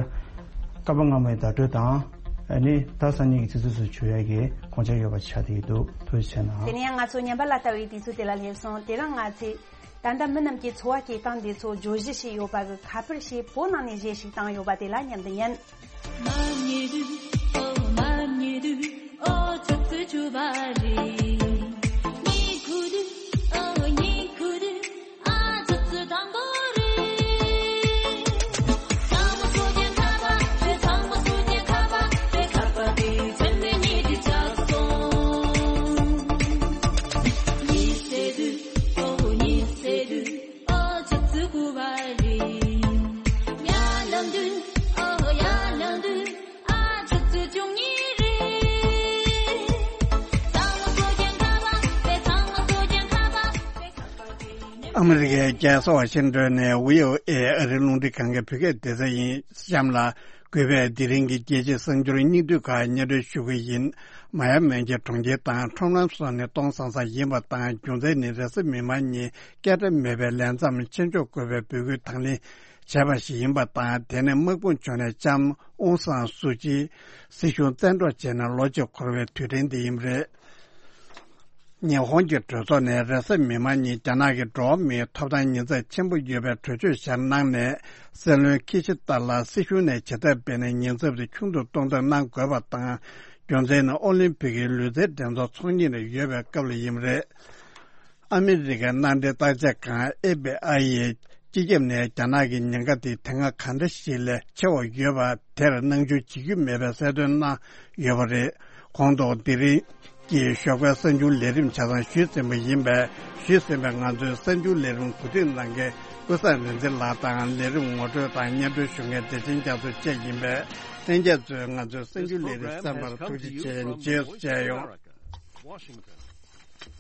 བསྐལ་པ་སྔ་མའི་བརྡ་སྤྲོད་དང་། ཨ་ནི་བརྡ་གསར་རྙིང་གི་ཚིག་མཛོད་སུ་བསྒྱུར་ཡ་གི་དགོངས་འཆར་ཡོད་པ་ཆགས་བསྡད་ཀྱི་འདུག་ཐུགས་རྗེ་ཆེ་གནང་། དེ་ནས་ཡང་ང་ཚོ་ཉམས་པ་ལ་ལྟ་བའི་དུས་ཚོད་དེ་ལ་སླེབས་སོང་། དེ་རིང་ང་ཚོས། ད་ལྟ་མི་རྣམས་ཀྱི་འཚོ་བ་སྐྱེལ་སྟངས་འདི་ཚོ་བརྗོད་གཞི་ཞིག་ཡོད་པ་གི་ཁ་པར་ཞེས་བོད་ནང་ནས་གཞས་ཤིག་བཏང་ཡོད་པ་དེ་ལ་མཉམ་དུ་ཉན། ཨ་མི་རི་ཀའི་རྒྱལ་ས་ཝ་ཤིང་ཏོན་ནས་བྷི་ཨོ་ཨེ་ཨ་རིའི་རླུང་འཕྲིན་ཁང་གི་བོད་སྐད་སྡེ་ཚན་ཡིན། གཤམ་ལ་གུས་པས་དེ་རིང་གི་རྒྱལ་སྤྱིའི་གསར་འགྱུར་སྙིང་བསྡུས་ཁག་སྙན་སྒྲོན་ཞུ་གི་ཡིན། མ་ཡ་མན་གྱི་གྲོང་ཁྱེར་དང་ཁྲོམ་ལམ་སོགས་ནི་སྟོང་སང་སང་ཡིན་པ་དང་། རྒྱུ་མཚན་ནི་རེས་གཟའ་མིག་དམར་ཉིན་སྐད་སྒྲ་མེད་པའི་ལས་མཚམས་ཆེད་འཇོག་དགོས་པའི་འབོད་སྐུལ་དང་ལེན་བྱས་པ་ཞིག་ཡིན་པ་དང་། དེ་ནི་དམག་དཔུང་ཕྱོགས་ནས་ལྕམ་ཨུང་སང་སུ་ཅི་སྲིད་གཞུང་བཙན་འཕྲོག་བྱས་ནས་ལོ་གཅིག་འཁོར་བའི་དུས་དྲན་དེ་ཡིན་པ་རེད། ཉི་ཧོང་གི་གྲོས་ཚོགས་ནས་རེས་གཟའ་མིག་དམར་ཉིན་རྒྱ་ནག་གི་འགྲོ་བ་མིའི་ཐོབ་ཐང་ཉེན་ཚབས་ཆེན་པོ་ཡོད་པའི་གྲོས་ཆོད་བཞག་གནང་ནས། སྲིད་བློན་ཁི་ཤི་ཏཱ་ལ་སྲིད་གཞུང་ནས་བྱེད་ཐབས་སྤེལ་ནས་ཉེན་ཚབས་དེ་ཆུང་དུ་གཏོང་ཐབས་གནང་དགོས་པ་དང་། རྒྱུ་མཚན་ནི་ཨོ་ལིམ་ཕིག་གི་ལུས་རྩལ་འགྲན་ཚོགས་ཚོགས་གཉིས་ནས་ཡོད་པའི་སྐབས་ལ་ཡིན་པ་རེད། ཨ་མི་རི་ཀའི་མནའ་འབྲེལ་བརྟག་དཔྱད་ཁང་ཨེ་ཕི་ཨའི་ཡིས་སྤྱི་ཁྱབ་ནས་རྒྱ་ནག་གི་ཉེན་ཁ་དེ་དེ་སྔ་ག་འདྲ་ཞིག་ལས་ཆེ་བ་ཡོད་པ་དེར་སྣང་ཆུང་བྱེད་རྒྱུ་མེད་པའི་གསལ་སྟོན་གནང་ཡོད་པ་རེད། ཁོང་ཐོག་དེ་རིང་གི་ཞོགས་པའི་གསར་འགྱུར་ལས་རིམ་ཆ་ཚང་ཞུས་ཟིན་པ་ཡིན་པས། ཞུས་ཟིན་པའི་ང་ཚོའི་གསར་འགྱུར་ལས་རིམ་གོ་སྒྲིག་གནང་མཁན་ཀུན་བཟང་རིག་འཛིན་ལགས་དང་ལས་རིམ་ངོ་སྤྲོད་དང་སྙན་སྒྲོན་ཞུ་མཁན་བདེ་ཆེན་རྒྱ་མཚོ་བཅས་ཡིན་པས། ལྷན་རྒྱས་ཚོས་ང་ཚོའི་གསར་འགྱུར་ལས་རིམ་གསན་པར་ཐུགས་རྗེ་ཆེ། རྗེས་སུ་མཇལ་ཡོང་།